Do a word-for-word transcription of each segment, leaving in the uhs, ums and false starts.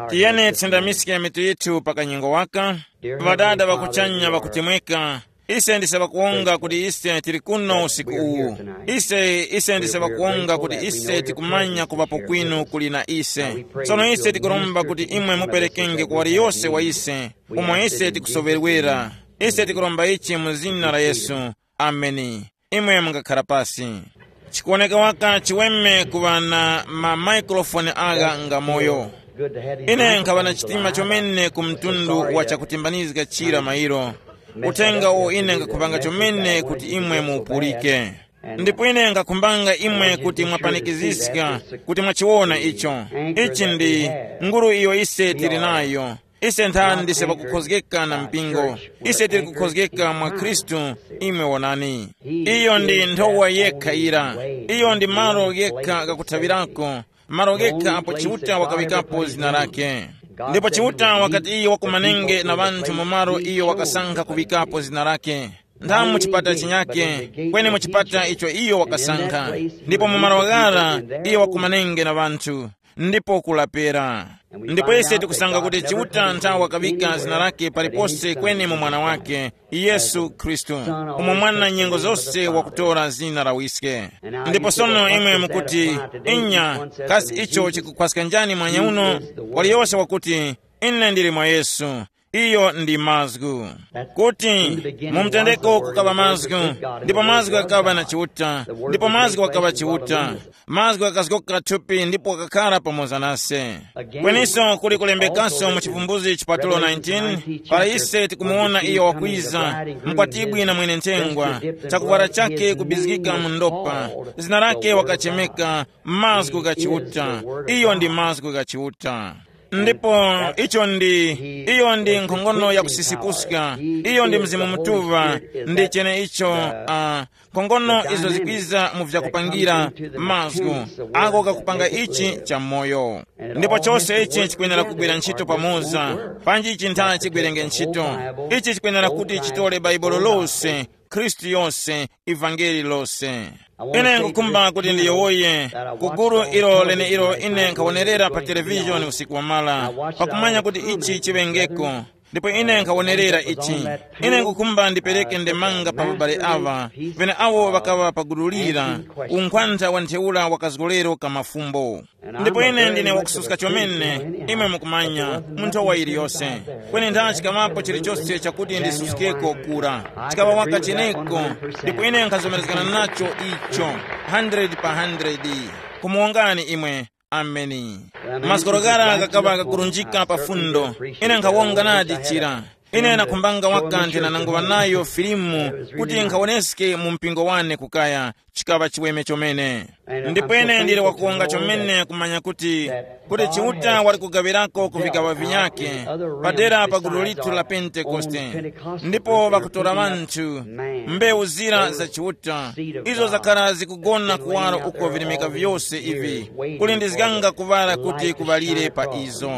Tiyeni tisendamiske mitu yithu pa kanyengo waka. Ŵadada ŵakuchanya ŵakutemweka, ise ndise ŵakuwonga kuti ise tili kuno usiku uwu. Ise ise ndise ŵakuwonga kuti ise tikumanya kuŵapo kwinu kuli na ise. Tsono ise tikuromba kuti imwe muperekenge kwa waliyose wa ise umo ise tikusoŵerwera. Ise tikuromba ichi mu zina la Yesu. Ameni. Imwe mungakhala pasi. Chikuwoneka waka chiweme kuŵa na ma maikrofoni agha ngamoyo. Ine nkhaŵa na chitima chomene ku mtundu wa chakutimbanizga chira mairo. Uthenga uwo ine ngakhupanga chomene kuti imwe muupulike. Ndipo ine ngakhumbanga imwe kuti mwapanikiziska, kuti mwachiwona icho. Ichi ndi nguru iyo ise tili nayo. Ise nthani ndise pakukhozgeka na mpingo. Ise tili kukhozgeka mwa Khristu. Imwe wonani, iyo ndi nthowa yekha ira. Iyo ndi malo yekha gakuthaŵirako, malo yekha apo Chiuta wakaŵikapo zina lake. Ndipo Chiuta wakati iyo wakumanenge na ŵanthu mu malo iyo wakasankha kuŵikapo zina lake. Nthamu mu chipata chinyake, kweni mu chipata icho iyo wakasankha. Ndipo mu malo ghara iyo wakumanenge na ŵanthu, ndipo kulapera. Ndipo ise tikusanga kuti Chiuta nthawi wakaŵika zina lake palipose kweni mu mwana wake, Yesu Khristu, umo mwana nyengo zose wakutora zina la wiske. Ndipo sono imwe mukuti, inya, kasi icho chikukhwaska njani mwanya uno? Waliyose wakuti, ine ndili mwa Yesu. Iyo ndi mazgu. Kuti mu mtendeko kukaŵa mazgu, ndipo mazgu ghakaŵa na Chiuta, ndipo mazgu ghakaŵa Chiuta. Mazgu ghakazgoka thupi ndipo ghakakhara pamoza nase. Kweniso kuli kulembekaso mu Chivumbuzi chipatulo nineteen, para ise tikumuwona iyo wakwiza, mkwatibwi na mwene nthengwa, chakuvwara chake kubizgika mu ndopa, zina lake wakachemeka, mazgu gha Chiuta. Iyo ndi mazgu gha Chiuta. Ndipo icho ndi, iyo ndi nkhongono ya kusisipuska, iyo ndi Mzimu Mutuŵa, ndi cheneicho, uh, nkhongono izo zikwiza mu vyakupangira mazgu, ako kakupanga ichi cha moyo. Ndipo chose ichi chikwenera kugwira ntchito pamoza, panji ichi ntha chigwerenge ntchito. Ichi chikwenera kuti chitole Baibulo lose, Khristu yose, ivangeli lose. Ine nkukhumba kuti ndiyowoye ku gulu ilo leneilo ine nkhawonerera pa televishoni usiku wamala, pakumanya kuti ichi chiŵengeko. Ndipo ine nkhawonerera ichi. Ine nkukhumba ndipereke ndemanga pa babale awa, pene awo ŵakaŵa pagululira unkhwantha wa ntheura wa kazgolero ka mafumbo. Ndipo ine ndine wakususka chomene, imwe mukumanya, munthu wa iliyose. Kweni nthachi kamapo chilichose chakuti ndisuskeko kura, chikaŵa waka cheneko. Ndipo ine nkhazomerezgana nacho icho, hundred pa hundred. Kumuwongani imwe. Ameni. Masikoroghara ghakaŵa ghakurunjika pa fundo. Ine nkhawonga nadi chira. Ine nakhumbanga waka ndinananguŵa nayo filimu kuti nkhawoneske mu mpingo wane kukaya, chikaŵa chiweme chomene. Ndipo ine ndili wakuwonga chomene kumanya kuti, kuti Chiuta wali kugaŵirako ku vigaŵa vinyakhe, padera pa gulu lithu la Pentekoste. Ndipo ŵakutora ŵanthu, mbewu zira za Chiuta, izo zakhala zikugona kuwaro uko virimika vyose ivi, kuli ndizganga kuŵala kuti kuŵalire pa izo.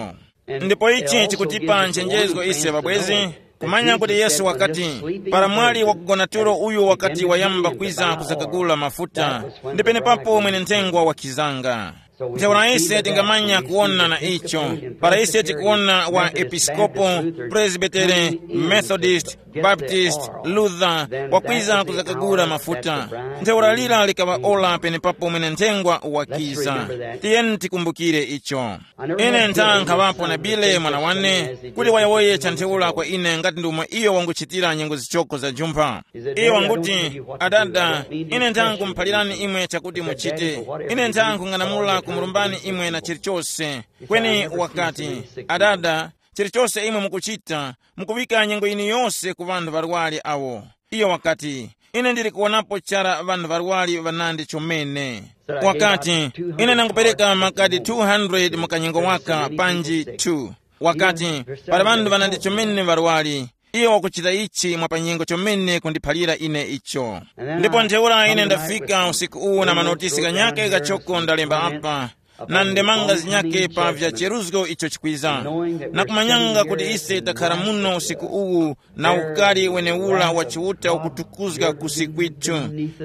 Ndipo ichi chikutipa nchenjezgo ise ŵabwezi, kumanya kuti Yesu wakati, para mwali wakugona tulo uyu wakati wayamba kwiza kuzakagula mafuta, ndi penepapo mwene nthengwa wakizanga. Ntheura ise tingamanya kuwona na icho, para ise tikuwona wa episkopo, presbitere, methodist, baptist, luther, wakwiza kuzakagula mafuta. Ntheura lira likaŵa ora penepapo mwene nthengwa wakiza. Tiyeni tikumbukire icho. Ine ntha nkhaŵapo na Bile mwana wane, kuti wayowoye cha ntheura kwa ine ngati ndi umo iyo wanguchitira nyengo zichoko za jumpha. Iyo wanguti, adada, ine ntha nkumuphalirani imwe chakuti muchite. Ine ntha nkhung'anamula kumulumbani imwe na chilichose. Kweni wakati, adada, chilichose imwe mukuchita, mukuŵika nyengo yinu yose ku ŵanthu ŵarwari awo. Iyo wakati, ine ndili kuwonapo chara ŵanthu ŵarwari ŵanandi chomene. Wakati, ine nangupereka makadi two hundred mu kanyengo waka panji two. Wakati, pali ŵanthu ŵanandi chomene ŵarwari. Iyo wakuchita ichi mwa panyengo chomene kundiphalira ine icho. Ndipo ntheura ine ndafika usiku uwu na manotisi ghanyakhe ghachoko ndalemba apa, na ndemanga zinyakhe pa vya cheruzgo icho chikwiza, na kumanyanga kuti ise takhara muno usiku uwu na ukari wenewura wa Chiuta ukutukuzga kusi kwithu,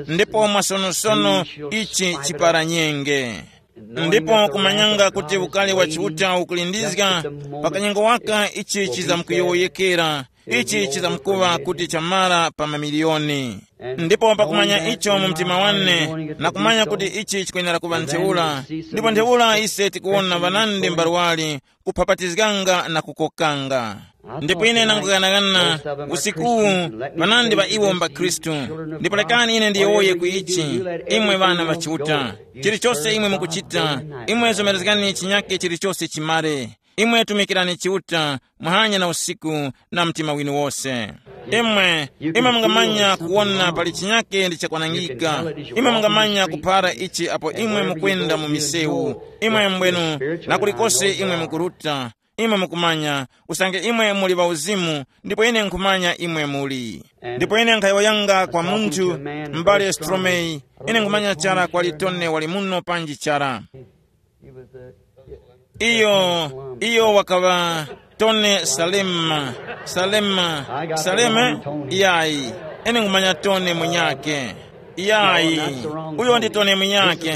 ndipo mwasonosono ichi chiparanyenge. Ndipo kumanyanga kuti ukali wa Chiuta ukulindizga, pa kanyengo waka ichi chizamkuyowoyekera, ichi chizamkuŵa kuti chamara pa mamiliyoni. Ndipo pakumanya icho mu mtima wane, na kumanya kuti ichi chikwenera kuŵa ntheura, ndipo ntheura ise tikuwona ŵanandi mbarwali kuphapatizganga na kukokanga. Ndipo ine nanguyang'ana usikuwu, ŵanandi ŵa iwo mba Khristu. Ndipo lekani ine ndiyowoye ku ichi, imwe ŵana ŵa Chiuta, chilichose imwe mukuchita, imwe zomerezgani chinyake chilichose chimare. Imwe tumikirani Chiuta muhanya na usiku na mtima winu wose. Imwe, imwe mungamanya kuwona pali chinyake ndi chakwanangika. Imwe mungamanya kuphara ichi apo imwe mukwenda mu misewu, imwe mbwenu, na kulikose imwe mukuruta. Imwe mukumanya, usange imwe muli ŵauzimu, ndipo ine nkhumanya imwe muli. Ndipo ine nkhayowoyanga kwa munthu, m'bale Stromei, ine nkhumanya chara kwali Tone wali muno panji chara. Iyo, iyo wakaŵa Tone Salema. Salema. Saleme? Yayi. Ine nkhumanya Tone munyake. Yayi. Uyo ndi Tone munyake.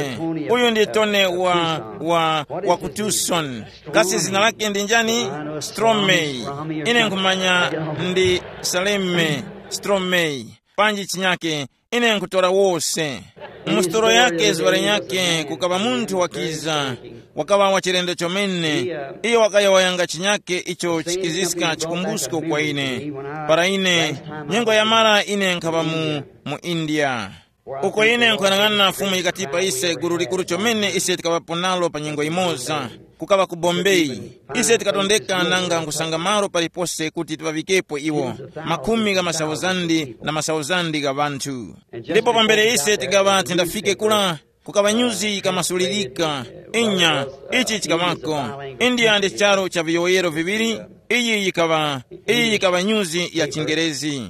Uyu ndi Tone wa, wa, wa ku Tucson. Kasi zina lake ndi njani? Stromey. Ine nkhumanya ndi Saleme. Stromey. Panji chinyake, ine nkhutora wose. Mu sitolo yake zuŵa linyakhe kukaŵa munthu wakiza, wakaŵa wa chilendo chomene. Iyo wakayowoyanga chinyakhe icho chikiziska chikumbusko kwa ine. Para ine, nyengo yamara ine nkhaŵa mu, mu India. Uko ine nkuyang'ana Fumu yikatipa ise gulu likuru chomene ise tikaŵapo nalo pa nyengo yimoza, kukaŵa ku Bombay. Ise tikatondeka nanga nkusanga malo palipose kuti tiŵavikepo iwo, makhumi gha masauzandi na masauzandi gha ŵanthu. Ndipo pambere ise tikaŵa tindafike kura, kukaŵa nyuzi yikamasulirika. Inya, ichi chikaŵako. India ndi charu cha viyowoyero viŵiri. Iyi yikaŵa, iyi yikaŵa nyuzi ya chingerezi.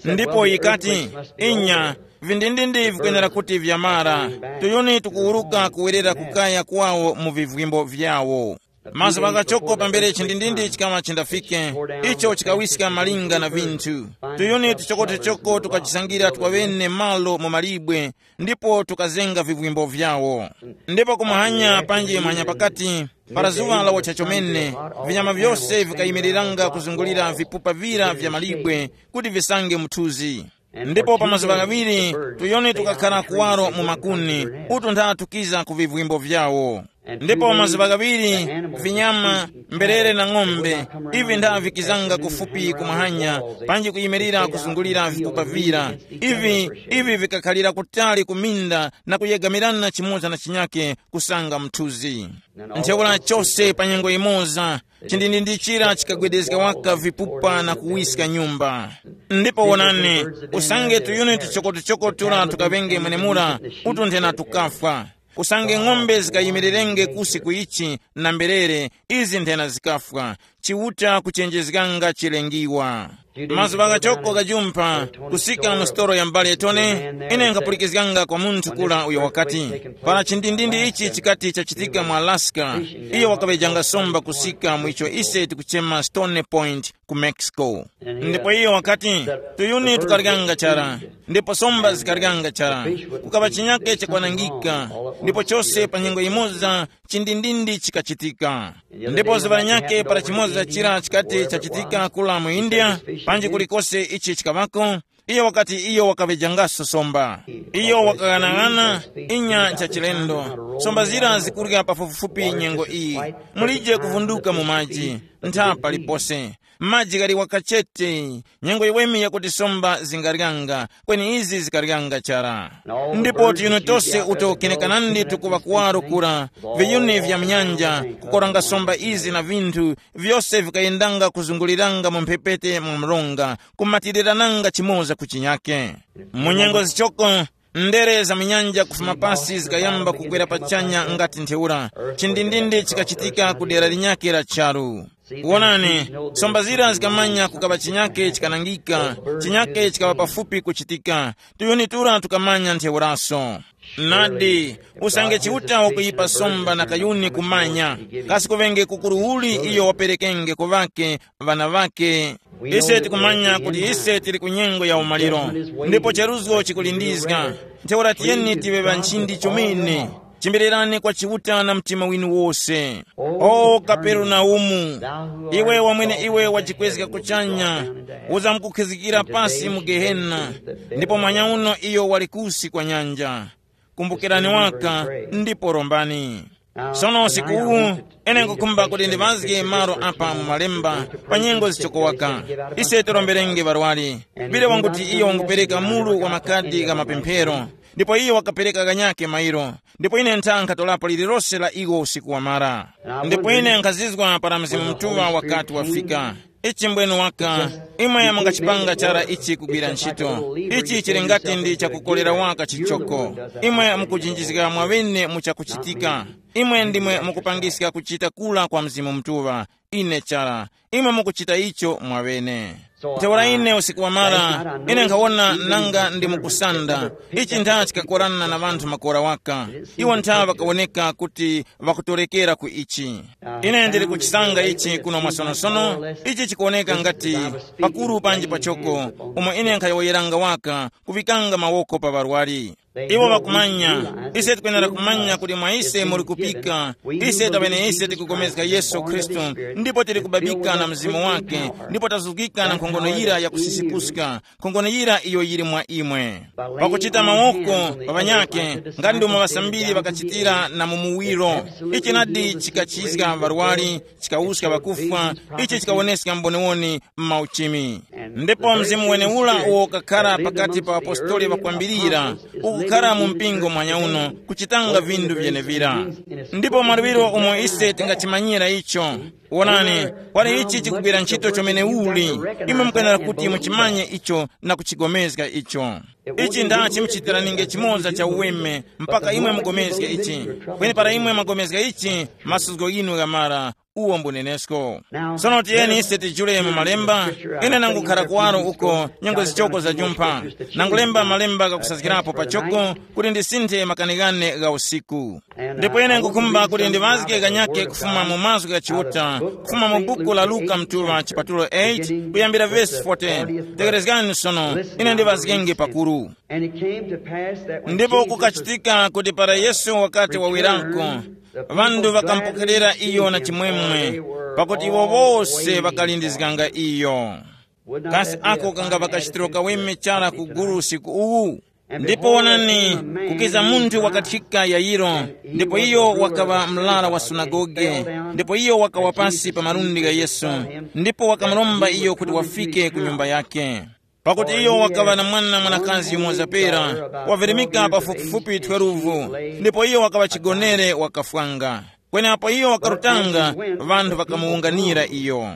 Ndipo yikati, inya, vindindindi vikwenera kuti vyamara. Tuyuni tukuwuruka kuwerera kukaya kwawo mu vivwimbo vyawo. Mazuŵa ghachoko pambere chindindindi chikaŵa chindafike, icho chikawiska malinga na vinthu. Tuyuni tuchokotuchoko tukajisangira twaŵene malo mu malibwe, ndipo tukazenga vivwimbo vyawo. Ndipo kumuhanya panji muhanya pakati, para zuŵa lawocha chomene, vinyama vyose vikayimiriranga kuzungulira vipupa vira vya malibwe kuti visange muthuzi. Ndipo pa mazuŵa ghaŵiri, tuyuni tukakhara kuwaro mu makuni, utu ntha tukiza ku vivwimbo vyawo. Ndipo mazuŵa ghaŵiri, vinyama, mberere na ng'ombe, ivi ntha vikizanga kufupi kumahanya, panji kuyimirira kuzungulira vipupa vira. Ivi, ivi vikakhalira kutali ku minda na kuyegamirana chimoza na chinyake kusanga mthuzi. Ntheura chose pa nyengo imoza, chindindindi chira chikagwedezga waka vipupa na kuwiska nyumba. Ndipo wonani, usange tuyuni tuchokotuchoko tura tukaŵenge mwenemura, utu nthena tukafwa. Usange ng'ombe zikayimirirenge kusi ku ichi na mberere, izi nthena zikafwa. Chiuta kuchenjezganga chilengiwa. Mazuŵa ghachoko ghajumpha, kusika mu sitolo ya m'bale Tone, ine nkhapulikizganga kwa munthu kura uyo wakati, para chindindindi ichi chikati chachitika mu Alaska, iyo wakaŵejanga somba kusika mu icho ise tikuchema Stony Point ku Mexico. Ndipo iyo wakati, tuyuni tukaryanga chara, ndipo somba zikaryanga chara. Kukaŵa chinyake chakwanangika, ndipo chose pa nyengo yimoza chindindindi chikachitika. Ndipo zuŵa linyakhe para chimoza chira chikati chachitika kula mu India, panji kulikose ichi chikaŵako, iyo wakati iyo wakaŵejangaso somba. Iyo wakaghanaghananga, inya ncha chilendo. Somba zira zikurya pafupifupi nyengo iyi. Mulije kuvunduka mu maji, ntha palipose. Maji ghali wakachete, nyengo yiweme yakuti somba zingaryanga, kweni izi zikaryanga chara. Ndipo tuyuni tose uto kenekanandi tukuŵa kuwaro kura, viyuni vya mnyanja, kukoranga somba izi na vinthu, vyose vikayendanga kuzunguliranga mu mphepete mwa mronga, kumatirirananga chimoza ku chinyake. Mu nyengo zichoko, ndere za mnyanja kufuma pasi zikayamba kukwera pachanya ngati ntheura, chindindindi chikachitika ku dera linyakhe la charu. Wonani, somba zira zikamanya kukaŵa chinyake chikanangika, chinyake chikaŵa pafupi kuchitika, tuyuni tura tukamanya ntheuraso. Nadi, usange Chiuta wakuyipa somba na kayuni kumanya, kasi kuŵenge kukuru uli iyo waperekenge ku ŵake, ŵana ŵake? Ise tikumanya kuti ise tili ku nyengo ya umaliro, ndipo cheruzgo chikulindizga. Ntheura tiyeni tiŵe ŵanchindi chomene. Chimbirirani kwa Chiuta na mtima winu wose. O Kaperenaumu, iwe wamwene iwe wajikwezga kuchanya, uzamkukhizgikira pasi mu Gehena, ndipo mwanyauno iyo wali kusi kwa nyanja. Kumbukirani waka, ndipo rombani. Sono usiku uwu, ine nkukhumba kuti ndiŵazge malo apa mu malemba, pa nyengo zichokowaka. Ise tiromberenge ŵarwari. Bile wanguti iyo wangupereka mulu wa makadi gha mapemphero, ndipo iyo wakapereka ghanyakhe mairo. Ndipo ine ntha nkhatolapo lililose la iwo usiku wamara. Ndipo ine nkhazizwa para Mzimu Mutuŵa wakati wafika. Ichi mbwenu waka, imwe mungachipanga chara ichi kugwira ntchito. Ichi chili ngati ndi chakukolera waka chichoko. Imwe mukujinjizga mwaŵene mu chakuchitika. Imwe ndimwe mukupangiska kuchita kula kwa Mzimu Mutuŵa. Ine chara, imwe mukuchita icho mwaŵene. Ntheura ine usiku wamara, ine nkhawona nanga ndi mukusanda. Ichi ntha chikakorana na ŵanthu makora waka. Iwo ntha ŵakawoneka kuti ŵakutorekera ku ichi. Ine ndili kuchisanga ichi kuno mwasonosono. Ichi chikuwoneka ngati pakuru panji pachoko, umo ine nkhayowoyeranga waka kuŵikanga mawoko pa ŵarwari. Iwo ŵakumanya. Ise tikwenera kumanya kuti mwa ise muli kupika. Ise taŵene ise tikupulikana Yesu Khristu, ndipo tili kubabika na Mzimu wake, ndipo tazuzgika na nkhongono yira yakusisipuska, nkhongono yira iyo yili mwa imwe. Pakuchita mawoko pa ŵanyake, ngati ndomwe ŵasambiri ŵakachitira na mu muwiro. Ichi nadi chikachizga ŵarwari, chikawuska ŵakufwa, ichi chikawoneska mboniwoni m'mauchimi. Ndipo mzimu wenewura uwo ukakhara pakati pa apostoli ŵakwambirira, ukukhara mu mpingo mwanya uno, kuchitanga vindu vyenevira. Ndipo mwaluŵiro umo ise tingachimanyira icho. Wonani, pali ichi chikugwira ntchito chomene uli, imwe mukwenera kuti muchimanye icho na kuchigomezga icho. Ichi ndachi muchitiraninge chimoza cha uweme mpaka imwe mugomezge ichi. Kweni para imwe mwagomezga ichi, masuzgo ghinu ghamara. Uwo mbunenesko. Sono tiyeni ise tijule mu malemba. Ine nangukhara kuwaro uko nyengo zichoko za jumpha. Nangulemba malemba ghakusazgirapo pachoko kuti ndisinthe makanighane gha usiku. Ndipo ine ngukhumba kuti ndiŵazge ghanyake kufuma mu mazgu gha Chiuta, kufuma mu buku la Luka mtuŵa chipatulo eight kuyambira vesi fourteen. Tekerezgani sono, ine ndiŵazgenge pakuru. And it came to pass that when Ndipo Jesus kukachitika kuti para Yesu wakati wawirako, ŵanthu ŵakampokerera iyo na chimwemwe, pakuti iwo wose ŵakalindizganga iyo. Kasi ako kangapa kachitiro kaweme chara ku gulu usiku uwu? Ndipo wonani, kukiza munthu wakathika Yairo, ndipo iyo wakaŵa mlara wa sunagoge, ndipo iyo wakawa pasi pa malundi gha Yesu, ndipo wakamuromba iyo kuti wafike ku nyumba yake. Pakuti iyo wakaŵa na mwana mwanakazi yumoza pera, wavirimika pafupifupi twelve, ndipo iyo wakaŵa chigonere wakafwanga. Kweni apo iyo wakarutanga, ŵanthu ŵakamuwunganira iyo.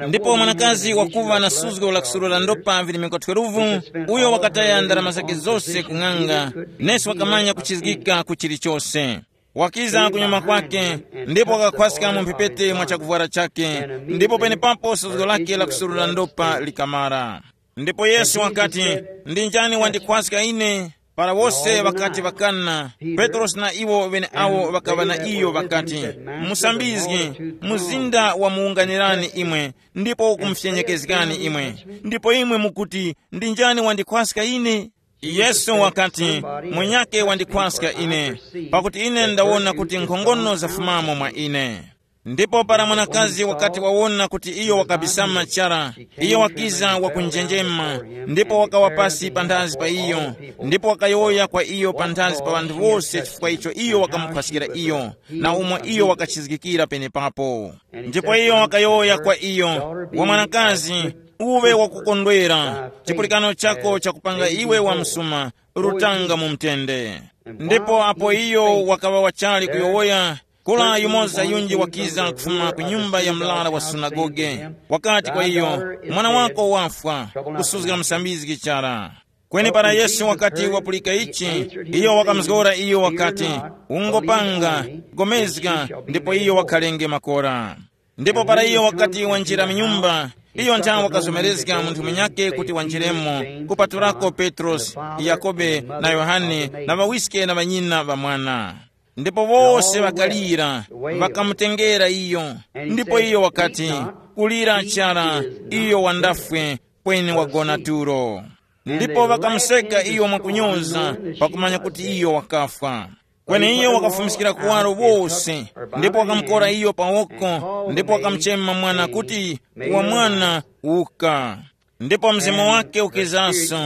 Ndipo mwanakazi wakuŵa na suzgo la kusurura ndopa virimika twelve, uyo wakataya ndarama zake zose ku ng'anga, nesi wakamanya kuchizgika ku chilichose. Wakiza kunyuma kwake, ndipo wakakhwaska mu mphepete mwa chakuvwara chake, ndipo penepapo suzgo lake la kusurura ndopa likamara. Ndipo Yesu wakati, "Ndi njani wandikhwaska ine?" Para wose ŵakati ŵakana, Petrosi na iwo ŵeneawo ŵakaŵa na iyo ŵakati, "Musambizgi, mzinda wamuwunganirani imwe, ndipo ukumufyenyekezgani imwe, ndipo imwe mukuti, 'Ndi njani wandikhwaska ine?'" Yesu wakati, "Munyakhe wandikhwaska ine, pakuti ine ndawona kuti nkhongono zafumamo mwa ine." Ndipo para mwanakazi wakati wawona kuti iyo wakabisama chara, iyo wakiza wakunjenjema, ndipo wakawa pasi panthazi pa iyo, ndipo wakayowoya kwa iyo panthazi pa ŵanthu wose chifukwa icho iyo wakamukhwaskira iyo, na umo iyo wakachizgikira penepapo. Ndipo iyo wakayowoya kwa iyo, "Wa mwanakazi, uwe wakukondwera, chipulikano chako chakupanga iwe wa msuma, rutanga mu mtende." Ndipo apo iyo wakaŵa wachali kuyowoya, kula yumoza yunji wakiza kufuma ku nyumba ya mlara wa sunagoge, wakati kwa iyo, "Mwana wako wafwa, kusuzga musambizgi chara." Kweni para Yesu wakati wapulika ichi, iyo wakamuzgora iyo wakati, "Ungopanga, gomezga, ndipo iyo wakhalenge makora." Ndipo para iyo wakati wanjira mu nyumba, iyo nthawe wakazomerezga munthu munyakhe kuti wanjiremo, kupaturako Petrosi, Yakobe na Yohane na ŵawiske na ŵanyina ŵa mwana. Ndipo wose ŵakalira, ŵakamutengera iyo. Ndipo iyo wakati, "Kulira chara, iyo wandafwe, kweni wagona tulo." Ndipo ŵakamuseka iyo mwakunyoza, pakumanya kuti iyo wakafwa. Kweni iyo wakafumiskira kuwaro wose, ndipo wakamukora iyo pa woko, ndipo wakamuchema mwana kuti, wa mwana, uka. Ndipo mzimu wake ukizaso,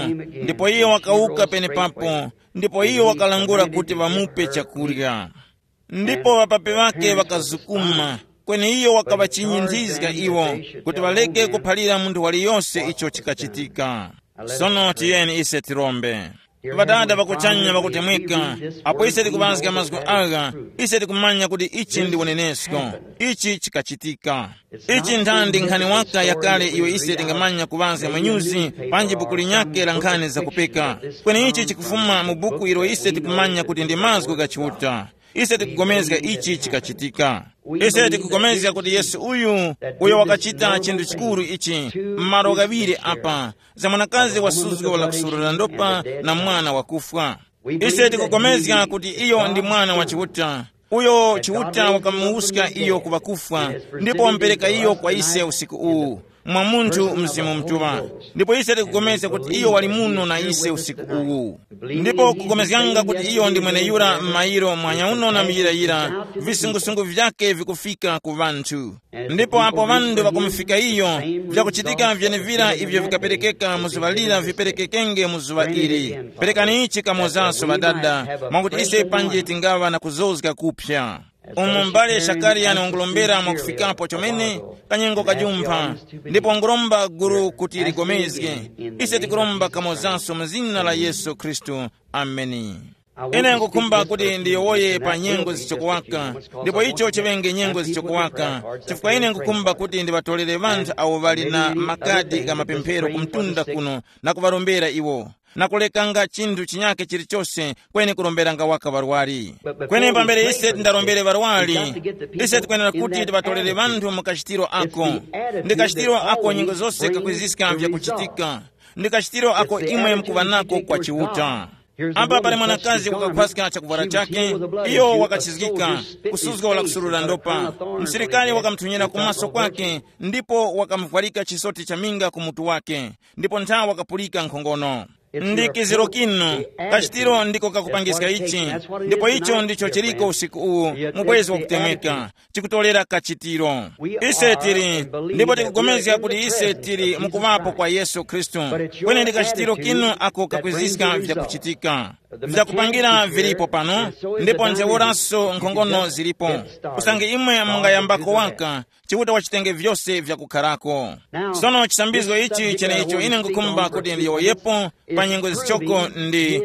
ndipo iyo wakawuka penepapo, ndipo iyo wakalangula kuti ŵamupe chakurya. Ndipo ŵapapi ŵake ŵakazukuma, kweni iyo wakaŵachinyinthizga iwo, kuti ŵareke kuphalira munthu waliyose icho chikachitika. Sono tiyeni ise tirombe. Ŵadada ŵakuchanya ŵakutemweka, apo ise tikuŵazga mazgu agha, ise tikumanya kuti ichi ndi unenesko. Ichi chikachitika. Ichi nthandi nkhani waka yakale iyo ise tingamanya kuŵazga mwenyuzi, panji buku linyakhe la nkhani zakupeka. Kweni ichi chikufuma mu buku ilo ise tikumanya kuti ndi mazgu gha Chiuta. Ise tikupulikana ichi chikachitika. Ise tikupulikana kuti Yesu uyu, uyo wakachita chinthu chikuru ichi, m'malo ghaŵiri apa, za mwanakazi wasuzgo la kusurura ndopa na mwana wakufwa. Ise tikupulikana kuti iyo ndi Mwana wa Chiuta, uyo Chiuta wakamuwuska iyo ku ŵakufwa, ndipo wamupereka iyo kwa ise usiku uwu, mwa munthu Mzimu Mutuŵa. Ndipo ise tikupulikana kuti iyo wali muno na ise usiku uwu. Ndipo kupulikana kuti iyo ndi mweneyura m'mayiro mwanyauno na muyirayira, visungusungu vyake vikufika ku ŵanthu. Ndipo apo ŵanthu ŵakumufika iyo, vyakuchitika vyenevira ivyo vikaperekeka mu zuŵa lira viperekekenge mu zuŵa ili. Perekani ichi kamozaso ŵadada, mwakuti ise panji tingaŵa na kuzozga kuphya. Umu m'bale Shakariya wangolombera mwakufikapo chomene, kanyengo kajumpha, ndipo wangolomba gulu kuti ligomezge. Ise tikuromba kamozaso mu zina la Yesu Khristu. Ameni. Ine ngukhumba kuti ndiyowoye pa nyengo zichokowaka, ndipo icho chiŵenge nyengo zichokowaka, chifukwa ine ngukhumba kuti ndiŵatolere ŵanthu awo ŵali na makadi gha mapemphero ku mtunda kuno na kuŵarombera iwo, na kulekanga chinthu chinyakhe chilichose, kweni kuromberanga waka ŵarwari. Kweni pambere ise tindarombere ŵarwari, ise tikwenera kuti tiŵatolere ŵanthu mu kachitiro ako. Ndi kachitiro ako nyengo zose kakwiziska vyakuchitika. Ndi kachitiro ako imwe mukuŵa nako kwa Chiuta. Apa pali mwanakazi wakakhwaska chakuvwara chake, iyo wakachizgika, kusuzga wala kusurura ndopa. Msilikari wakamuthunyira kumaso kwake, ndipo wakamuvwarika chisoti cha minga ku mutu wake, ndipo ntha wakapulika nkhongono. Ndi kiziro kinu, kachitiro ndiko kakupangiska ichi, ndipo icho ndicho chiliko usiku uwu, mubwezi wakutemweka, chikutolera kachitiro. Ise tili, ndipo tikugomezga kuti ise tili mukuŵapo kwa Yesu Khristu, kweni ndi kachitiro kinu ako kakwiziska vyakuchitika. Vyakupangira vilipo pano, ndipo ntheuraso nkhongono zilipo. Usange imwe mungayambako waka, Chiuta wachitenge vyose vyakukharako. Sono chisambizgo ichi cheneicho ine ngukhumba kuti ndiyowoyepo pa nyengo zichoko ndi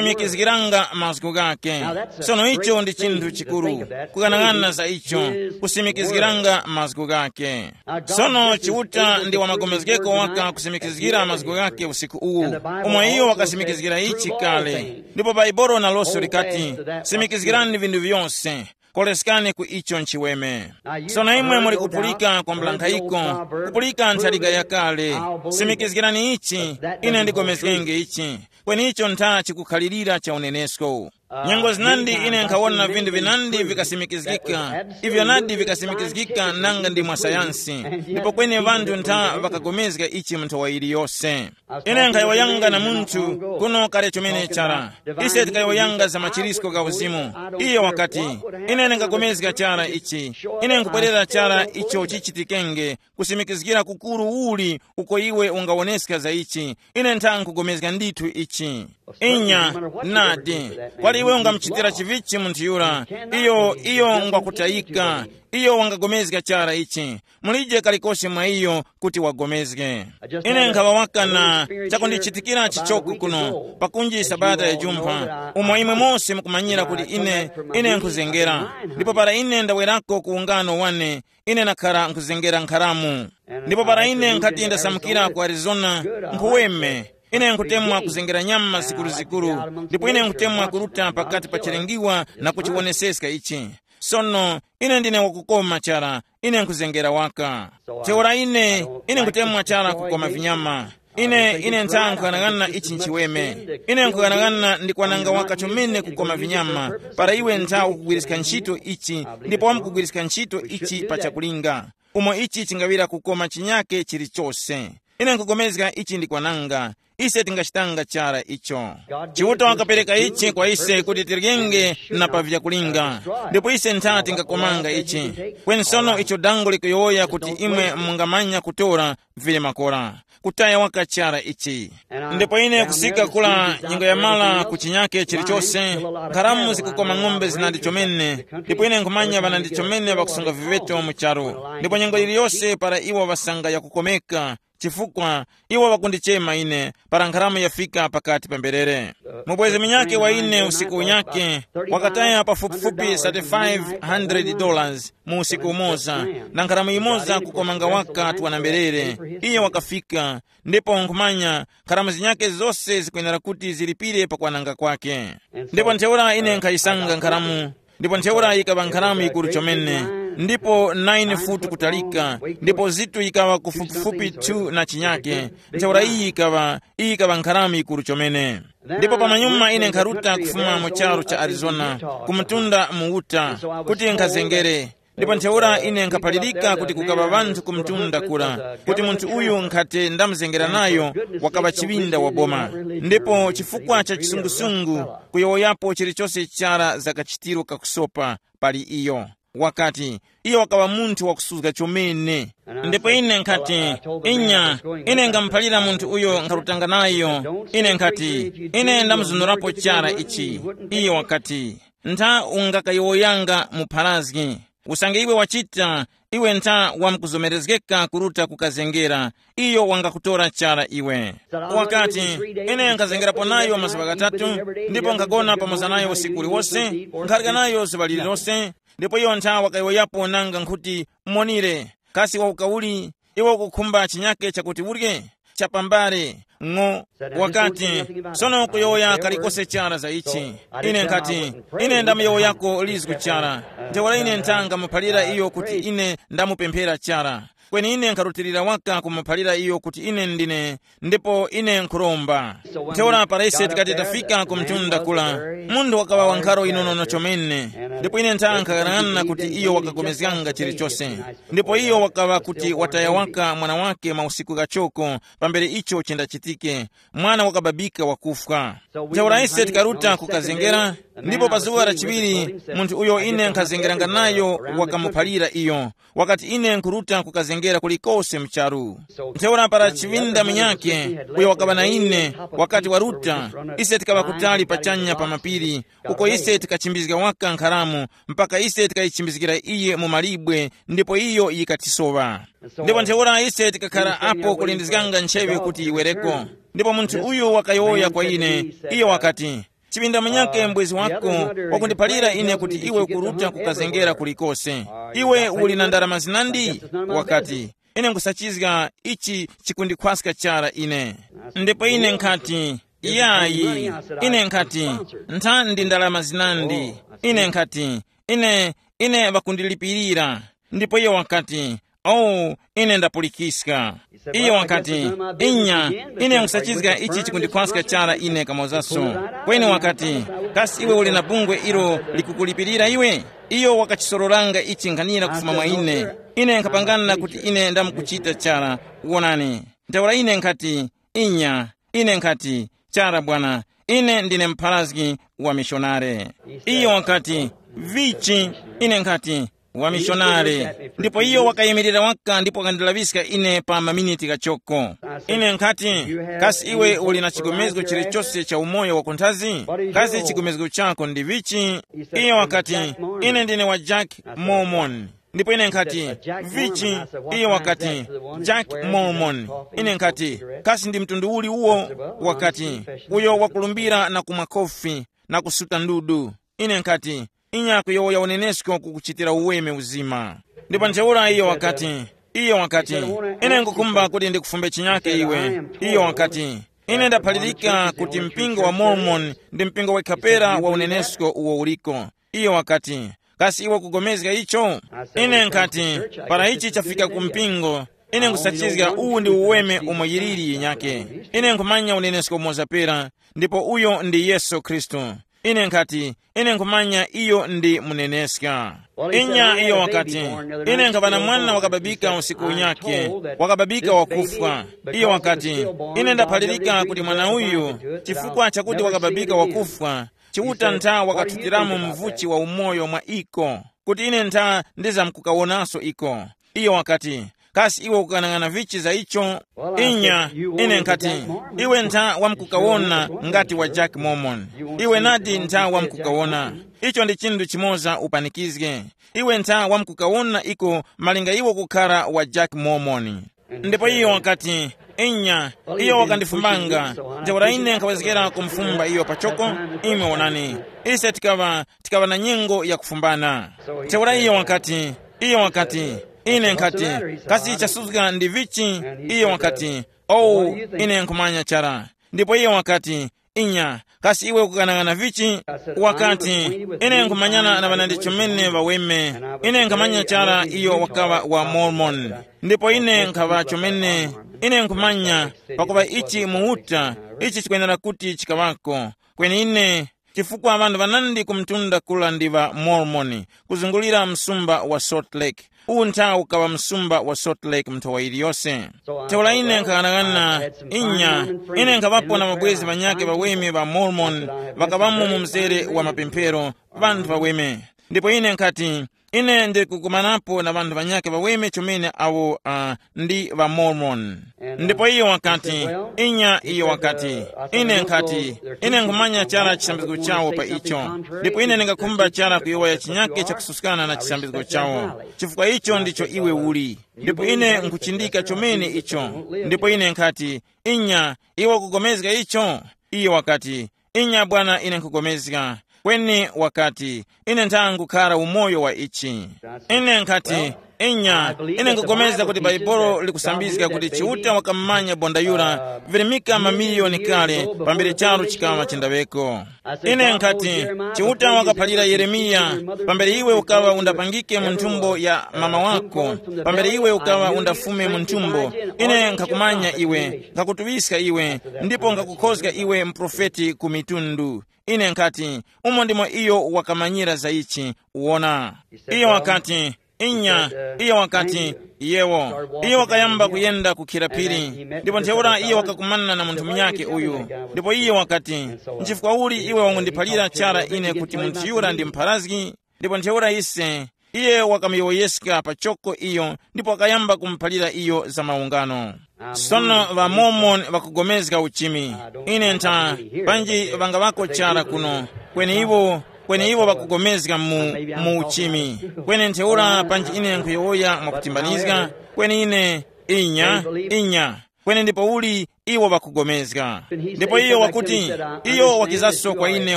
kusimikizgiranga mazgu ghake. Sono icho ndi chinthu chikuru, kuyang'ana za icho, kusimikizgiranga mazgu ghake. Sono Chiuta ndi wamagomezgeko waka kusimikizgira mazgu ghake usiku uwu, umo iyo wakasimikizgira ichi kale. Ndipo Baibolo naloso likati, simikizgirani vinthu vyose, koleskani ku icho nchiweme. Sono imwe muli kupulika kwa mblankhayiko, kupulika ntharika yakale. Simikizgirani ichi, ine ndigomezgenge ichi, kweni icho ntha chikukhalirira cha unenesko. Nyengo zinandi ine nkhawona vinthu vinandi vikasimikizgika, ivyo nadi vikasimikizgika nanga ndi mwa sayansi, ndipo kweni ŵanthu ntha ŵakagomezga ichi mu nthowa yiliyose. Ine nkhayowoyanga na munthu kuno kale chomene chara. Ise tikayowoyanga za machirisko gha uzimu. Iye wakati, ine ndingapulikana chara ichi. Ine nkubwerera chara icho chichitikenge, kusimikizgira kukuru uli uko iwe ungawoneska za ichi. Ine ntha nkupulikana ndithu ichi. Inya, nadi, kwali iwe ungamuchitira chivichi munthu yura? Iyo, iyo ngwakutayika. Iyo wangapulikana chara ichi. Mulije kalikose mwa iyo kuti wagomezge. Ine nkhaŵa waka na chakundichitikira chichoko kuno, pakunji sabata ya jumpha, umo imwe mose mukumanyira kuti ine, ine nkhuzengera. Ndipo para ine ndawerako ku ungano wane, ine nakhara nkhuzengera nkharamu. Ndipo para ine nkhati ndasamukira ku Arizona, nkhuweme, ine nkhutemwa kuzengera nyama zikuruzikuru, ndipo ine nkhutemwa kuruta pakati pa chilengiwa na kuchiwoneseska ichi. Sono, ine ndine wakukoma chara, ine nkhuzengera waka. Ntheura ine, ine nkutemwa chara kukoma vinyama. Ine, ine ntha nkhughanaghanana ichi nchiweme. Ine nkhughanaghanana ndi kwananga waka chomene kukoma vinyama, para iwe ntha ukugwiriska ntchito ichi, ndipo wamkugwiriska ntchito ichi pa chakulinga, umo ichi chingaŵira kukoma chinyake chilichose. Ine nkupulikana ichi ndi kwananga. Ise tingachitanga chara icho. Chiuta wakapereka ichi kwa ise kuti tiryenge na pa vyakulinga, ndipo ise ntha tingakomanga ichi. Kweni sono icho dango likuyowoya kuti imwe mungamanya kutora vili makora, kutaya waka chara ichi. Ndipo ine kusika kula nyengo yamala ku chinyake chilichose, nkharamu zikukoma ng'ombe zinandi chomene. Ndipo ine nkhumanya ŵanandi chomene ŵakusunga viŵeto mu charu, ndipo nyengo yiliyose para iwo ŵasanga yakukomeka, chifukwa iwo ŵakundichema ine para nkharamu yafika pakati pa mberere. Mubwezi munyakhe wa ine usiku unyakhe wakataya pafupifupi thirty-five hundred dollars mu usiku umoza, na nkharamu imoza kukomanga waka twana mberere. Iye wakafika, ndipo nkhumanya nkharamu zinyakhe zose zikwenera kuti zilipire pakwananga kwake. Ndipo ntheura ine nkhayisanga nkharamu, ndipo ntheura yikaŵa nkharamu yikuru chomene, ndipo nine futu kutalika, ndipo zitu yikaŵa kufupifupi two na chinyake. Ntheura iyi yikaŵa iyi yikaŵa nkharamu yikuru chomene. Ndipo pamanyuma ine nkharuta kufuma mu charu cha Arizona, kumutunda mu Utah, kuti nkhazengere. Ndipo ntheura ine nkhaphalirika kuti kukaŵa ŵanthu ku mtunda kura, kuti munthu uyu nkhati ndamuzengera nayo wakaŵa chiŵinda wa boma. Ndipo chifukwa cha chisungusungu, kuyowoyapo chilichose chara za kachitiro kakusopa pali iyo. Wakati, iyo wakaŵa munthu wakusuzga chomene. Ndipo ine nkhati, inya, ine ngamuphalira munthu uyo nkharutanga nayo. Ine nkhati, ine ndamuzunurapo chara ichi. Iyo wakati, ntha ungakayowoyanga mu pharazgi. Usange iwe wachita, iwe ntha wamkuzomerezgeka kuruta kukazengera. Iyo wangakutora chara iwe. Wakati, ine nkhazengerapo nayo mazuŵa ghatatu, ndipo nkhagona pamoza nayo usiku uliwose, nkharya nayo zuŵa lililose. Ndipo iyo ntha wakayowoyapo nanga nkhuti, monire, kasi wauka uli? Iwe ukukhumba chinyake chakuti urye? Chapambale, ng'o. Wakati, sono kuyowoya kalikose chara za ichi. Ine nkhati, ine ndamuyowoyako lizgu chara. Ntheura ine nthanga muphalira iyo kuti ine ndamupemphera chara. Kweni ine nkharutilira waka kumuphalira iyo kuti ine ndine, ndipo ine nkhuromba. Ntheura para ise tikati tafika ku mtunda kula, munthu wakaŵa wa nkharo yinonono chomene. Ndipo ine ntha nkhaghanaghana kuti iyo wakapulikana chilichose. Ndipo iyo wakaŵa kuti wataya waka mwana wake mausiku ghachoko, pambere icho chindachitike, mwana wakababika wakufwa. Ntheura ise tikaruta kukazengera, ndipo pa zuŵa la chiŵiri, munthu uyo ine nkhazengeranga nayo wakamuphalira iyo, wakati, ine nkhuruta kukazengera kulikose mu charu. Ntheura para chiŵinda munyakhe, uyo wakaŵa na ine, wakati waruta, ise tikaŵa kutali pachanya pa mapiri, uko ise tikachimbizga waka nkharamu, mpaka ise tikayichimbizgira iye mu malibwe, ndipo iyo yikatisowa. Ndipo ntheura ise tikakhara apo kulindizganga ntcheŵe kuti yiwereko. Ndipo munthu uyu wakayowoya kwa ine, iyo wakati, chiŵinda munyakhe mbwezi wako wakundiphalira ine kuti iwe ukuruta kukazengera kulikose. Iwe uli na ndarama zinandi? Wakati, ine nkhusachizga ichi chikundikhwaska chara ine. Ndipo ine nkhati, yayi. Ine nkhati, ntha ndi ndarama zinandi. Ine nkhati, ine, ine ŵakundilipirira. Ndipo iyo wakati, oh, ine ndapulikiska. Iyo wakati, inya, ine nkhusachizga ichi chikundikhwaska chara ine kamozaso. Kweni wakati, kasi iwe uli na bungwe ilo likukulipirira iwe? Iyo wakachisororanga ichi nkhanira kufuma mwa ine. Ine nkhapangana kuti ine ndamkuchita chara. Wonani, ntheura ine nkhati, inya, ine nkhati, chara bwana, ine ndine mpharazgi wa mishonare. Iyo wakati, vichi? Ine nkhati, wa mishonare. Ndipo iyo wakayimirira waka ndipo wakandilaŵiska ine pa maminiti ghachoko. Ine nkhati, kasi iwe uli na chigomezgo chilichose cha umoyo wakunthazi? Kasi chigomezgo chako ndi vichi? Iyo wakati, ine ndine wa Jack Mormon. Ndipo ine nkhati, vichi? Iyo wakati, Jack Mormon. Ine nkhati, kasi ndi mtundu uli uwo? Wakati, uyo wakulumbira na kumwa kofi na kusuta ndudu. Ine nkhati, inya kuyowoya unenesko kukuchitira uweme uzima. Ndipo ntheura iyo wakati, iyo wakati, ine nkukhumba kuti ndikufumbe chinyake iwe. Iyo wakati, ine ndaphalirika kuti mpingo wa Mormon ndi mpingo wekhapera wa unenesko uwo uliko. Iyo wakati, kasi iwe kugomezga icho? Ine nkhati, para ichi chafika ku mpingo, ine nkusachizga uwu ndi uweme umo yiliri yinyake. Ine nkhumanya unenesko umoza pera, ndipo uyo ndi Yesu Khristu. Ine nkhati, ine nkhumanya iyo ndi muneneska. Inya iyo wakati, ine nkhaŵa na mwana wakababika usiku unyakhe, wakababika wakufwa. Iyo wakati, ine ndaphalirika kuti mwana uyu, chifukwa chakuti wakababika wakufwa, Chiuta ntha wakathutiramo mvuchi wa umoyo mwa iko, kuti ine ntha ndizamkukawonanso iko. Iyo wakati, kasi iwe ukukanang'ana vichi za icho? Inya, ine nkhati, iwe ntha wamkukawona ngati wa Jack Mormon. Iwe nadi ntha wamkukawona. Icho ndi chinthu chimoza upanikizge. Iwe ntha wamkukawona iko malinga iwe kukhara wa Jack Mormon. Ndipo iyo wakati, inya, iyo wakandifumbanga. Ntheura ine nkhawezgera kumufumba iyo pachoko. Imwe wonani, ise tikaŵa tikaŵa na nyengo yakufumbana. Ntheura iyo wakati, iyo wakati, ine nkhati, kasi chasuzga ndi vichi? Iyo wakati, owu, ine nkhumanya chara. Ndipo iyo wakati, inya, kasi iwe ukukanang'ana vichi? Wakati, ine nkhumanyana na ŵanandi chomene ŵaweme. Ine nkhamanya chara iyo wakaŵa wa Mormon. Ndipo ine nkhaŵa chomene, ine nkhumanya, pakuŵa ichi muuta, ichi chikwenera kuti chikaŵako. Kweni ine, chifukwa ŵanthu ŵanandi ku mtunda kula ndi ŵa Mormon, kuzungulira msumba wa Salt Lake. Uwu nthawi ukaŵa msumba wa Salt Lake nthowa yiliyose. Ntheura ine nkhaghanaghana, inya, ine nkhaŵapo na mabwezi ŵanyakhe ŵaweme ŵa Mormon, ŵakaŵamo mu mzere wa mapemphero, ŵanthu ŵaweme. Ndipo ine nkhati, ine ndikukumanapo na ŵanthu ŵanyakhe ŵaweme chomene awo uh, ndi ŵa Mormon. Ndipo iyo wakati, inya iyo wakati, ine nkhati, ine nkhumanya chara chisambizgo chawo pa icho. Ndipo ine ndingakhumba chara kuyowoya chinyake chakususkana na chisambizgo chawo, chifukwa icho ndicho iwe uli. Ndipo ine nkuchindika chomene icho. Ndipo ine nkhati, inya, iwe ukugomezga icho? Iyo wakati, inya bwana, ine nkugomezga. Kweni wakati, ine ntha ngukhara umoyo wa ichi. Ine nkhati, inya, ine nkupulikana kuti Bhaibuli likusambizga kuti Chiuta wakammanya bonda yura virimika mamiliyoni kale pambere charu chikaŵa chindaŵeko. Ine nkhati, Chiuta wakaphalira Yeremiya, pambere iwe ukaŵa undapangike mu nthumbo ya mama wako, pambere iwe ukaŵa undafume mu nthumbo, ine nkhakumanya iwe, nkhakutuŵiska iwe, ndipo nkhakukhozga iwe mprofeti ku mitundu. Ine nkhati, umo ndimo iyo wakamanyira za ichi. Uwona, iyo wakati, inya, iyo wakati, yewo. Iyo wakayamba kuyenda kukhira phiri, ndipo ntheura iyo wakakumana na munthu munyakhe uyu. Ndipo iyo wakati, nchifukwa uli iwe wangundiphalira chara ine kuti munthu yura ndi mpharazgi? Ndipo ntheura ise, iye wakamuyowoyeska pachoko iyo ndipo wakayamba kumuphalira iyo za maungano. Sono ŵamormoni ŵakugomezga uchimi. Ine ntha, panji ŵangaŵako chara kuno, kweni iwo, kweni iwo ŵakugomezga mu, mu uchimi. Kweni ntheura panji ine nkhuyowoya mwakutimbanizga, kweni ine, inya, inya, kweni ndipo uli iwo ŵakugomezga. Ndipo iyo wakuti, iyo wakizaso kwa ine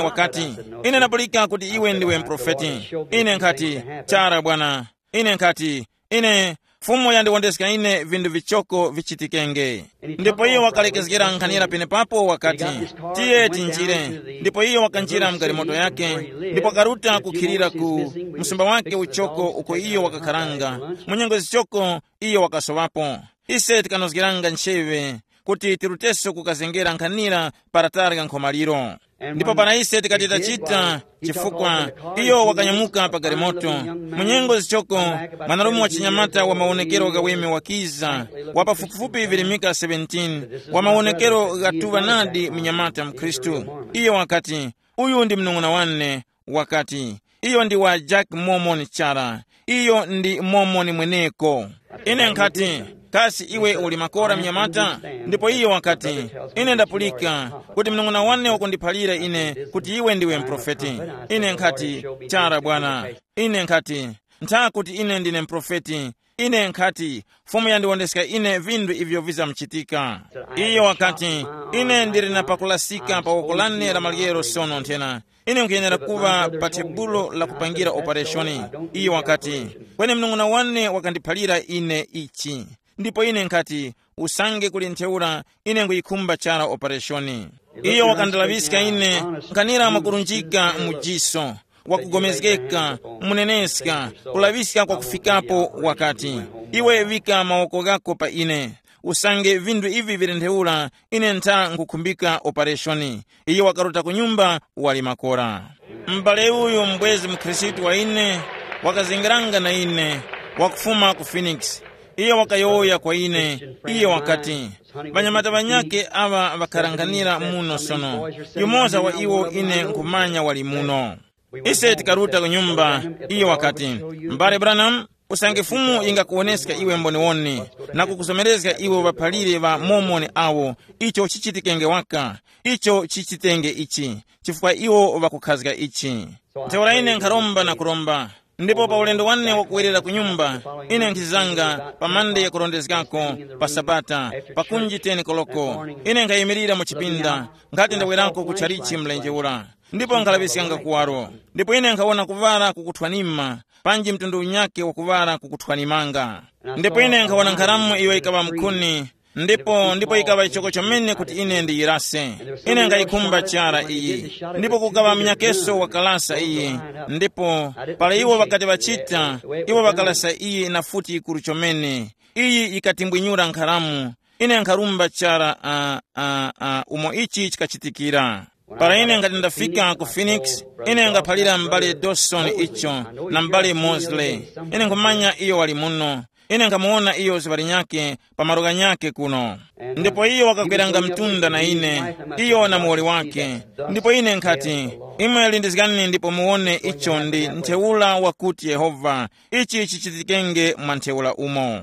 wakati, ine ndapulika kuti iwe ndiwe mprofeti. Ine nkhati, chara bwana. Ine nkhati, ine, Fumu yandiwondeska ine vinthu vichoko vichitikenge. Ndipo iyo wakalekezgera nkhanira penepapo wakati, tiye tinjire. Ndipo iyo wakanjira mu galimoto yake, ndipo wakaruta kukhilira ku msumba wake uchoko uko iyo wakakharanga. Mu nyengo zichoko iyo wakasowapo. Ise tikanozgeranga ncheŵe kuti tiruteso kukazengera nkhanira para tarya nkhomaliro. Ndipo para ise tikati tachita, chifukwa iyo wakanyamuka pa galimoto, mu nyengo zichoko mwanarume wa chinyamata wa mawonekero ghaweme wakiza, wa pafupifupi virimika seventeen, wa mawonekero ghatuŵa nadi mnyamata mkhristu. Iyo wakati, uyu ndi mnung'una wane. Wakati, iyo ndi wa Jack Mormon chara. Iyo ndi Mormon mweneko. Ine nkhati, kasi iwe uli makora mnyamata? Ndipo iyo wakati, ine ndapulika kuti mnung'una wane wakundiphalira ine kuti iwe ndiwe mprofeti. Ine nkhati, chara bwana. Ine nkhati, ntha kuti ine ndine mprofeti. Ine nkhati, Fumu yandiwondeska ine vinthu ivyo vizamchitika. Iyo wakati, ine ndili na pakulasika pa woko lane la maryero sono nthena. Ine nkhuyenera kuŵa pa tebulo la kupangira opereshoni. Iyo wakati, kweni mnung'una wane wakandiphalira ine ichi. Ndipo ine nkhati, usange kuli ntheura, ine nkhuyikhumba chara opereshoni. Iyo wakandalaŵiska ine nkhanira mwakurunjika mu jiso, wakugomezgeka, muneneska, kulaŵiska kwakufikapo, wakati, iwe vika mawoko ghako pa ine. usange vinthu ivi vili ntheura, ine ntha nkukhumbika opereshoni. Iye wakaruta ku nyumba wali makora. M'bale uyu mbwezi mukhristu wa ine wakazengeranga na ine, wakufuma ku Phoenix. Iye wakayowoya kwa ine, iye wakati, ŵanyamata ŵanyakhe aŵa ŵakharanghanira muno sono, yumoza wa iwo ine nkhumanya wali muno. Ise tikaruta ku nyumba, iye wakati, m'bale Branham, usange Fumu yingakuwoneska iwe mboniwoni, na kukuzomerezga iwe ŵaphalire ŵa Mormoni awo, icho chichitikenge waka, icho chichitenge ichi, chifukwa iwo ŵakukhazga ichi. Ntheura ine nkharomba na kuromba, ndipo pa ulendo wane wakuwerera ku nyumba, ine nkhizanga pa mande yakurondezgako, pa Sabata, pakunji ten koloko, ine nkhayimirira mu chipinda, nkhati ndawerako ku chalichi mlenje ura, ndipo nkhalaŵiskanga kuwaro. Ndipo ine nkhawona kuŵala kukuthwanima, panji mtundu unyakhe wakuŵala kukuthwanimanga. Ndipo ine nkhawona nkharamu iyo yikaŵa mkhuni, ndipo ndipo yikaŵa chichoko chomene kuti ine ndiyirase. Ine nkhayikhumba chara iyi, ndipo kukaŵa munyakeso wakalasa iyi. Ndipo para iwo ŵakati ŵachita, iwo ŵakalasa iyi na futi yikuru chomene. Iyi yikatimbwinyura nkharamu. Ine nkharumba chara uh, uh, uh, umo ichi chikachitikira. Para ine ngati ndafika ku Phoenix, ine ngaphalira m'bale Dawson icho, na m'bale Mosley. Ine nkhumanya iyo wali muno. Ine nkhamuwona iyo zuŵa linyakhe pa malo ghanyakhe kuno. Ndipo iyo wakakweranga mtunda na ine, iyo na muwoli wake. Ndipo ine nkhati, imwe lindizgani ndipo muwone icho ndi ntheura wakuti Yehova, ichi chichitikenge mwa ntheura umo.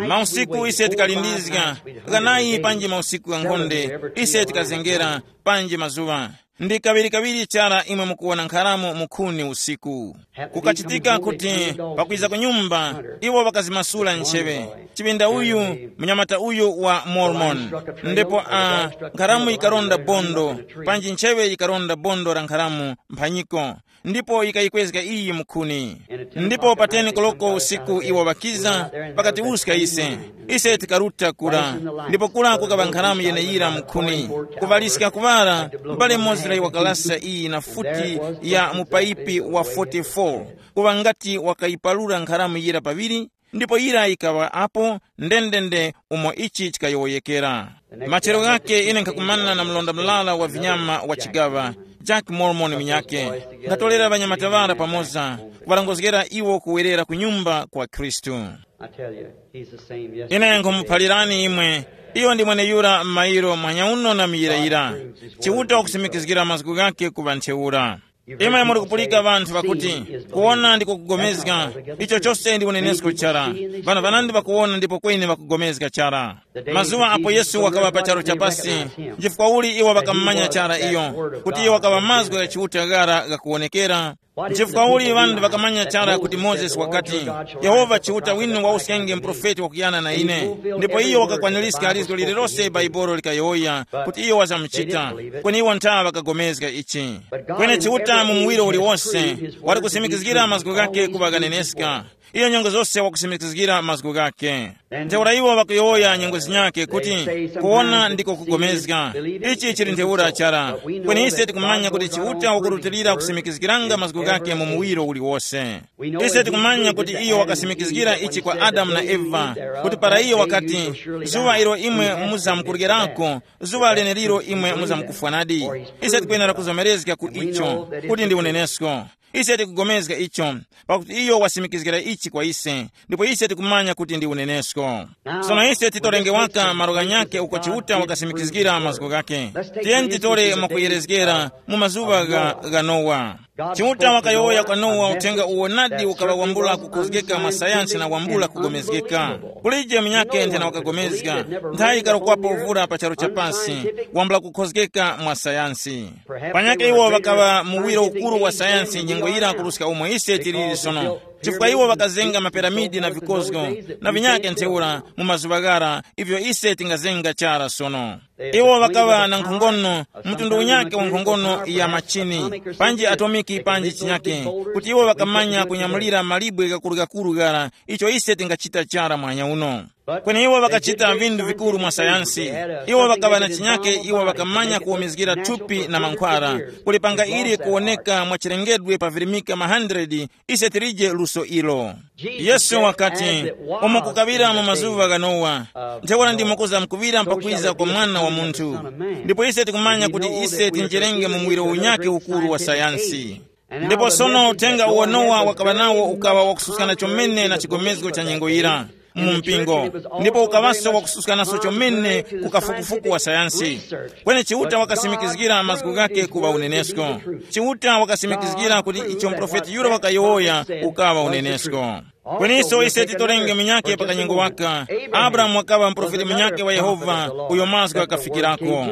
Mausiku ise tikalindizga, ghanayi panji mausiku ghankhonde, ise tikazengera, panji mazuŵa. Ndi kaŵirikaŵiri chara imwe mukuwona nkharamu mukhuni usiku. Kukachitika kuti pakwiza ku nyumba, iwo ŵakazimasula ncheŵe. Chipinda uyu, mnyamata uyu wa Mormon. Ndipo a nkharamu yikaronda bondo, panji ncheŵe yikaronda bondo la nkharamu mphanyiko, ndipo yikayikwezga iyi mukhuni. Ndipo pa ten koloko usiku iwo ŵakiza, pakatiwuska ise. Ise tikaruta kura, ndipo kura kukaŵa nkharamu yeneyira mukhuni. Kuŵaliska kuŵala, m'bale Mosley wakalasa iyi na futi ya mupayipi wa forty-four, kuŵa ngati wakayipalula nkharamu yira paŵiri, ndipo yira yikaŵa apo ndendende umo ichi chikayowoyekera. Machero ghake ine nkhakumana na mlonda mlala wa vinyama wa chigaŵa, Jack Mormon munyakhe. Nkhatorera ŵanyamata ŵara pamoza, kuŵarongozgera iwo kuwerera ku nyumba kwa Khristu. I tell you, he's the same yesterday. Ine nkhumuphalirani imwe, iyo ndi mweneyura m'mayiro mwanyauno na muyirayira. Chiuta wakusimikizgira mazgu ghake kuŵa ntheura. Imwe muri kupulika ŵanthu ŵakuti, kuwona ndiko kugomezga. Icho chose ndi unenesko chara. Ŵanthu ŵanandi ŵakuwona ndipo kweni ŵakugomezga chara. Mazuŵa apo Yesu wakaŵa pa charu cha pasi, nchifukwa uli iwo ŵakamumanya chara iyo, kuti iyo wakaŵa mazgu gha Chiuta ghara ghakuwonekera? Nchifukwa uli ŵanthu ŵakamanya chara kuti Mozesi wakati, Yehova Chiuta winu wawuskenge muprofeti wakuyana na ine, ndipo iyo wakakwaniska lizgo lililose Bhaibuli likayowoya kuti iyo wazamuchita, kweni iwo ntha ŵakagomezga ichi. Kweni Chiuta mu muwiro uliwose wali kusimikizgira mazgu ghake kuŵa ghaneneska. Iyo nyengo zose wakusimikizgira mazgu ghake. Ntheura iwo ŵakuyowoya nyengo zinyakhe kuti, kuwona ndiko kugomezga. Ichi chili ntheura chara. Kweni ise tikumanya kuti Chiuta wakurutilira kusimikizgiranga mazgu ghake mu muwiro uliwose. Ise tikumanya kuti iyo wakasimikizgira ichi kwa Adamu na Eva, kuti para iyo wakati, zuŵa ilo imwe muzamkuryerako, zuŵa leneliro imwe muzamkufwanadi. Ise tikwenera kuzomerezga ku icho kuti ndi unenesko. Ise tikugomezga icho, pakuti iyo wasimikizgira ichi kwa ise, ndipo ise tikumanya kuti ndi unenesko. Sono ise titorenge waka malo ghanyakhe uko Chiuta wakasimikizgira mazgu ghake. Tiyeni titore mwakuyerezgera mu mazuŵa gha, gha Nowa. Chiuta wakayowoya kwa Nowa uthenga uwo nadi ukaŵa wambula kukhozgeka mwa sayansi na wambula kugomezgeka. Kulije munyakhe nthena wakagomezga, nthayi ikarokwapo vura pa charu cha pasi, wambula kukhozgeka mwa sayansi. Panyakhe iwo ŵakaŵa muwiro ukuru wa sayansi nyengo yira kuruska umo ise tiliri sono, chifukwa iwo ŵakazenga mapiramidi na vikozgo na vinyakhe ntheura mu mazuŵa ghara, ivyo ise tingazenga chara sono. Iwo ŵakaŵa na nkhongono, mtundu unyakhe wa nkhongono ya machini, panji atomiki panji chinyakhe, kuti iwo ŵakamanya kunyamulira malibwe ghakurugakuru ghara, icho ise tingachita chara mwanya uno. Kweni iwo ŵakachita vinthu vikuru mwa sayansi. Iwo ŵakaŵa na chinyake, iwo ŵakamanya kuwomezgira thupi na mankhwala, kulipanga ili kuwoneka mwa chilengedwe pavirimika ma hundred. Ise tilije luso ilo. Yesu wakati, umo kukaŵira mu mazuŵa gha Nowa, ntheura ndimo kuzamkuŵira mpakwiza kwa Mwana wa Munthu. Ndipo ise tikumanya kuti ise tinjerenge mu muwiro unyakhe ukuru wa sayansi. Ndipo sono uthenga uwo Nowa wakaŵa nawo ukaŵa wakususkana chomene na chigomezgo cha nyengo yira mu mpingo, ndipo ukaŵaso wakususkanaso chomene ku kafukufuku wa sayansi. Kweni Chiuta wakasimikizgira mazgu ghake kuŵa unenesko. Chiuta wakasimikizgira kuti icho muprofeti yura wakayowoya ukaŵa unenesko. Kweninso ise titorenge munyakhe pa kanyengo waka. Abrahamu wakaŵa muprofeti munyakhe wa Yehova, uyo mazgu ghakafikirako.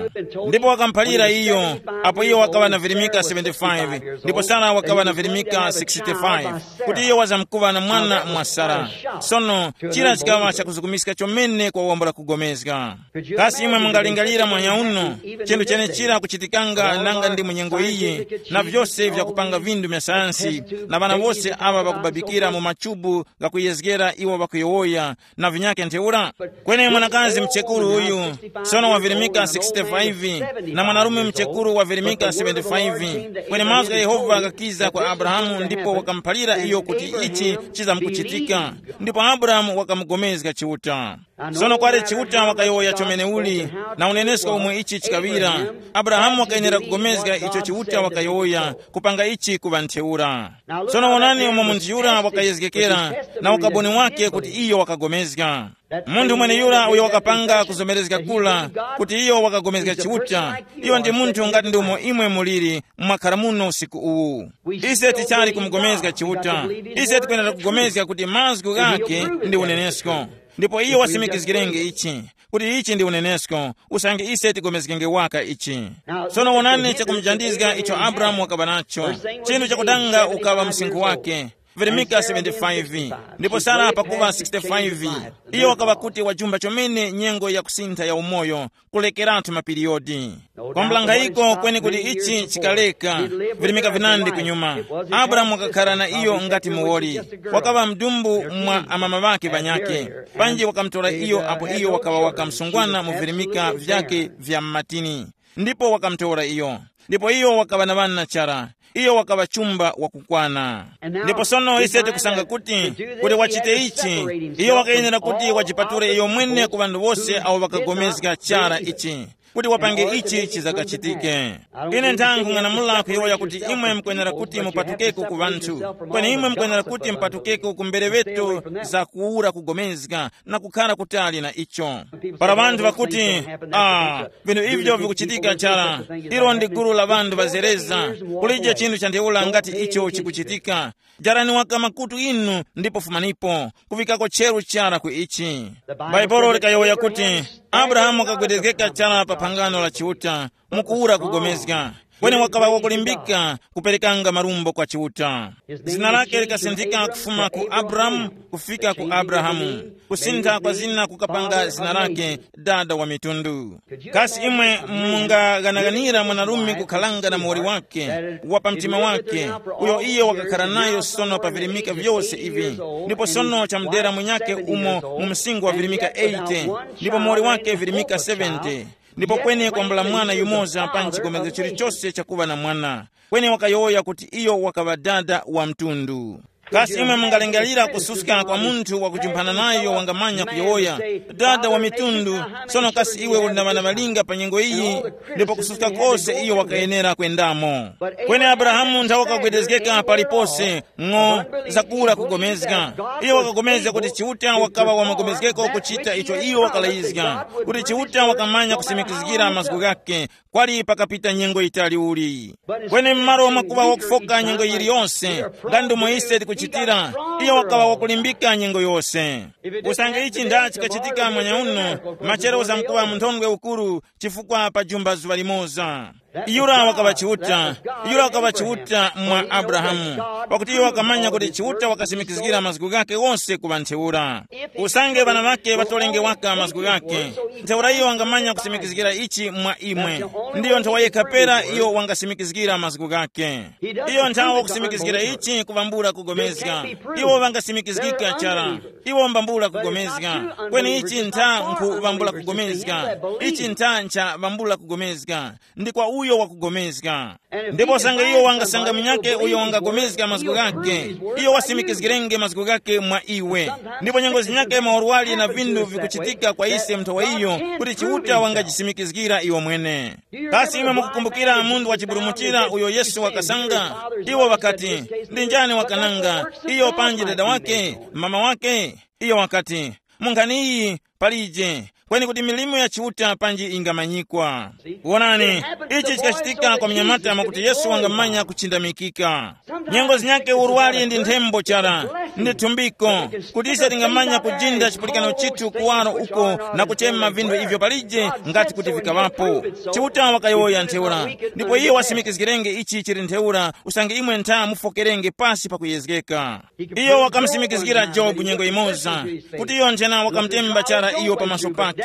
Ndipo wakamuphalira iyo, apo iyo wakaŵa na virimika seventy-five, ndipo Sara wakaŵa na virimika sixty-five, kuti iyo wazamkuŵa na mwana mwa Sara. Sono, chira chikaŵa chakuzukumiska chomene kwa wambula kugomezga. Kasi imwe mungalingalira mwanyauno, chinthu chenechira kuchitikanga nanga ndi mu nyengo iyi, na vyose vyakupanga vindu vya sayansi, na ŵana wose aŵa ŵakubabikira mu machubu ghakuyezgera iwo ŵakuyowoya, na vinyakhe ntheura? Kweni mwanakazi mchekuru uyu, sono wavirimika sixty-five, na mwanarume mchekuru wavirimika seventy-five. Kweni mazgu gha Yehova ghakiza kwa Abrahamu ndipo wakamuphalira iyo kuti ichi chizamkuchitika. Ndipo Abrahamu wakamugomezga Chiuta. Sono kwali Chiuta wakayowoya chomeneuli, na unenesko umwe ichi chikaŵira. Abrahamu wakayenera kugomezga icho Chiuta wakayowoya, kupanga ichi kuŵa ntheura. Sono wonani umo munthu yura wakayezgekera, na ukaboni wake kuti iyo wakagomezga. Munthu mweneyura uyo wakapanga kuzomerezga kula, kuti iyo wakagomezga Chiuta, iyo ndi munthu ngati ndi umo imwe muliri mwakhara muno usiku uwu. Ise tichali kumugomezga Chiuta. Ise tikwenera kugomezga kuti mazgu ghake ndi unenesko. Ndipo iyo wasimikizgirenge ichi, kuti ichi ndi unenesko, usange ise tigomezgenge waka ichi. Sono wonani chakumujandizga icho Abrahamu wakaŵa nacho. Chinthu chakutanga ukaŵa msinkhu wake, virimika seventy-five, ndipo Sara pakuŵa sixty-five. Iyo wakaŵa kuti wajumba chomene nyengo ya kusintha ya umoyo, kulekeratu mapiriyodi. Kwambulangayiko kweni kuti ichi chikaleka, virimika vinandi kunyuma. Abrahamu wakakhala na iyo ngati muwoli. Wakaŵa mdumbu mwa amama ŵake ŵanyakhe. Panji wakamutora iyo apo iyo wakaŵa wakamsungwana mu virimika vyake vya mmatini. Ndipo wakamutora iyo. Ndipo iyo wakaŵa na ŵana chara. Iyo wakaŵa chumba wakukwana. Ndipo sono ise tikusanga kuti, kuti wachite ichi, iyo wakayenera kuti wachipatule iyo mwene ku ŵanthu wose awo ŵakagomezga chara ichi, kuti wapange ichi chizakachitike. Ine nthanga nkung'anamula kuyowoya kuti imwe mukwenera kuti mupatukeko ku ŵanthu, kweni imwe mukwenera kuti mupatukeko ku mbereŵeto za kuwura kugomezga na kukhara kutali na icho. Para ŵanthu ŵakuti, ah, vinthu ivyo vikuchitika chara, ilo ndi gulu la ŵanthu ŵazereza, kulije chinthu cha ntheura ngati icho chikuchitika. Jarani waka makutu inu ndipo fumanipo, kuŵikako cheru chara ku ichi. Bhaibuli likayowoya kuti Abrahamu wakagwedezgeka chara pa phangano la Chiuta, mukuwura kugomezga, kweni wakaŵa wakulimbika kuperekanga marumbo kwa Chiuta. Zina lake likasinthika kufuma ku Abramu kufika ku Abrahamu, kusintha kwa zina kukapanga zina lake dada wa mitundu. Kasi imwe mungaghanaghanira mwanarume kukhalanga na muwoli wake wa pa mtima wake, uyo iyo wakakhala nayo sono pa virimika vyose ivi, ndipo sono chamudera munyake umo mu msingo wa virimika eighty, ndipo muwoli wake virimika seventy, ndipo kweni kwambula mwana yumoza pa nchigomezgo chilichose chakuŵa na mwana, kweni wakayowoya kuti iyo wakaŵa dada wa mtundu. Kasi imwe mungalingalira kususka kwa munthu wakujumphana nayo wangamanya kuyowoya, dada wa mitundu? Sono kasi iwe uli na ŵana ŵalinga pa nyengo iyi? Ndipo kususka kose iyo wakayenera kwendamo. Kweni Abrahamu nthawe wakagwedezgeka palipose ng'o, zakura kugomezga. Iyo wakagomezga kuti Chiuta wakaŵa wamugomezgeko kuchita icho iyo wakalayizga, kuti Chiuta wakamanya kusimikizgira mazgu ghake, kwali pakapita nyengo yitali uli. Kweni m'malo mwakuŵa wakufoka nyengo yiliyonse, nga ndomwe ise tikuchitira, iyo wakaŵa wakulimbika nyengo yose. Usange ichi nda chikachitika mwanyauno, machero uzamkuŵa mu nthondwe ukuru, chifukwa pajumba zuŵa limoza. Yura wakaŵa Chiuta. Yura wakaŵa Chiuta mwa Abrahamu, pakuti iyo wakamanya kuti Chiuta wakasimikizgira mazgu ghake ghose ku ŵa ntheura. Usange ŵana ŵake ŵatolenge waka mazgu ghake, ntheura iyo wangamanya kusimikizgira ichi mwa imwe. Ndiyo nthawa yekha pera iyo wangasimikizgira mazgu ghake. Iyo nthawa wakusimikizgira ichi kuvambula kugomezga. Iwo vangasimikizgika chara. Iwo mbambula kugomezga. Kweni ichi ntha nkhu vambula kugomezga. Ichi ntha ncha vambula kugomezga. Ndi kwa uyo wakugomezga. Ndipo sanga iyo wangasanga munyake uyo wangagomezga mazgu ghake, iyo wasimikizgirenge mazgu ghake mwa iwe. Ndipo nyengo zinyake maurwali na vindu vikuchitika kwa ise mnthawa iyo, kuti Chiuta wangajisimikizgira iwo mwene. Kasi imwe mukukumbukira munthu wachiburumutira uyo Yesu wakasanga? Iwo ŵakati, ndi njani wakananga, iyo panji dada wake, mama wake? Iyo wakati, mu nkhani iyi palije, kweni kuti milimo ya Chiuta panji ingamanyikwa. Wonani, ichi chikachitika kwa mnyamata mwakuti Yesu wangamanya kuchindamikika. Nyengo zinyake urwali ndi nthembo chara, ndi thumbiko, kuti ise tingamanya kujinda chipulikano chithu kuwaro uko na kuchema vinthu ivyo palije ngati kuti vikaŵapo. Chiuta wakayowoya ntheura, ndipo iye wasimikizgirenge ichi chili ntheura, usange imwe ntha mufokerenge pasi pakuyezgeka. Iyo wakamusimikizgira Jobu nyengo imoza, kuti iyo nthena wakamutemba chara iyo pamaso pake.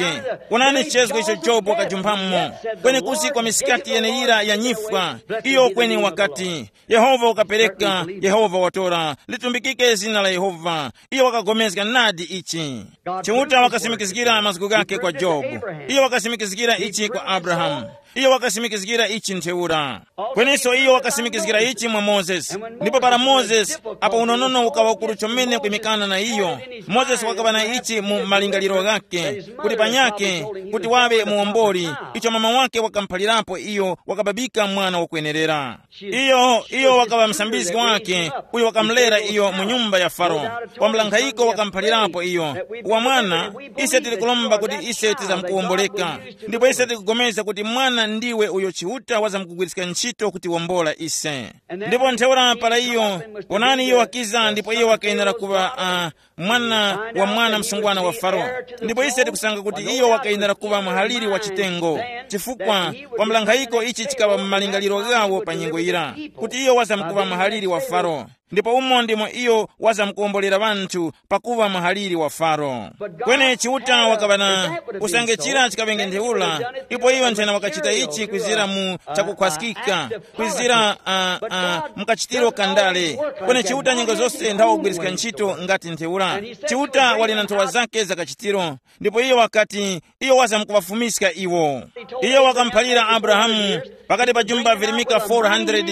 Wonani chichezgo icho Jobu wakajumphamo, kwenekusi kwa misikati yeneyira ya nyifwa. Iyo kweni wakati, Yehova wakapereka, Yehova watora, litumbikike zina la Yehova. Iyo wakagomezga nadi ichi. Chiuta wakasimikizgira mazgu ghake kwa Jobu. Iyo wakasimikizgira ichi kwa Abrahamu. Iyo wakasimikizgira ichi ntheura. Kweninso iyo wakasimikizgira ichi mwa Mozesi. Ndipo para Mozesi, apo unonono ukaŵa ukuru chomene kwimikana na iyo, Mozesi wakaŵa na ichi mu malingaliro ghakhe, kuti panyakhe, kuti waŵe muwomboli, icho mama wake wakamuphalirapo iyo wakababika mwana wakwenerera. Iyo, iyo wakaŵa msambizgi wake, uyo wakamulera iyo mu nyumba ya Faro. Wambulankhayiko wakamuphalirapo iyo, wa mwana, ise tili kulomba kuti ise tizamukuwomboleka. Ndipo ise tikugomeza kuti mwana ndiwe uyo Chiuta wazamkugwiriska ntchito kutiwombola ise. Ndipo ntheura para iyo, ponani iyo wakiza ndipo iyo wakayenera kuŵa uh, mwana wa mwana msungwana wa Faro. Ndipo ise tikusanga kuti iyo wakayenera kuŵa muhaliri wa chitengo, chifukwa kwa mlankhayiko ichi chikaŵa mu malingaliro ghawo pa nyengo yira, kuti iyo wazamkuŵa muhaliri wa Faro. Ndipo umo ndimo iyo wazamkuwombolera ŵanthu pakuŵa muhaliri wa Faro. Kweni Chiuta wakaŵa na usange chira chikaŵenge ntheura, ipo iyo nthena wakachita ichi kwizira mu chakukhwaskika, kwizira uh, uh, mukachitiro kandale. Kweni Chiuta nyengo zose nthawa kugwiriska ntchito ngati ntheura. Chiuta wali na nthowa zake za kachitiro. Ndipo iyo wakati, iyo wazamkuŵafumiska iwo. Iyo wakamuphalira Abrahamu pakati pa jumba virimika four hundred,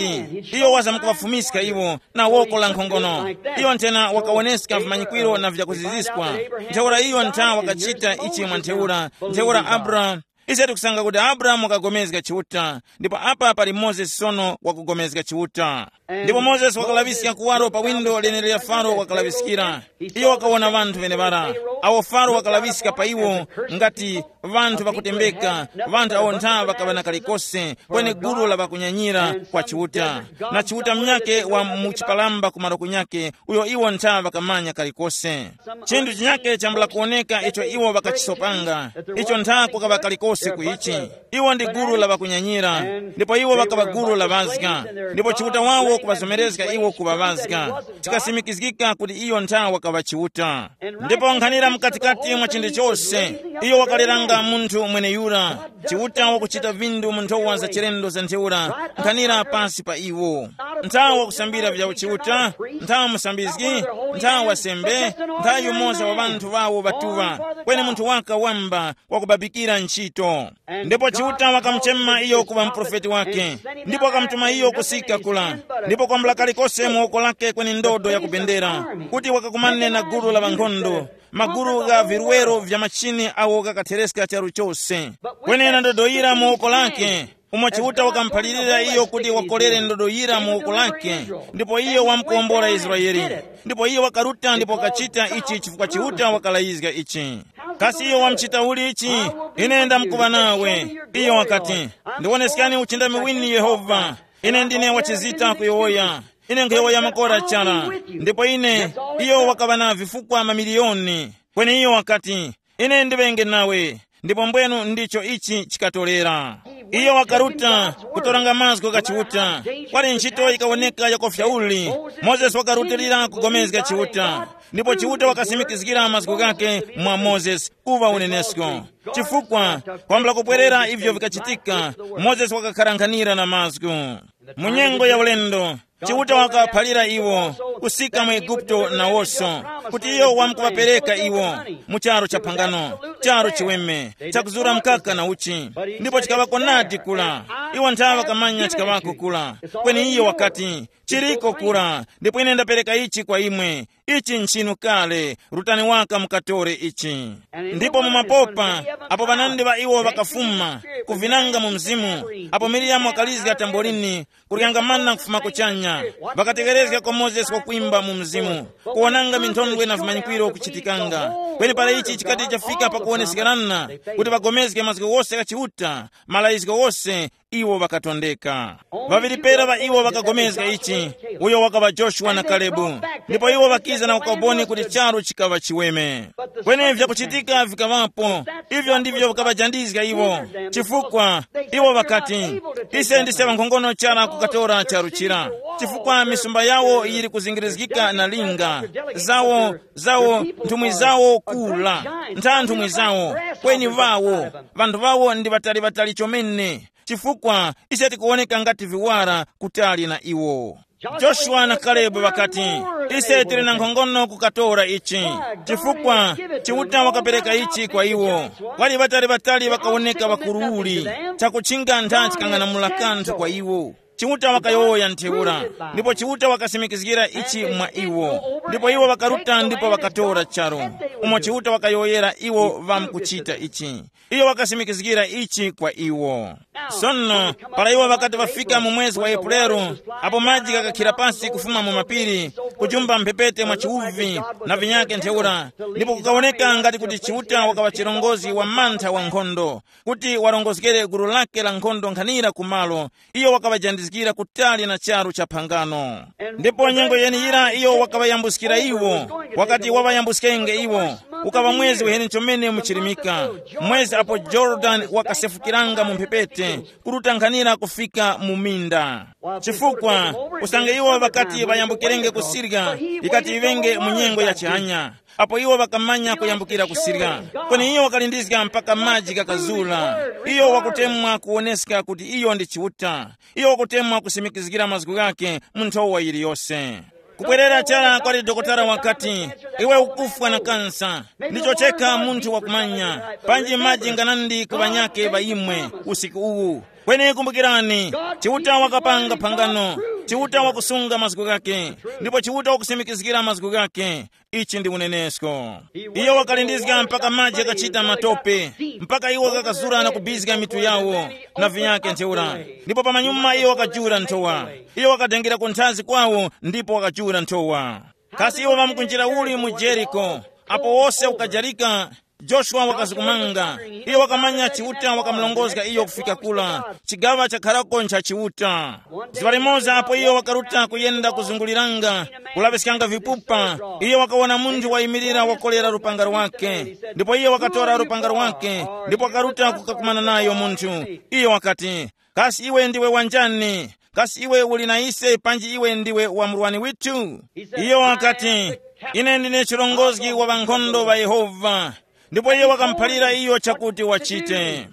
iyo wazamkuŵafumiska iwo na woko la nkhongono. Iyo nthena wakawoneska vimanyikwiro na vyakuziziskwa. Ntheura iyo ntha wakachita ichi mwa ntheura, ntheura Abrahamu. Ise tikusanga kuti Abrahamu wakagomezga Chiuta, ndipo apa pali Mozesi sono wakugomezga Chiuta. Ndipo Mozesi wakalaŵiska kuwaro pa windo leneri la Faro wakalaŵiskira. Iyo wakawona ŵanthu ŵeneŵara, awo Faro wakalaŵiska pa iwo ngati ŵanthu ŵakutembeka, ŵanthu awo ntha ŵakaŵa na kalikose, kweni gulu la ŵakunyanyira kwa Chiuta, na Chiuta munyakhe wa mu chipalamba kumaro kunyakhe, uyo iwo ntha ŵakamanya kalikose. Chinthu chinyakhe chambula kuwoneka icho iwo ŵakachisopanga, icho ntha kukaŵa kalikose ku ichi. Iwo ndi gulu la ŵakunyanyira, ndipo iwo ŵakaŵa gulu la ŵazga, ndipo Chiuta wawo kuŵazomerezga iwo kuŵa ŵazga, chikasimikizgika kuti iyo ntha wakaŵa Chiuta. Ndipo nkhanira mkatikati mwa chinthu chose, iyo wakaliranga munthu mweneyura, Chiuta wakuchita vindu mu nthowa za chilendo za ntheura, nkhanira pasi pa iwo. Nthawa wakusambira vya Chiuta, nthawa musambizgi, nthawa wasembe, nthawa yumoza wa ŵanthu wawo ŵatuŵa, kweni munthu waka wamba wakubabikira ntchito. Ndipo Chiuta wakamuchema iyo kuŵa muprofeti wake, ndipo wakamutuma iyo kusika kula, ndipo kwambula kalikose mu woko lake kweni ndodo ya kubendera, kuti wakakumane na gulu la ŵankhondo, magulu gha virwero vya machini awo ghakathereska charu chose. Kweni na ndodo yira mu woko lake, umo Chiuta wakamuphalirira iyo kuti wakolere ndodo yira mu woko lake, ndipo iyo wamkuwombora Israeli. Ndipo iyo wakaruta ndipo wakachita ichi chifukwa Chiuta wakalayizga ichi. Kasi iyo wamchita uli ichi? Ine ndamkuŵa nawe. Iyo wakati, ndiwoneskani uchindami wini Yehova. Ine ndine wachizita kuyowoya. Ine nkhuyowoya makora chara. Ndipo ine, iyo wakaŵa na vifukwa mamiliyoni. Kweni iyo wakati, ine ndiŵenge nawe. Ndipo mbwenu ndicho ichi chikatorera. Iyo wakaruta kutoranga mazgu gha Chiuta. Kwali ntchito yikawoneka yakofya uli. Mozesi wakarutilira kugomezga Chiuta, ndipo Chiuta wakasimikizgira mazgu ghake mwa Mozesi kuŵa unenesko. Chifukwa, kwambula kupwerera ivyo vikachitika, Mozesi wakakharankhanira na mazgu. Mu nyengo ya ulendo, Chiuta wakaphalira iwo kusika mu Eguputo nawoso, kuti iyo wamkuŵapereka iwo mu charu cha phangano, charu chiweme, chakuzura mkaka na uchi. Ndipo chikaŵako nadi kula. Iwo nthawe ŵakamanya chikaŵako kula. Kweni iyo wakati, chiriko kula, ndipo ine ndapereka ichi kwa imwe. Ichi nchinu kale, rutani waka mukatore ichi. Ndipo mu mapopa, apo ŵanandi ŵa iwo ŵakafuma kuvinanga mu mzimu, apo Miriyamu wakalizga tambolini, kuryanga mana kufuma kuchanya, ŵakatekerezga kwa Mozesi wakwimba mu mzimu, kuwonanga minthondwe na vimanyikwiro kuchitikanga. Kweni para ichi chikati chafika pakuwonesekerana, kuti ŵagomezge mazgu ghose gha Chiuta, malayizgo ghose, iwo ŵakatondeka. Ŵaŵiri pera ŵa iwo ŵakagomezga ichi, uyo wakaŵa Joshua na Kalebu. Ndipo iwo ŵakiza na ukaboni kuti charu chikaŵa chiweme. Kweni vyakuchitika vikaŵapo, ivyo ndivyo vikaŵajandizga iwo. Chifukwa, iwo ŵakati, ise ndise ŵankhongono chara kukatora charu chira. Chifukwa misumba yawo yili kuzingirizgika na linga, zawo, zawo, nthumwi zawo kula, ntha nthumwi zawo, kweni vawo, vanthu vawo ndi vatali vatali chomene. Chifukwa, ise tikuwoneka ngati viwara kutali na iwo. Joshua na Kalebu ŵakati, ise tili na nkhongono kukatora ichi. Chifukwa, Chiuta wakapereka ichi kwa iwo. Kwali ŵatali ŵatali ŵakawoneka ŵakuruli, chakutchinga ntha chikang'anamula kanthu kwa iwo. Chiuta wakayowoya ntheura, ndipo Chiuta wakasimikizgira ichi mwa iwo. Ndipo iwo ŵakaruta ndipo ŵakatora charu, umo Chiuta wakayowoyera iwo ŵamkuchita ichi. Iyo wakasimikizgira ichi kwa iwo. Sono, para iwo ŵakati ŵafika mu mwezi wa Epuleru, apo maji ghakakhira pasi kufuma mu mapiri, kujumba mphepete mwa chiwuvi, na vinyake ntheura, ndipo kukawoneka ngati kuti Chiuta wakaŵa chirongozgi wa mantha wa nkhondo, kuti warongozgere gulu lake la nkhondo nkhanira ku malo, iyo wakaŵajandizgira kutali na charu cha phangano. Ndipo nyengo yeniyira iyo wakaŵayambuskira iwo, wakati waŵayambuskenge iwo, ukaŵa mwezi weheni chomene muchirimika, mwezi apo Yorodani wakasefukiranga mu mphepete, kuruta nkhanira kufika mu minda. Chifukwa, usange iwo ŵakati ŵayambukirenge ku Siriya, ikati iŵenge mu nyengo ya chihanya, apo iwo ŵakamanya kuyambukira ku Siriya. Kweni iyo wakalindizga mpaka maji ghakazura. Iyo wakutemwa kuwoneska kuti iyo ndi Chiuta. Iyo wakutemwa kusimikizgira mazgu ghake mu nthowa yiliyose. Kubwerera chara kwali dokotala wakati, iwe ukufwa na kansa. Ndicho chekha munthu wakumanya. Panji maji nganandi ku ŵanyake ŵa imwe usiku uwu. Kweni kumbukirani, Chiuta wakapanga phangano. Chiuta wakusunga mazgu ghake. Ndipo Chiuta wakusimikizgira mazgu ghake. Ichi ndi unenesko. Iyo wakalindizga mpaka maji akachita matope, mpaka iwo ghakazura na kubizga mitu yawo na vinyake ntheura. Ndipo pamanyuma iyo wakajura nthowa. Iyo wakadengera ku nthazi kwawo ndipo wakajura nthowa. Kasi iwo ŵamkunjira uli mu Jeriko? Apo wose ukajarika, Joshua wakazukumanga. Iyo wakamanya Chiuta wakamulongozga iyo kufika kula, chigaŵa chakharako ncha Chiuta. Zuŵa limoza apo iyo wakaruta kuyenda kuzunguliranga, kulaŵiskanga vipupa, iyo wakawona munthu wayimirira wakolera lupanga lwake. Ndipo iyo wakatora lupanga lwake, ndipo wakaruta kukakumana nayo munthu. Iyo wakati, kasi iwe ndiwe wanjani? Kasi iwe uli na ise panji iwe ndiwe wa murwani withu? Iyo wakati, ine ndine chirongozgi wa ŵankhondo ŵa Yehova. Ndipo iye wakamuphalira iyo chakuti wachite.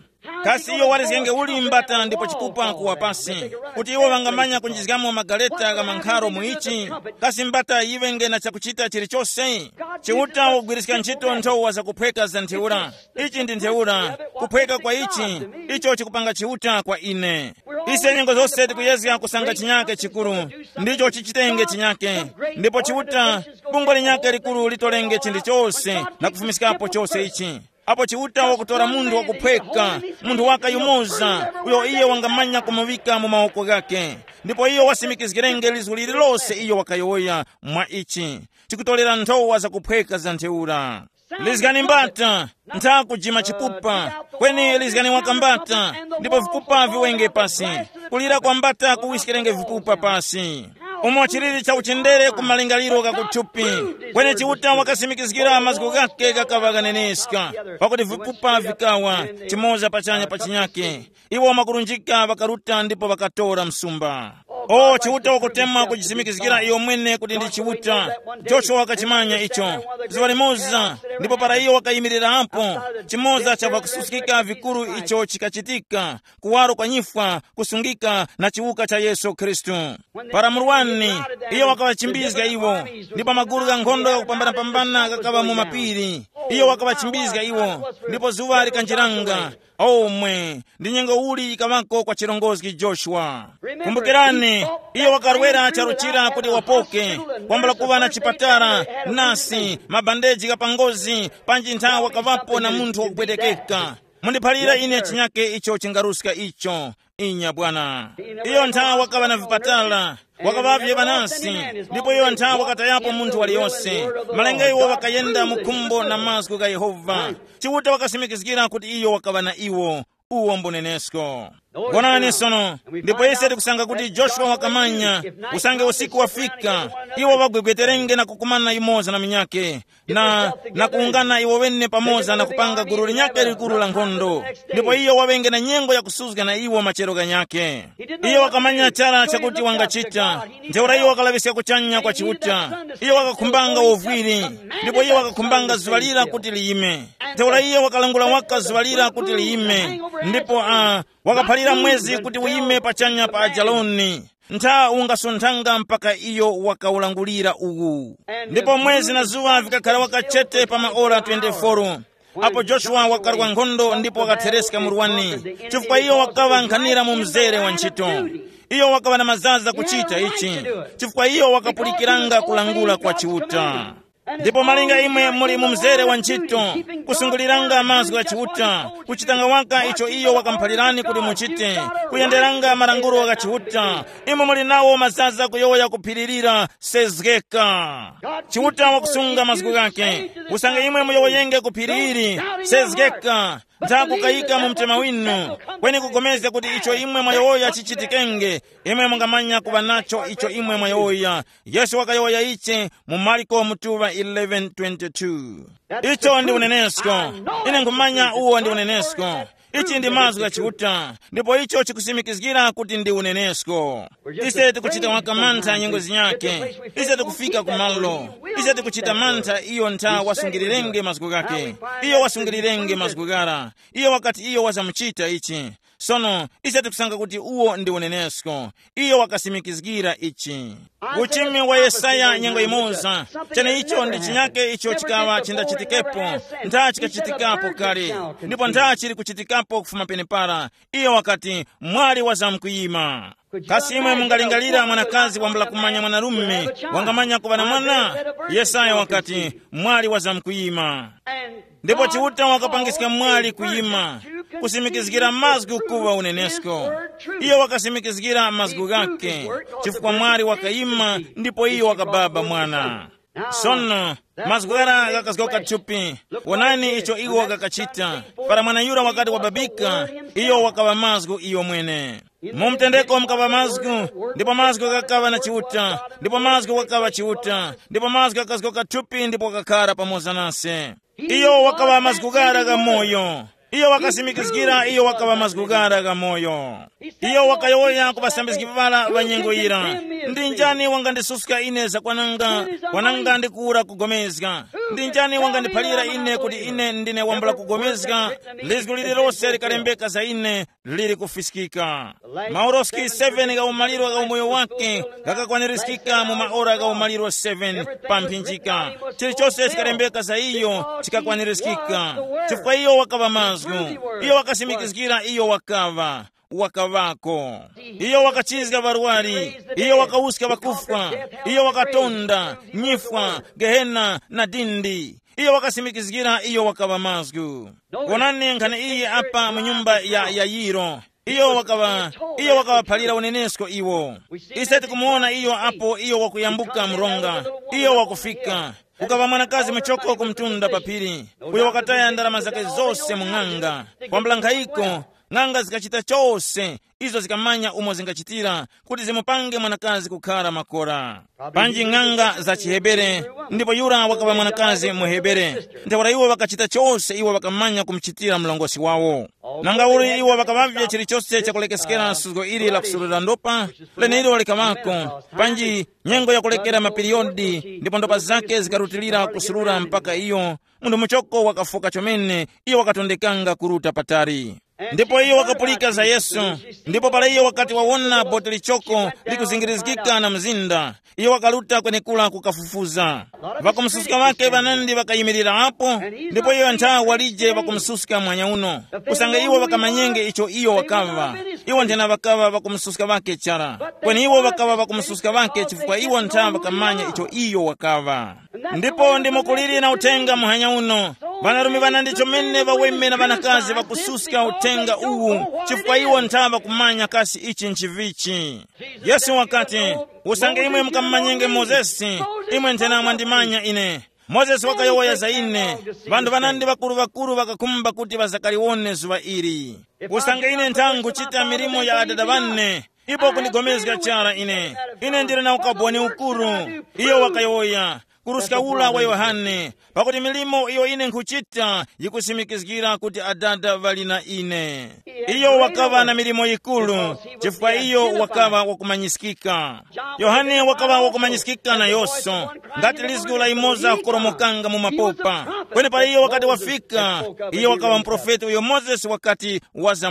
Kasi iyo warizgenge uli mbata ndipo chipupa kuwa pasi, kuti iwo ŵangamanya kunjizgamo magaleta gha mankharo mu ichi? Kasi mbata yiŵenge na chakuchita chilichose? Chiuta wagwiriska ntchito nthowa zakuphweka za ntheura. Ichi ndi ntheura, kuphweka kwa ichi, icho chikupanga Chiuta kwa ine. Ise nyengo zose tikuyezga kusanga chinyake chikuru, ndicho chichitenge chinyake. Ndipo Chiuta, bungwe linyake likuru litolenge chinthu chose na kufumiskapo chose ichi. Apo Chiuta wakutora munthu wakuphweka, munthu wakayumoza, uyo iye wangamanya kumuŵika mu mawoko ghake. Ndipo iyo wasimikizgirenge lizgu lililose iyo wakayowoya mwa ichi, chikutolera nthowa zakuphweka za ntheura. Lizgani mbata, ntha kujima chipupa, kweni lizgani waka mbata, ndipo vipupa viwenge pasi. Kulira kwa mbata kuwiskirenge vipupa pasi. Umo chilili cha uchendere ku malingaliro gakuthupi, kweni Chiuta wakasimikizgira mazgu ghake gakaŵa ghaneneska, pakuti vipupa vikawa chimoza pachanya pa chinyake. Iwo makulunjika ŵakaruta ndipo ŵakatora msumba. O Chiuta wakutemwa kujisimikizgira iyo mwene kuti ndi Chiuta. Joshua wakachimanya icho. Zuŵa limoza, ndipo para iyo wakayimirirapo, chimoza cha vakususkika vikuru icho chikachitika, kuwaro kwa nyifwa, kusungika na chiwuka cha Yesu Khristu. Para murwani, iyo wakaŵachimbizga iwo, ndipo magulu gha nkhondo ghakupambanapambana ghakaŵa mu mapiri. Iyo wakaŵachimbizga iwo, ndipo zuŵa likanjiranga. Omwe, ndi nyengo uli yikaŵako kwa chirongozgi Joshua. Kumbukirani, iyo wakarwera charu chira kuti wapoke, kwambula kuŵa na chipatala, nasi, mabandeji gha pangozi, panji nthawi wakaŵapo na munthu wakupwetekeka. Mundiphalira ine chinyake icho chingaruska icho. Inya bwana. Iyo nthawi wakaŵa na vipatala, wakaŵavye ŵanasi, ndipo iyo nthawi wakatayapo munthu waliyonse. Malinga iwo ŵakayenda mu khumbo na mazgu gha Yehova. Chiuta wakasimikizgira kuti iyo wakaŵa na iwo. Uwo mbunenesko. Wonani sono, ndipo ise tikusanga kuti Joshua wakamanya, usange usiku wafika, iwo ŵagwegweterenge na kukumana yumoza na minyake, na, na kuwungana iwo wene pamoza na kupanga gulu linyakhe likuru la nkhondo. Ndipo iyo waŵenge na nyengo yakusuzga na iwo machero ghanyakhe. Iyo wakamanya chara chakuti wangachita. Ntheura iyo wakalaŵiska kuchanya kwa Chiuta. Iyo wakakhumbanga wovwiri, ndipo iyo wakakhumbanga zuŵa lira kuti liyime. Ntheura iyo wakalangula waka zuŵa lira kuti liyime, ndipo uh, wakaphalira mwezi kuti uyime pachanya pa Ajaloni. Ntha ungasunthanga mpaka iyo wakawulangulira uwu. Ndipo mwezi na zuŵa vikakhara waka chete pa maora twenty-four. Apo Joshua wakarwa nkhondo ndipo wakathereska murwani, chifukwa iyo wakaŵa nkhanira mu mzere wa ntchito. Iyo wakaŵa na mazaza kuchita ichi, chifukwa iyo wakapulikiranga kulangula kwa Chiuta. Ndipo malinga imwe muli mu mzere wa ntchito, kusunguliranga mazgu gha Chiuta, kuchitanga waka icho iyo wakamuphalirani kuti muchite, kuyenderanga malangulo gha Chiuta, imwe muli nawo mazaza kuyowoya kuphiririra. Sezgeka. Chiuta wakusunga mazgu ghake. Usange imwe muyowoyenge ku phiri ili, sezgeka, nthakukayika mu mtima winu, kweni kugomezga kuti icho imwe mwayowoya chichitikenge. Imwe mungamanya kuŵa nacho icho imwe mwayowoya. Yesu wakayowoya ichi mu Marko mutuŵa eleven twenty-two. Icho ndi unenesko. Ine nkhumanya uwo ndi unenesko. Ichi ndi mazgu gha Chiuta, ndipo icho chikusimikizgira kuti ndi unenesko. Ise tikuchita waka mantha nyengo zinyake. Ise tikufika ku malo. Ise tikuchita mantha iyo ntha wasungirirenge mazgu ghake. Iyo wasungirirenge mazgu ghara. Iyo wakati iyo wazamuchita ichi. Sono, ise tikusanga kuti uwo ndi unenesko. Iyo wakasimikizgira ichi. Uchimi wa Yesaya nyengo imoza. Cheneicho ndi chinyake icho chikaŵa chindachitikepo. Ntha chikachitikapo kale. Ndipo ntha chili kuchitikapo kufuma penepara. Iyo wakati, mwali wazamkuyima. Kasi imwe mungalingalira mwanakazi wambula kumanya mwanarume, wangamanya kuŵa na mwana? Yesaya wakati, mwali wazamkuyima. Ndipo Chiuta wakapangiska mwali kuyima, kusimikizgira mazgu kuŵa unenesko. Iyo wakasimikizgira mazgu ghake, chifukwa mwali wakayima ndipo iyo wakababa mwana. Sono, mazgu ghara ghakazgoka thupi. Wonani icho iwo ghakachita. Para mwana yura wakati wababika, iyo wakaŵa mazgu iyo mwene. Mu mtendeko mukaŵa mazgu, ndipo mazgu ghakaŵa na Chiuta, ndipo mazgu ghakaŵa Chiuta, ndipo mazgu ghakazgoka thupi ndipo ghakakhara pamoza nase. Iyo wakaŵa mazgu ghara gha moyo. Iyo wakasimikizgira iyo wakaŵa mazgu ghara gha moyo. Iyo wakayowoya ku ŵasambizgi ŵara ŵa nyengo yira, ndi njani wangandisuska ine zakwananga, kwananga ndikuwura kugomezga? Ndi njani wangandiphalira ine kuti ine ndine wambula kugomezga? Lizgu lililose likalembeka za ine lili kufiskika. Mauloski seven gha umaliro gha umoyo wake ghakakwanirizgika mu maora gha umaliro seven pa mphinjika. Chilichose chikalembeka za iyo chikakwanirizgika, chifukwa iyo wakaŵa mazgu. Iyo wakasimikizgira iyo wakaŵa, wakaŵako. Iyo wakachizga ŵarwari. Iyo wakawuska ŵakufwa. Iyo wakatonda nyifwa, gehena na dindi. Iyo wakasimikizgira iyo wakaŵa mazgu. Wonani nkhani iyi apa mu nyumba ya Yayiro. Iyo wakaŵa, iyo wakaŵaphalira unenesko iwo. Ise tikumuwona iyo apo iyo wakuyambuka mronga. Iyo wakufika. Kukaŵa mwanakazi muchoko kumtunda pa phiri, uyo wakataya ndalama zake zose mu ng'anga. Kwambula nkhayiko, Ng'anga zikachita chose izo zikamanya umo zingachitira kuti zimupange mwanakazi kukhara makora. Panji ng'anga za chiHebere, ndipo yura wakaŵa mwanakazi muHebere. Ntheura iwo ŵakachita chose iwo ŵakamanya kumuchitira mlongosi wawo. Nanga uli iwo ŵakaŵavye chilichose chakulekeskera suzgo ili la kusulira ndopa, leneilo likaŵako, panji nyengo yakulekera mapiriyodi ndipo ndopa zake zikarutilira kusulura mpaka iyo munthu muchoko wakafoka chomene, iyo wakatondekanga kuruta patali. Ndipo iyo wakapulika za Yesu. Ndipo para iyo wakati wawona boti lichoko likuzingirizgika na mzinda, iyo wakaruta kwenekura kukafufuza. Ŵakumususka ŵake ŵanandi ŵakayimirira apo, ndipo iyo nthawi walije ŵakumususka mwanya uno, kusanga iwo ŵakamanyenge icho iyo wakaŵa. Iwo nthena ŵakaŵa ŵakumususka ŵake chara, kweni iwo ŵakaŵa ŵakumususka ŵake chifukwa iwo ntha ŵakamanya icho iyo wakaŵa. Ndipo ndimo kuliri na uthenga muhanya uno. Ŵanarume ŵanandi chomene ŵaweme na ŵanakazi ŵakususka uthenga uwu, chifukwa iwo ntha ŵakumanya kasi ichi nchivichi. Yesu wakati, usange imwe mukamumanyenge Mozesi, imwe nthena mwandimanya ine. Mozesi wakayowoya za ine. Ŵanthu ŵanandi ŵakuru-ŵakuru ŵakakhumba kuti ŵazakaliwone zuŵa ili. Usange ine ntha nkhuchita milimo ya adada ŵane, ipo kundigomezga chara ine. Ine ndili na ukaboni ukuru. Iyo wakayowoya, kuruska ula wa Yohane, pakuti milimo iyo ine nkhuchita yikusimikizgira kuti adada ŵali na ine. Iyo wakaŵa na milimo yikuru, chifukwa iyo wakaŵa wakumanyiskika. Yohane wakaŵa wakumanyiskika na Yoso, ngati lizgu la imoza kukoromokanga mu mapopa. Kweni para iyo wakati wafika, iyo wakaŵa muprofeti uyo Mozesi wakati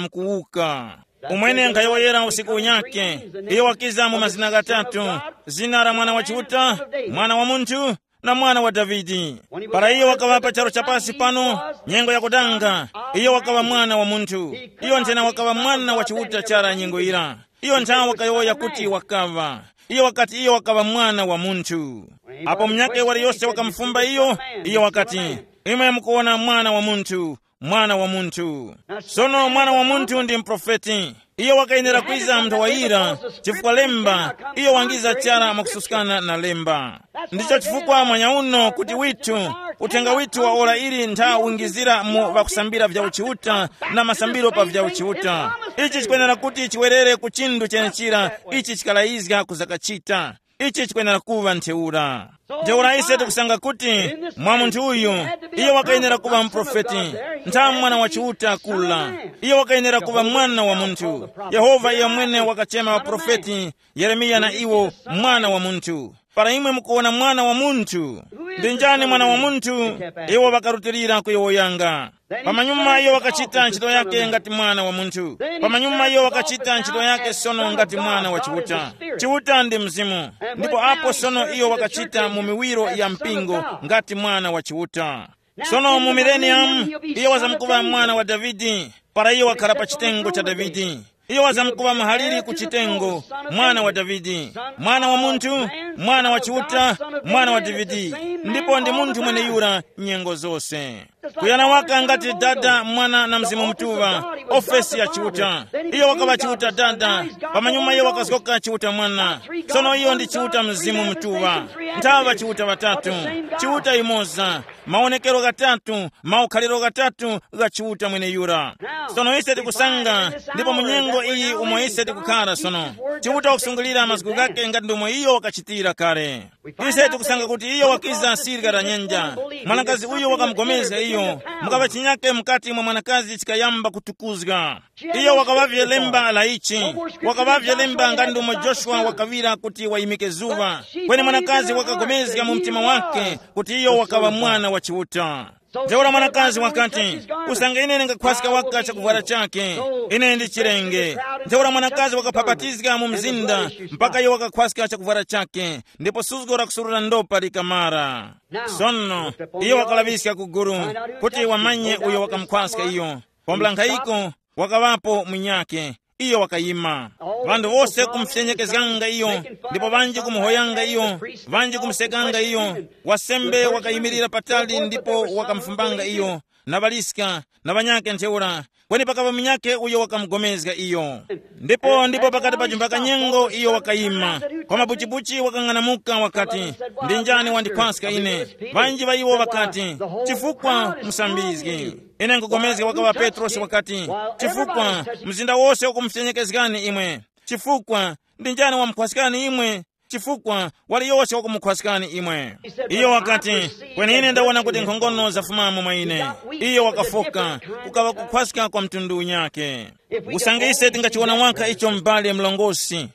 wazamkuwuka. Umwene nkhayowoyera usiku unyakhe, iyo wakiza mu mazina ghatatu, zina la Mwana wa Chiuta, Mwana wa Munthu, na Mwana wa Davide. Para iyo wakaŵa pa charu cha pasi pano, nyengo yakudanga, iyo wakaŵa Mwana wa Munthu. Iyo nthena wakaŵa Mwana wa Chiuta chara nyengo yira. Iyo nthawe wakayowoya kuti wakaŵa. Iyo wakati iyo wakaŵa Mwana wa Munthu. Apo munyakhe waliyose wakamufumba iyo, iyo wakati, imwe mukuwona Mwana wa Munthu, Mwana wa Munthu. Sono Mwana wa Munthu ndi muprofeti. Iyo wakayenera kwiza mu nthawi yira, chifukwa lemba, iyo wangiza chara mwakususkana na lemba. Ndicho chifukwa mwanyauno kuti withu, uthenga withu wa ora ili ntha wingizira mu ŵakusambira vya uchiuta na masambiro pa vya uchiuta. Ichi chikwenera kuti chiwerere ku chinthu chenechira ichi chikalayizga kuzakachita. Ichi chikwenera kuŵa ntheura. Ntheura ise tikusanga kuti mwa munthu uyu, iyo wakayenera kuŵa muprofeti, ntha mwana wa Chiuta kula. Iyo wakayenera kuŵa mwana wa munthu. Yehova iyo mwene wakachema ŵaprofeti, Yeremiya na iwo mwana wa munthu. Para imwe mukuwona mwana wa munthu, ndi njani mwana wa munthu? Iwo ŵakarutilira kuyowoyanga. Pamanyuma iyo wakachita ntchito yake ngati mwana wa munthu. Pamanyuma iyo wakachita ntchito yake sono ngati mwana wa Chiuta. Chiuta ndi mzimu. Ndipo apo sono iyo wakachita mu miwiro ya mpingo ngati mwana wa Chiuta. Sono mu milenium, iyo wazamkuŵa mwana wa Davide, para iyo wakhala pa chitengo cha Davide. Iyo wazamkuŵa muhaliri ku chitengo, mwana wa Davide, mwana wa munthu, mwana wa Chiuta, mwana wa Davide. Ndipo ndi munthu mweneyura nyengo zose. Kuyana waka ngati Dada, Mwana na Mzimu Mutuŵa, ofesi ya Chiuta. Iyo wakaŵa Chiuta Dada, pamanyuma iyo wakazoka Chiuta Mwana. Sono iyo ndi Chiuta Mzimu Mutuŵa. Nthaŵa Chiuta ŵatatu, Chiuta imoza, mawonekero ghatatu, maukhaliro ghatatu gha Chiuta mweneyura. Sono ise tikusanga, ndipo mu nyengo iyi umo ise tikukhara sono, Chiuta wakusungulira mazgu ghake ngati ndomwe iyo wakachitira kale. Ise tikusanga kuti iyo wakiza sirika la nyanja. Mwanakazi uyu wakamugomezga iyo, mukaŵa chinyake mukati mwa mwanakazi chikayamba kutukuzga. Iyo wakaŵavye lemba la ichi, wakaŵavye lemba ngati ndomwe Joshua wakaŵira kuti wayimike zuŵa. Kweni mwanakazi wakagomezga mu mtima wake kuti iyo wakaŵa mwana wa Chiuta. Ntheura mwanakazi wakati, usange ine ndingakhwaska waka chakuvwara chake, ine ndi chirenge. Ntheura mwanakazi wakapapatizga mu mzinda mpaka iyo wakakhwaska chakuvwara chake, ndipo suzgo la kusurura ndopa likamara. Sono, iyo wakalaŵiska ku guru kuti wamanye uyo wakamukhwaska iyo. Pambula nkhayiko, wakaŵapo munyakhe. Iyo wakayima. Ŵanthu wose kumufyenyekezganga iyo, ndipo ŵanji kumuhoyanga iyo, ŵanji kumusekanga iyo. Wasembe wakayimirira patali ndipo wakamufumbanga iyo, na ŵaliska, na ŵanyakhe ntheura, Kweni pakaŵa munyakhe uyo wakamugomezga iyo. Ndipo ndipo pakati pa chimbaka nyengo iyo wakayima, kwa mabuchibuchi wakang'anamuka wakati, ndi njani wandikhwaska ine? Ŵanji ŵa iwo ŵakati, chifukwa musambizgi. Ine nkugomezga wakaŵa Petrosi wakati, chifukwa mzinda wose ukumufyenyekezgani imwe. Chifukwa ndi njani wamukhwaskani imwe? Chifukwa wali yose wakumukhwaskani imwe. Iyo wakati, kweni ine ndawona kuti nkhongono zafumamo mwa ine. Iyo wakafoka, kukaŵa kukhwaska kwa mtundu unyake. Usange ise tingachiwona waka icho m'bale mlongosi,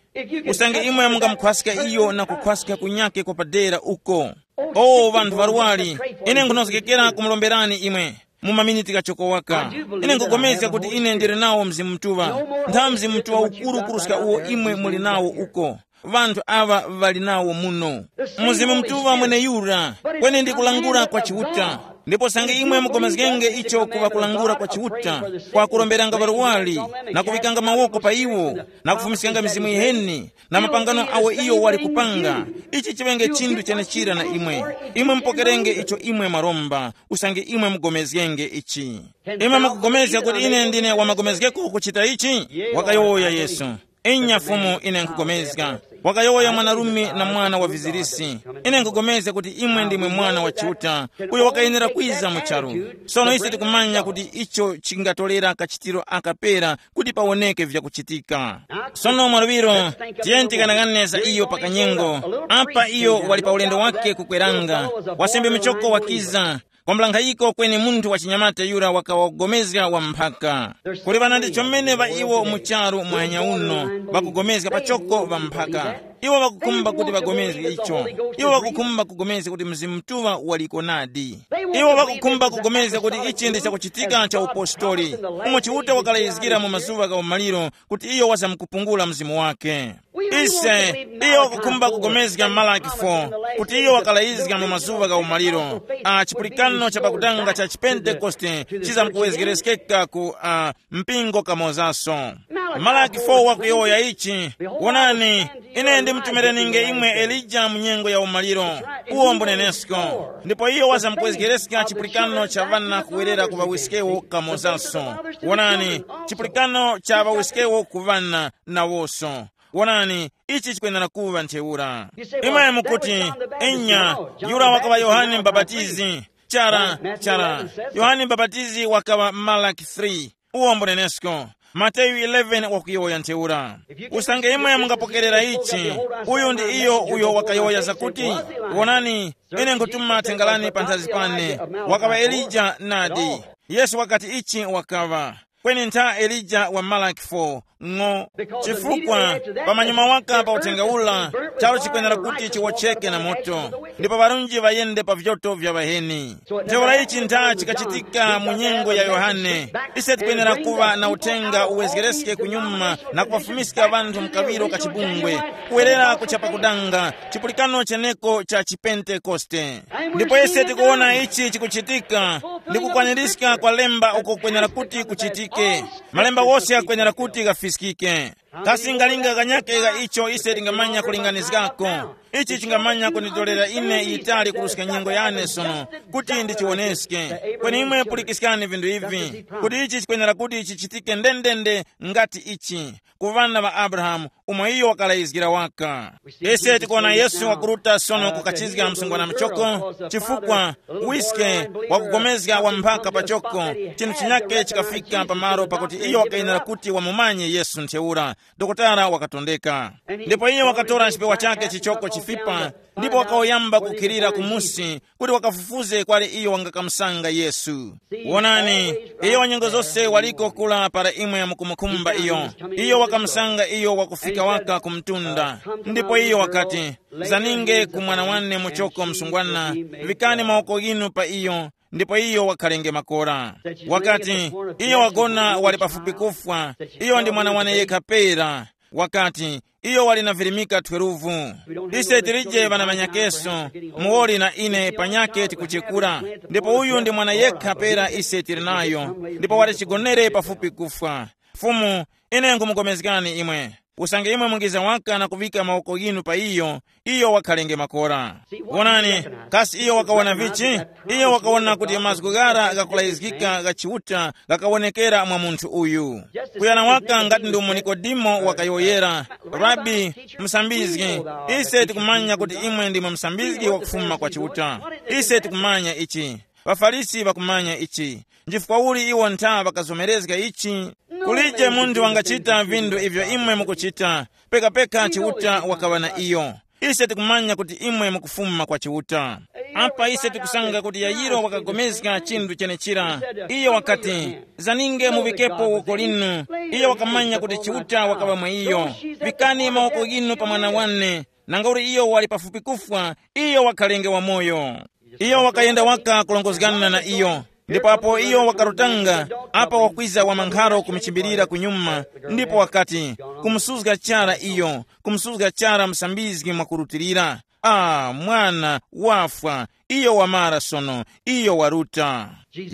usange imwe mungamukhwaska iyo na kukhwaska kunyake kwa padera uko. O ŵanthu ŵarwari, ine nkhunozgekera kumulomberani imwe mu maminiti ghachoko waka. Ine nkugomezga kuti ine ndili nawo Mzimu Mutuŵa, ntha Mzimu Mutuŵa ukuru kuruska uwo imwe muli nawo uko. Ŵanthu aŵa ŵali nawo muno. Mzimu Mutuŵa mweneyura, kweni ndi kulangula kwa Chiuta. Ndipo sange imwe mugomezgenge icho kuŵa kulangula kwa Chiuta, kwa kuromberanga ŵarwari, na kuŵikanga mawoko pa iwo, na kufumiskanga mizimu yiheni, na mapangano awo iyo wali kupanga, ichi chiŵenge chinthu chenechira na imwe. Imwe mupokerenge icho imwe mwaromba, usange imwe mugomezgenge ichi. Imwe mukugomezga kuti ine ndine wamagomezgeko kuchita ichi? Wakayowoya Yesu. Inya Fumu, ine nkugomezga. Wakayowoya mwanarume na mwana wa vizirisi. Ine nkugomezga kuti imwe ndimwe Mwana wa Chiuta, uyo wakayenera kwiza mu charu. Sono ise tikumanya kuti icho chingatolera kachitiro aka pera kuti pawoneke vyakuchitika. Sono mwaluŵiro, tiyeni tikanang'ane za iyo pakanyengo. Apa iyo wali pa ulendo wake kukweranga, wasembe muchoko wakiza, kwambula nkhayiko kweni munthu wa chinyamata yura wakawagomezga wa mphaka. Kuli ŵana ndi chomene ŵa iwo mu charu mwanya uno, ŵakugomezga pachoko ŵa mphaka. Iwo ŵakukhumba kuti ŵagomezge icho. Iwo ŵakukhumba kugomezga kuti Mzimu Mutuŵa waliko nadi. Iwo ŵakukhumba kugomezga kuti ichi ndi chakuchitika cha upostoli, umo Chiuta wakalayizgira mu mazuŵa gha umaliro kuti iyo wazamkupungula Mzimu wake. Ise, iyo wakukhumba kugomezga Malaki four, kuti iyo wakalayizga mu mazuŵa gha umaliro, a chipulikano cha pakutanga cha chipentekoste chizamkuwezgereskeka ku a mpingo kamozaso. Malaki four wakuyowoya ichi, wonani, ine ndimtumireninge imwe Elija mu nyengo ya umaliro, uwo mbunenesko. Ndipo iyo wazamkwezgereska chipulikano cha ŵana kuwerera ku ŵawiskewo kamozaso. Wonani, chipulikano cha ŵawiskewo ku ŵana nawoso. Wonani, ichi chikwenera kuŵa ntheura. Imwe mukuti, inya, yura wakaŵa Yohane Mbapatizi. Chara, chara. Yohane Mbapatizi wakaŵa Malaki three. Uwo mbunenesko. Mateyu eleven wakuyowoya ntheura. Usange imwe mungapokerera ichi, uyu ndi iyo uyo wakayowoya zakuti, wonani, ine nkutuma thenga lane panthazi pane. Wakaŵa Elija nadi. Yesu wakati ichi wakaŵa. Kweni ntha Elija wa Malaki four ng'o. Chifukwa pamanyuma waka pa uthenga ula, charu chikwenera kuti chiwotcheke na moto, ndipo ŵarunji ŵayende pa vyoto vya ŵaheni. Ntheura ichi ntha chikachitika mu nyengo ya Yohane. Ise tikwenera kuŵa na uthenga uwezgereske kunyuma na kupafumiska ŵanthu mkaŵiro ka chibungwe, kuwerera kuchapa kudanga, chipulikano cheneko cha chipentekoste. Ndipo ise tikuwona ichi chikuchitika, ndi kukwanirizika kwa lemba uko kwenera kuti kuchitike. Malemba wose akwenera kuti ghafiskike. Kasi ngalinga kanyake gha icho ise tingamanya kulinganizgako? Ichi chingamanya kunditolera ine yitali kuruska nyengo yane sono kuti ndichiwoneske. Kweni imwe pulikiskani vinthu ivi, kuti ichi chikwenera kuti chichitike ndendende ngati ichi ku ŵana ŵa Abrahamu, umo iyo wakalayizgira waka. Ise tikuwona Yesu wakuruta sono kukachizga msungwana muchoko, chifukwa wiske wakugomezga wa mphaka pachoko, chinthu chinyake chikafika pamalo pakuti iyo wakayenera kuti wamumanye Yesu ntheura. Dokotala wakatondeka. Ndipo iye wakatora chipewa chake chichoko chifipa, ndipo wakawuyamba kukhilira kumusi kuti wakafufuze kwali iyo wangakamusanga Yesu. Wonani, iyo wanyengo zose waliko kula para imwe mukumukhumba iyo. Iyo wakamusanga iyo wakufika waka ku mtunda. Ndipo iyo wakati, zaninge ku mwana wane muchoko msungwana, vikani mawoko ghinu pa iyo, ndipo iyo wakhalenge makora. Wakati, iyo wagona wali pafupi kufwa, iyo ndi mwana wane yekha pera. Wakati, iyo wali na virimika twelve. Ise tilije ŵanamanyakeso, muwoli na ine panyakhe tikuchekura. Ndipo uyu ndi mwana yekha pera ise tili nayo, ndipo wali chigonere pafupi kufwa. Fumu, ine nkhumukomezgani imwe. Usange imwe mungiza waka na kuŵika mawoko ghinu pa iyo, iyo wakhalenge makora. Wonani, kasi iyo wakawona vichi? Iyo wakawona kuti mazgu ghara ghakulayizgika gha Chiuta ghakawonekera mwa munthu uyu. Kuyana waka ngati ndi umo Nikodemo wakayowoyera, Rabi, musambizgi, ise tikumanya kuti imwe ndimwe musambizgi wakufuma kwa Chiuta. Ise tikumanya ichi. །ŵaFarisi ŵakumanya ichi. Nchifukwa uli iwo ntha ŵakazomerezga ichi? Kulije munthu wangachita vinthu ivyo imwe mukuchita, pekapeka Chiuta wakaŵa na iyo. Ise tikumanya kuti imwe mukufuma kwa Chiuta. Apa ise tikusanga kuti Yayiro wakagomezga chinthu chenechira. Iyo wakati, zaninge muŵikepo woko linu. Iyo wakamanya kuti Chiuta wakaŵa mwa iyo. Vikani mawoko ghinu pa mwana wane. Nanga uli iyo wali pafupi kufwa, iyo wakhalenge wamoyo. Iyo wakayenda waka kulongozgana na iyo. Ndipo apo iyo wakarutanga, apa wakwiza wamankharo kumuchimbilira kunyuma, ndipo wakati, kumusuzga chara iyo, kumusuzga chara musambizgi mwakurutilira. Ah, mwana wafwa, iyo wamara sono, iyo waruta.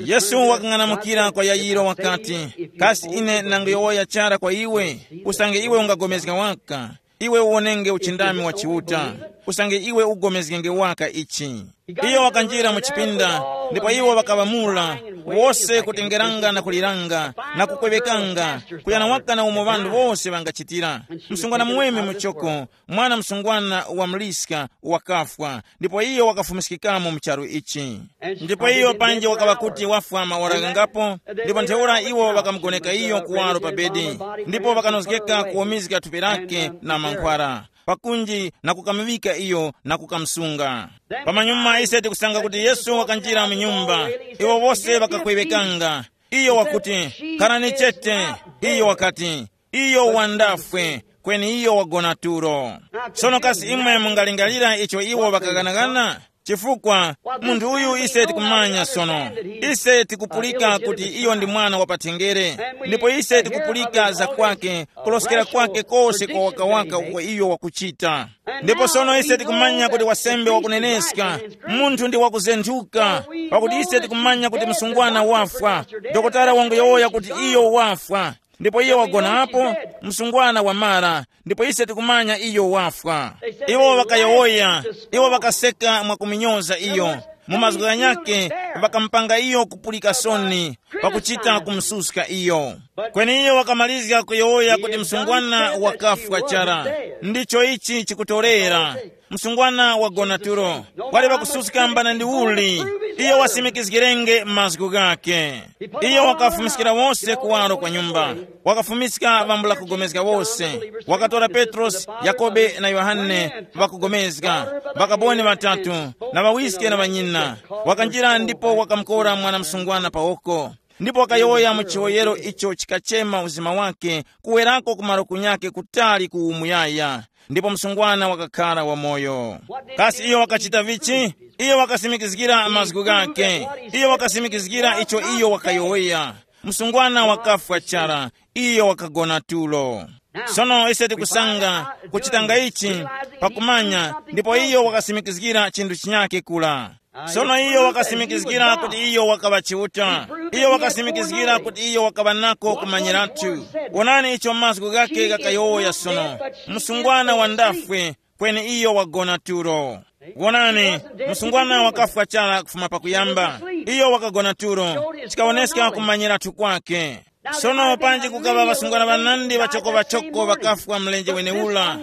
Yesu wakang'anamukira kwa Yayiro wakati, kasi ine nanguyowoya chara kwa iwe? Usange iwe ungagomezga waka, iwe uwonenge uchindami wa Chiuta. Usange iwe ugomezgenge waka ichi. Iyo wakanjira mu chipinda, ndipo iwo ŵakaŵamula, wose kutengeranga na kuliranga, na kukwewekanga, kuyana waka na umo ŵanthu wose ŵangachitira. Msungwana muweme muchoko, mwana msungwana wa muliska, wakafwa, ndipo iyo wakafumiskikamo mu charu ichi. Ndipo iyo panji wakaŵa kuti wafwa maora ghangapo, ndipo ntheura iwo ŵakamugoneka iyo kuwaro pa bedi, ndipo ŵakanozgeka kuwomezga thupi lake na mankhwara pakunji na kukamuŵika iyo na kukamusunga. Pamanyuma ise tikusanga kuti Yesu wakanjira mu nyumba, iwo wose ŵakakweŵekanga. Iyo wakuti, kharani chete. Iyo wakati, iyo wandafwe, kweni iyo wagona tulo. Sono kasi imwe mungalingalira icho iwo ŵakaghanaghana? Chifukwa munthu uyu ise tikumanya sono. Ise tikupulika kuti iyo ndi mwana wa patengere, ndipo ise tikupulika za kwake, kuloskera kwake kose kwa wakawaka uko iyo wakuchita. Ndipo sono ise tikumanya kuti wasembe wakuneneska, munthu ndi wakuzenthuka, pakuti ise tikumanya kuti msungwana wafwa. Dokotala wanguyowoya kuti iyo wafwa, ndipo iye wagonapo, msungwana wamara, ndipo ise tikumanya iyo wafwa. Iwo ŵakayowoya, iwo ŵakaseka mwakuminyoza iyo. Mu mazgu ghanyakhe, ŵakamupanga iyo kupulika soni, pakuchita kumususka iyo. Kweni iyo wakamalizga kuyowoya kuti msungwana wakafwa chara. Ndicho ichi chikutorera. Msungwana wagona tulo. Wali wakususka mbana ndi uli. Iyo wasimikizgirenge mazgu ghakhe. Iyo wakafumiskira wose kuwaro kwa nyumba. Wakafumiska ŵambula kugomezga wose. Wakatora Petrosi, Yakobe na Yohane, ŵakugomezga, ŵakaboni ŵatatu, na ŵawiske na ŵanyina. Wakanjira ndipo wakamukora mwana msungwana pawoko. Ndipo wakayowoya mu chiwoyero icho chikachema uzima wake, kuwerako ku malo kunyakhe kutali ku umuyaya. Ndipo msungwana wakakhara wamoyo. Kasi iyo wakachita vichi? Iyo wakasimikizgira mazgu ghakhe. Iyo wakasimikizgira icho iyo wakayowoya. Msungwana wakafwa chara. Iyo wakagona tulo. Sono ise tikusanga kuchitanga ichi pakumanya, ndipo iyo wakasimikizgira chinthu chinyakhe kula. Sono iyo wakasimikizgira kuti iyo wakaŵa Chiuta. Iyo wakasimikizgira kuti iyo wakaŵa nako kumanyiratu. Wonani icho mazgu ghakhe ghakayowoya sono. Msungwana wandafwe, kweni iyo wagona tulo. Wonani, msungwana wakafwa chara kufuma pakuyamba. Iyo wakagona tulo, chikawoneska kumanyiratu kwake. Sono panji kukaŵa ŵasungwana ŵanandi ŵachoko-ŵachoko ŵakafwa mlenje wenewura.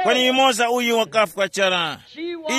Kweni yumoza uyu wakafwa chara.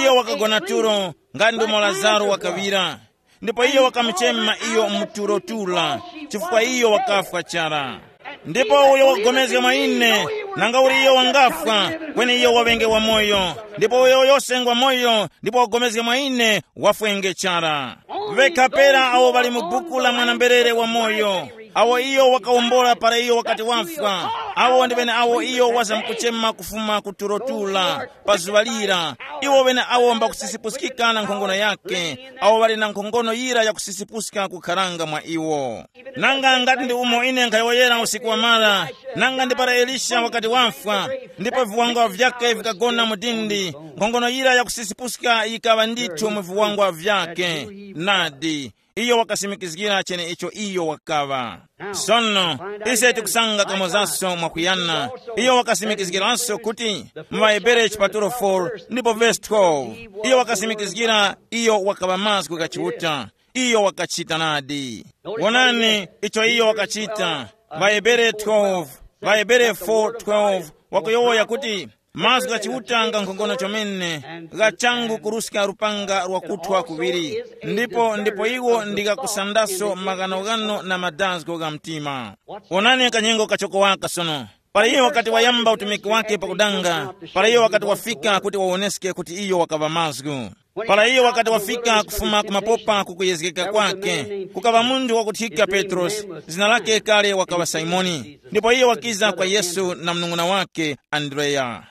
Iyo wakagona tulo, nga ndumo Lazaro wakaŵira. Ndipo iyo wakamuchema iyo mu tulo tula, chifukwa iyo wakafwa chara. Ndipo uyo wakupulikana mwa ine, nanga uli iyo wangafwa, kweni iyo waŵenge wamoyo. Ndipo uyo yose ngwa moyo ndipo wakupulikana mwa ine, wafwenge chara. Vekha pera awo ŵali mu buku la mwana-mberere wamoyo, awo iyo wakawombola para iyo wakati wafwa, awo ndi ŵeneawo iyo wazamkuchema kufuma ku tulo tula pa zuŵa lira. Iwo ŵeneawo mbakusisipuskika na nkhongono yakhe, awo ŵali na nkhongono yira yakusisipuska kukharanga mwa iwo. Nanga ngati ndi umo ine nkhayowoyera usiku wamara, nanga ndi para Elisha wakati wafwa, ndipo viwangwa vyakhe vikagona mu dindi, nkhongono yira yakusisipuska yikaŵa ndithu mu viwangwa vyakhe. Nadi, iyo wakasimikizgira cheneicho iyo wakaŵa. Sono ise tikusanga kamozaso mwakuyana. Iyo wakasimikizgiranso kuti mu ŵaHebere chipatulo four ndipo vesi twelve, iyo wakasimikizgira iyo wakaŵa mazgu gha Chiuta. Iyo wakachita nadi. Wonani icho iyo wakachita. ВaHebere twelve, ŵaHebere four twelve, wakuyowoya kuti, mazgu gha Chiuta nga nkhongono chomene, gha changu kuruska lupanga lwakuthwa kuŵiri, ndipo ndipo iwo ndi ghakusandaso maghanoghano na madazgo gha mtima. Wonani kanyengo kachoko waka sono. Para iyo wakati wayamba utumiki wake pakudanga, para iyo wakati wafika kuti wawoneske kuti iyo wakaŵa mazgu. Para iyo wakati wafika kufuma kumapopa kukuyezgeka kwake, kukaŵa munthu wakuthika Petrosi, zina lake kale wakaŵa Simoni. Ndipo iyo wakiza kwa Yesu na mnung'una wake Andreya.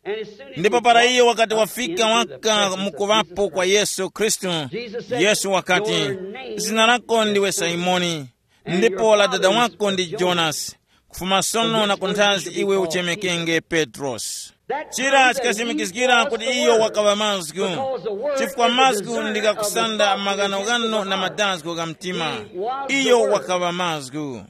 Ndipo para iyo wakati wafika waka mukuŵapo kwa Yesu Khristu, Yesu wakati, zina lako ndiwe Simoni, ndipo la dada wako ndi Jonasi. Kufuma sono na kunthazi iwe uchemekenge Petrosi. Chira chikasimikizgira kuti iyo wakaŵa mazgu, chifukwa mazgu ndi ghakusanda maghanoghano na madazgo gha mtima. Iyo wakaŵa mazgu.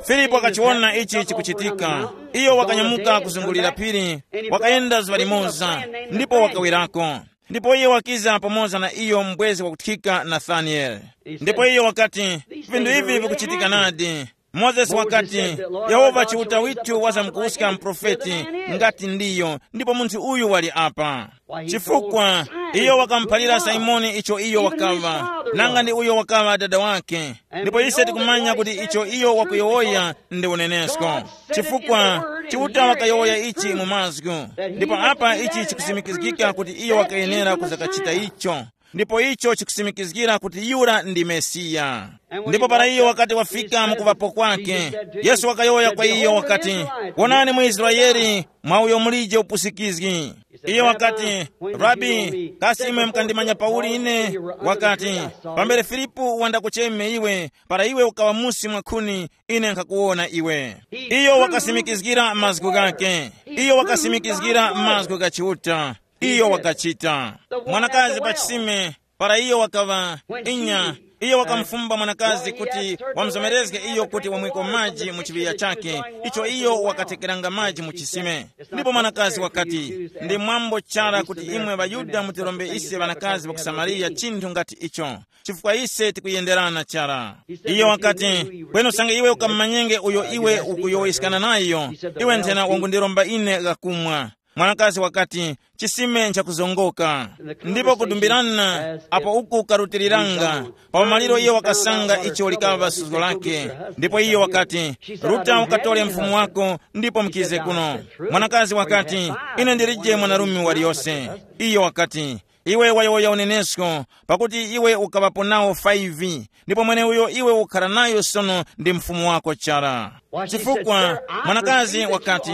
Filipo wakachiwona ichi chikuchitika. Iyo wakanyamuka kuzungulira phiri, wakayenda zuŵa limoza, ndipo wakawerako. Ndipo iyo wakiza pamoza na iyo mbwezi wakuthika Nathanieli. Ndipo iyo wakati, vinthu ivi vikuchitika nadi. Mozesi wakati, Yehova Chiuta withu wazamkuwuska muprofeti, ngati ndiyo, ndipo munthu uyu wali apa. Chifukwa iyo wakamuphalira Simoni icho iyo wakaŵa, nanga ndi uyo wakaŵa dada wake. Ndipo ise tikumanya kuti icho iyo wakuyowoya ndi unenesko. Chifukwa Chiuta wakayowoya ichi mu mazgu. Ndipo apa ichi chikusimikizgika kuti iyo wakayenera kuzakachita icho. Ndipo icho chikusimikizgira kuti yura ndi Mesiya. Ndipo para iyo wakati wafika mukuvapo kwake, Yesu wakayowoya kwa iyo wakati, wonani mu Israele, mwa uyo mulije upusikizgi. Iyo wakati, Rabi, kasi imwe mukandimanya pauli ine? Wakati, pambere Filipu wandakucheme iwe, para iwe ukaŵa musi mwa khuni, ine nkhakuwona iwe. Iyo wakasimikizgira mazgu ghake. Iyo wakasimikizgira mazgu gha Chiuta. Iyo wakachita. Mwanakazi pa chisime, para iyo wakaŵa inya, iyo wakamufumba mwanakazi kuti wamuzomerezge iyo kuti wamwiko maji mu chiŵiya chake, icho iyo wakatekeranga maji mu chisime. Ndipo mwanakazi wakati, ndi mwambo chara kuti imwe ŵaYuda mutirombe ise ŵanakazi ŵa ku Samariya chinthu ngati icho, chifukwa ise tikuyenderana chara. Iyo wakati, kweni usange iwe ukamumanyenge uyo iwe ukuyowoyeskana nayo, iwe nthena wangundiromba ine ghakumwa. Mwanakazi wakati, chisime nchakuzongoka, ndipo kudumbirana apo uku karutiliranga, pa umaliro iyo wakasanga icho likaŵa suzgo lake. Ndipo iyo wakati, ruta ukatole mfumu wako ndipo mukize kuno. Mwanakazi wakati, ine ndilije mwanarume waliyose. Iyo wakati, iwe wayowoya unenesko, pakuti iwe ukaŵapo nawo five, ndipo mweneuyo iwe ukhara nayo sono ndi mfumu wako chara. Chifukwa mwanakazi wakati,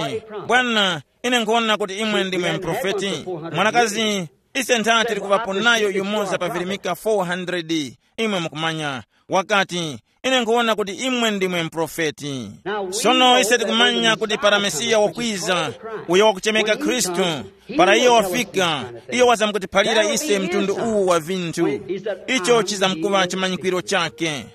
bwana, ine nkhuwona kuti imwe ndimwe mprofeti. Mwanakazi, ise ntha tili kuŵapo nayo yumoza pa virimika four hundred, imwe mukumanya. Wakati, ine nkhuwona kuti imwe ndimwe mprofeti. Sono ise tikumanya kuti para Mesiya wakwiza, uyo wakuchemeka Khristu, para iyo wafika, iyo wazamkutiphalira ise mtundu uwu wa vinthu. Icho chizamkuŵa chimanyikwiro chake.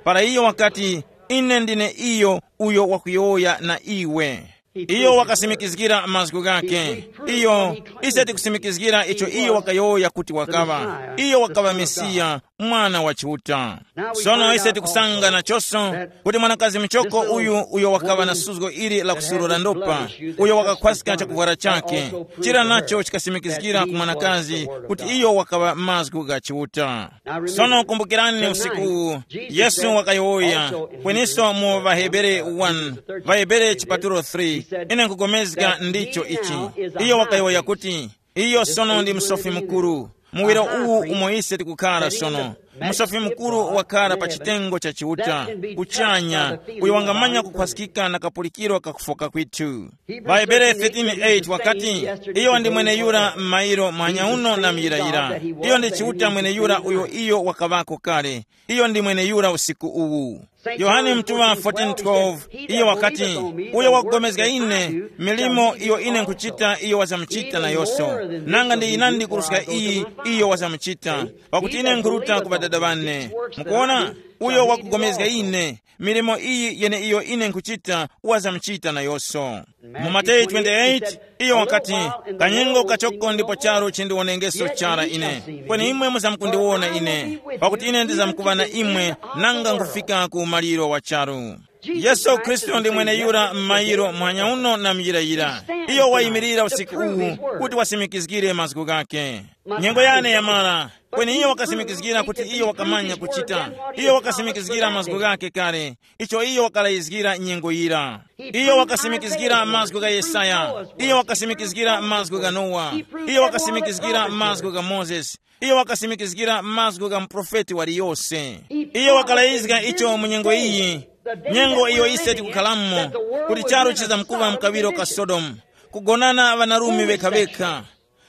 Para iyo wakati, ine ndine iyo uyo wakuyowoya na iwe. Iyo wakasimikizgira mazgu ghake. Iyo, ise tikusimikizgira icho iyo wakayowoya kuti wakaŵa. Iyo wakaŵa Mesiya, Mwana wa Chiuta. Sono ise tikusanga nachonso kuti mwanakazi muchoko uyu, uyo wakaŵa na suzgo ili la kusurura ndopa, uyo wakakhwaska chakuvwara chake, chira nacho chikasimikizgira ku mwanakazi kuti iyo wakaŵa mazgu gha Chiuta. Sono kumbukirani usiku uwu, Yesu wakayowoya, kweniso mu ŵaHebere one, ŵaHebere chipatulo three, ine nkugomezga ndicho ichi. Iyo wakayowoya kuti, iyo sono ndi Musofi Mukuru. Muwiro uwu umo ise tikukhara sono, Musofi Mukuru wakhara pa chitengo cha Chiuta, kuchanya, uyo wangamanya kukhwaskika na kapulikiro kakufoka kwithu. Ŵahebere thirteen eight wakati, iyo ndi mweneyura m'mayiro mwanyauno na muyirayira. Iyo ndi Chiuta mweneyura uyo iyo wakaŵako kale. Iyo ndi mweneyura usiku uwu. Yohane Mtuŵa fourteen twelve, iyo wakati, uyo wakupulikana ine, milimo iyo ine nkhuchita iyo wazamuchita nayonso, nanga ndi yinandi kuruska iyi iyo wazamuchita, pakuti ine nkhuruta ku Ŵadada ŵane. Mukuona? Uyo wakugomezga ine, milimo iyi yeneiyo ine nkhuchita, wazamuchita nayonso. Mu Mateyu twenty-eight, iyo wakati, kanyengo kachoko ndipo charu chindiwonengeso chara ine. Kweni imwe muzamkundiwona ine, pakuti ine ndizamkuŵa na imwe, nanga nkufika ku umaliro wa charu. Yesu Khristu ndi mweneyura m'mayiro muhanya uno na muyirayira. Iyo wayimirira usiku uwu kuti wasimikizgire mazgu ghake. Nyengo yane yamara, kweni iyo wakasimikizgira kuti iyo wakamanya kuchita. Iyo wakasimikizgira mazgu ghake kale, icho iyo wakalayizgira nyengo yira. Iyo wakasimikizgira mazgu gha Yesaya. Iyo wakasimikizgira mazgu gha Nowa. Iyo wakasimikizgira mazgu gha Mozesi. Iyo wakasimikizgira mazgu gha muprofeti waliyose. Iyo wakalayizga icho mu nyengo iyi, nyengo iyo ise tikukhalamo, kuti charu chizamkuŵa mkaŵiro ka Sodomu, kugonana ŵanarume ŵekha-ŵekha.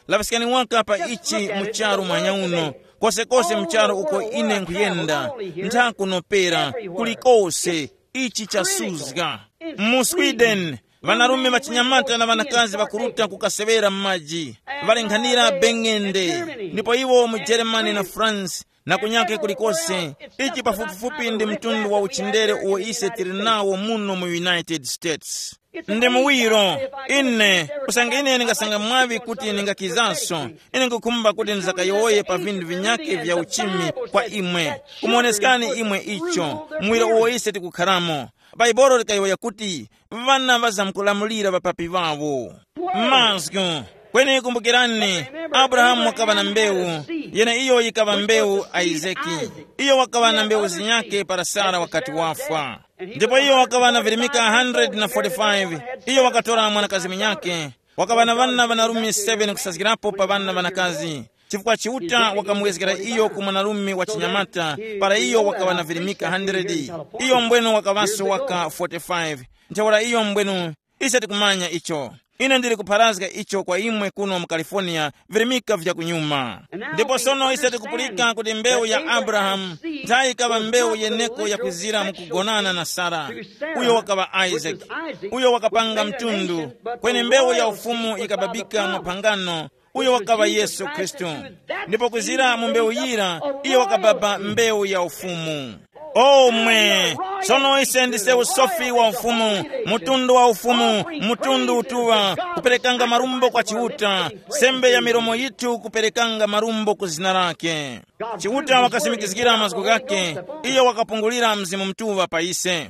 Laŵiskani waka pa ichi mu charu mwanya uno, kosekose mu charu uko ine nkhuyenda, nthakunopera, kulikose, ichi chasuzga. Mu Sweden, ŵanarume ŵachinyamata na ŵanakazi ŵakuruta kukaseŵera m'maji, ŵalenghanira beng'ende, ndipo iwo mu Germany na France, na kunyake kulikose. Ichi pafupifupi ndi mtundu wa uchindere uwo ise tili nawo muno mu United States. Ndi muwiro, ine, usange ine ndingasanga mwaŵi kuti ndingakizanso, ine nkukhumba kuti ndizakayowoye pa vinthu vinyakhe vya uchimi kwa imwe, kumuwoneskani imwe icho, muwiro uwo ise tikukharamo. Bhaibuli likayowoya kuti, ŵana ŵazamkulamulira ŵapapi ŵawo. Mazgu. Kweni kumbukirani, Abrahamu wakaŵa na mbewu, yeneiyo yikaŵa mbewu Isaki. Iyo wakaŵa na mbewu zinyakhe para Sara wakati wafwa. Ndipo iyo wakaŵa na virimika one hundred na forty-five. Iyo wakatora mwanakazi munyakhe, wakaŵa na ŵana ŵanarume seven kusazgirapo pa ŵana ŵanakazi, chifukwa Chiuta wakamuwezgera iyo ku mwanarume wa chinyamata, para iyo wakaŵa na virimika one hundred. Iyo mbwenu wakaŵaso waka forty-five. Ntheura iyo mbwenu, ise tikumanya icho. Ine ndili kupharazga icho kwa imwe kuno mu California, virimika vya kunyuma. Ndipo sono ise tikupulika kuti mbewu ya Abrahamu nthayi ikaŵa mbewu yeneko yakwizira mu kugonana na Sara, uyo wakaŵa Isaac, uyo wakapanga mtundu, kweni mbewu ya ufumu ikababika mwa phangano, uyo wakaŵa Yesu Khristu. Ndipo kuzira mu mbewu yira, iyo wakababa mbewu ya ufumu. Omwe, sono ise ndise usofi wa ufumu, mutundu wa ufumu, mutundu utuŵa, kuperekanga marumbo kwa Chiuta, sembe ya milomo yitu kuperekanga marumbo ku zina lake. Chiuta wakasimikizgira mazgu ghake, iyo wakapungulira Mzimu Mutuŵa pa ise.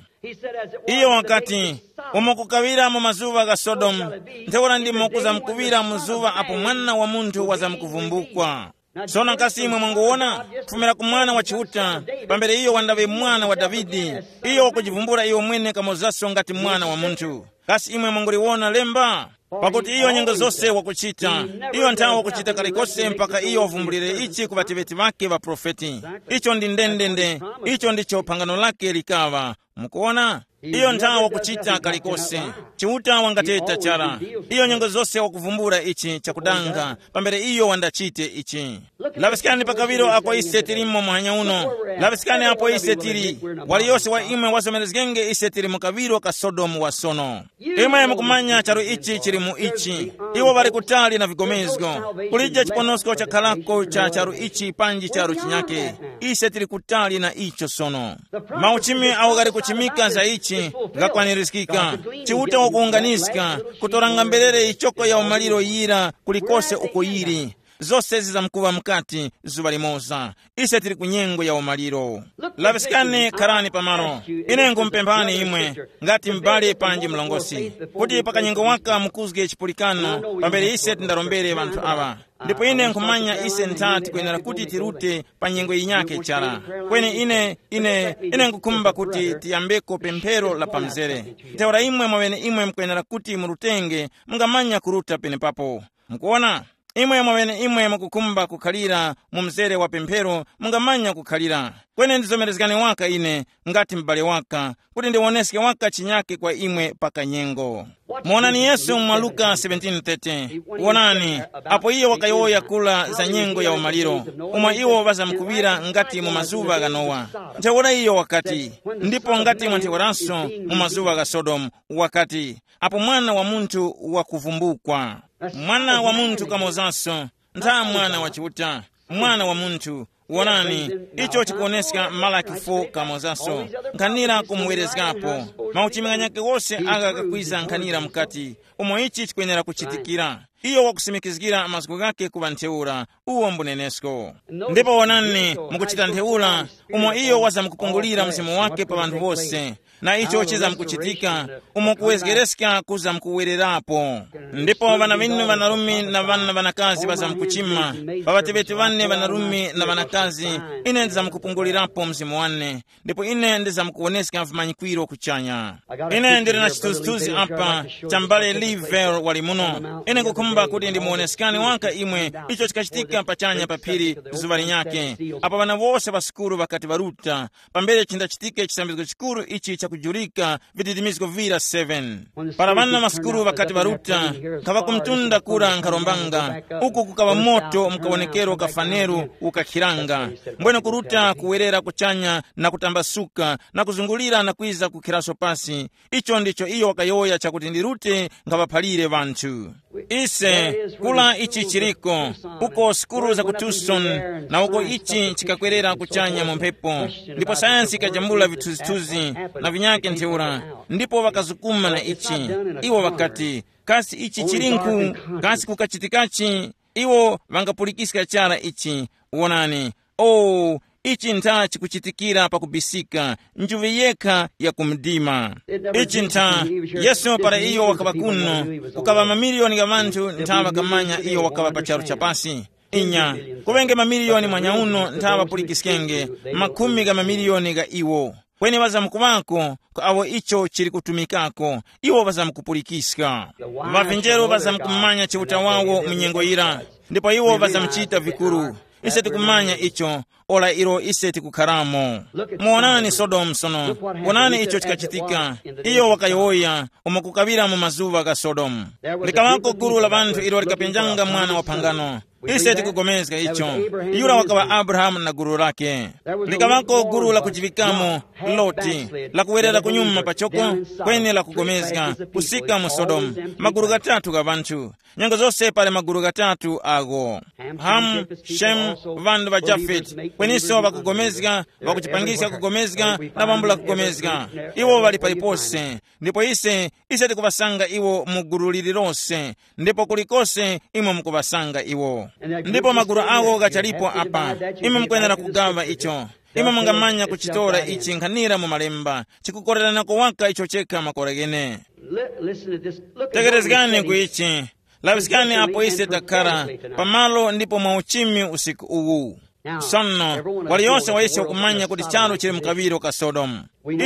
Iyo wakati, umo kukaŵira mu mazuŵa gha Sodomu, ntheura ndimo kuzamkuŵira mu zuŵa apo Mwana wa Munthu wazamkuvumbukwa. Sono kasi imwe mwanguwona, kufumira ku Mwana wa Chiuta, pambere iyo wandaŵe Mwana wa Davide, iyo wakujivumbula iyo mwene kamozaso ngati Mwana wa Munthu. Kasi imwe mwanguliwona lemba? Pakuti iyo nyengo zose wakuchita, iyo nthawe wakuchita kalikose mpaka iyo wavumbulire ichi ku ŵateŵeti ŵake ŵaprofeti. Icho ndi ndendende, icho ndicho phangano lake likaŵa. Mukuona? Iyo nthawe wakuchita kalikose. Chiuta wangateta chara. Iyo nyengo zose wakuvumbula ichi chakudanga, pambere iyo wandachite ichi. Laŵiskani pa kaŵiro ako ise tilimo muhanya uno. Laŵiskani apo ise tili. Waliyose wa imwe wazomerezgenge ise tili mu kaŵiro ka Sodomu wa sono. Imwe mukumanya charu ichi chili mu ichi. Iwo ŵali kutali na vigomezgo. Kulije chiponosko chakharako cha charu ichi panji charu chinyake. Ise tili kutali na icho sono. Mauchimi awo ghali kuchimika za ichi ghakwanirizgika. Chiuta wakuwunganiska, kutoranga mberere yichoko ya umaliro yira kulikose uko yili. Zose zizamkuŵa mukati zuŵa limoza. Ise tili ku nyengo ya umaliro. Laŵiskani, kharani pamalo. Ine nkhumupemphani imwe, ngati m'bale panji mlongosi, kuti pakanyengo waka mukuzge chipulikano pambere ise tindarombere ŵanthu aŵa. Ndipo ine nkhumanya ise ntha tikwenera kuti tirute pa nyengo yinyakhe chara. Kweni ine, ine, ine nkukhumba kuti tiyambeko pemphero la pamzere. Ntheura imwe mwaŵene imwe mukwenera kuti murutenge, mungamanya kuruta penepapo. Mukuwona? Imwe mwaŵene imwe mukukhumba kukhalira mu mzere wa pemphero, mungamanya kukhalira. Kweni ndizomerezgani waka ine, ngati m'bale waka, kuti ndiwoneske waka chinyake kwa imwe pa kanyengo. Muwonani Yesu mwa Luka seventeen thirty. Wonani, apo iyo wakayowoya kula za nyengo ya umaliro, umo iwo ŵazamkuŵira ngati mu mazuŵa gha Nowa. Ntheura iyo wakati, ndipo ngati mwa ntheuraso mu mazuŵa gha Sodomu, wakati, apo Mwana wa Munthu wakuvumbukwa. Mwana wa Munthu kamozaso, ntha Mwana wa Chiuta, Mwana wa Munthu, Wonani, icho chikuwoneska Malaki fo kamozanso, nkhanira kumuwerezgapo. Mauchimi ghanyakhe wose agha ghakwiza nkhanira mukati, umo ichi chikwenera kuchitikira. Iyo wakusimikizgira mazgu ghakhe kuŵa ntheura, uwo mbunenesko. Ndipo wonani, mukuchita ntheura, umo iyo wazamkupungulira mzimu wake pa ŵanthu wose, na icho chizamkuchitika, umo kuwezgereska kuzamkuwererapo. Ndipo ŵana ŵinu ŵanarume na ŵana ŵanakazi ŵazamkuchima, pa ŵateŵeti ŵane ŵanarume na ŵanakazi, ine ndizamkupungulirapo mzimu wane, ndipo ine ndizamkuwoneska vimanyikwiro kuchanya. Ine ndili na chithunzithunzi apa cha m'bale Lee Vale wali muno. Ine nkukhumba kuti ndimuwoneskani waka imwe icho chikachitika pachanya pa phiri zuŵa linyakhe, apo ŵana wose ŵa sukulu ŵakati ŵaruta, pambere chindachitike chisambizgo chikuru ichi chakujurika vididimizgo vira seven. Para ŵana ŵa sukulu ŵakati ŵaruta, nkhaŵa kumtunda kura nkharombanga, uku kukaŵa moto mu kawonekero ka faneru ukakhiranga, mbwene kuruta kuwerera kuchanya na kutambasuka na kuzungulira na kwiza kukhiraso pasi. Icho ndicho iyo wakayowoya chakuti ndirute nkhaŵaphalire ŵanthu. Ise, kula ichi chiriko, uko sukulu za ku Tucson, na uko ichi chikakwerera kuchanya mu mphepo, ndipo sayansi ikajambula vithunzithunzi na vinyakhe ntheura, ndipo ŵakazukuma na ichi. Iwo ŵakati, kasi ichi chilinkhu? Kasi kukachitikachi? Iwo ŵangapulikiska chara ichi. Wonani, o, ichi ntha chikuchitikira pakubisika, njuŵe yekha ya ku mdima. Ichi ntha, Yesu para iyo wakaŵa kuno, kukaŵa mamiliyoni gha ŵanthu ntha ŵakamanya iyo wakaŵa pa charu chapasi. Inya, kuŵenge mamiliyoni mwanyauno ntha ŵapulikiskenge, makhumi gha mamiliyoni gha iwo. Kweni ŵazamkuŵako ku awo icho chili kutumikako, iwo ŵazamkupulikiska. Ŵavinjero ŵazamkumanya Chiuta wawo mu nyengo yira, ndipo iwo ŵazamuchita vikuru. Ise tikumanya icho, ora ilo ise tikukharamo. Muwonani Sodomu sono, wonani icho chikachitika. Iyo wakayowoya umo kukaŵira mu mazuŵa gha Sodomu. Likaŵako gulu la ŵanthu ilo likapenjanga mwana wa phangano. Ise tikugomezga icho. Yura wakaŵa Abrahamu na gulu lake. Likaŵako gulu la kujiŵikamo, Loti, la kuwerera kunyuma pachoko, kweni la kugomezga, kusika mu Sodomu. Magulu ghatatu gha ŵanthu. Nyengo zose pali magulu ghatatu agho. Hamu, Shemu, ŵana ŵa Jafeti, kweniso ŵakugomezga, ŵakuchipangiska kugomezga, na ŵambula kugomezga. Iwo ŵali palipose. Ndipo ise, ise tikuŵasanga iwo mu gulu lililose, ndipo kulikose imwe mukuŵasanga iwo. Ndipo magulu awo ghachalipo apa, imwe mukwenera kugaŵa icho. Imwe mungamanya kuchitora ichi nkhanira mu malemba, chikukoreranako waka icho chekha makora ghene. Tekerezgani ku ichi. Laŵiskani apo ise takhara pamalo ndipo mwa uchimi usiku uwu. Sono, waliyose wa ise wakumanya kuti charu chili mu kaŵiro ka Sodomu.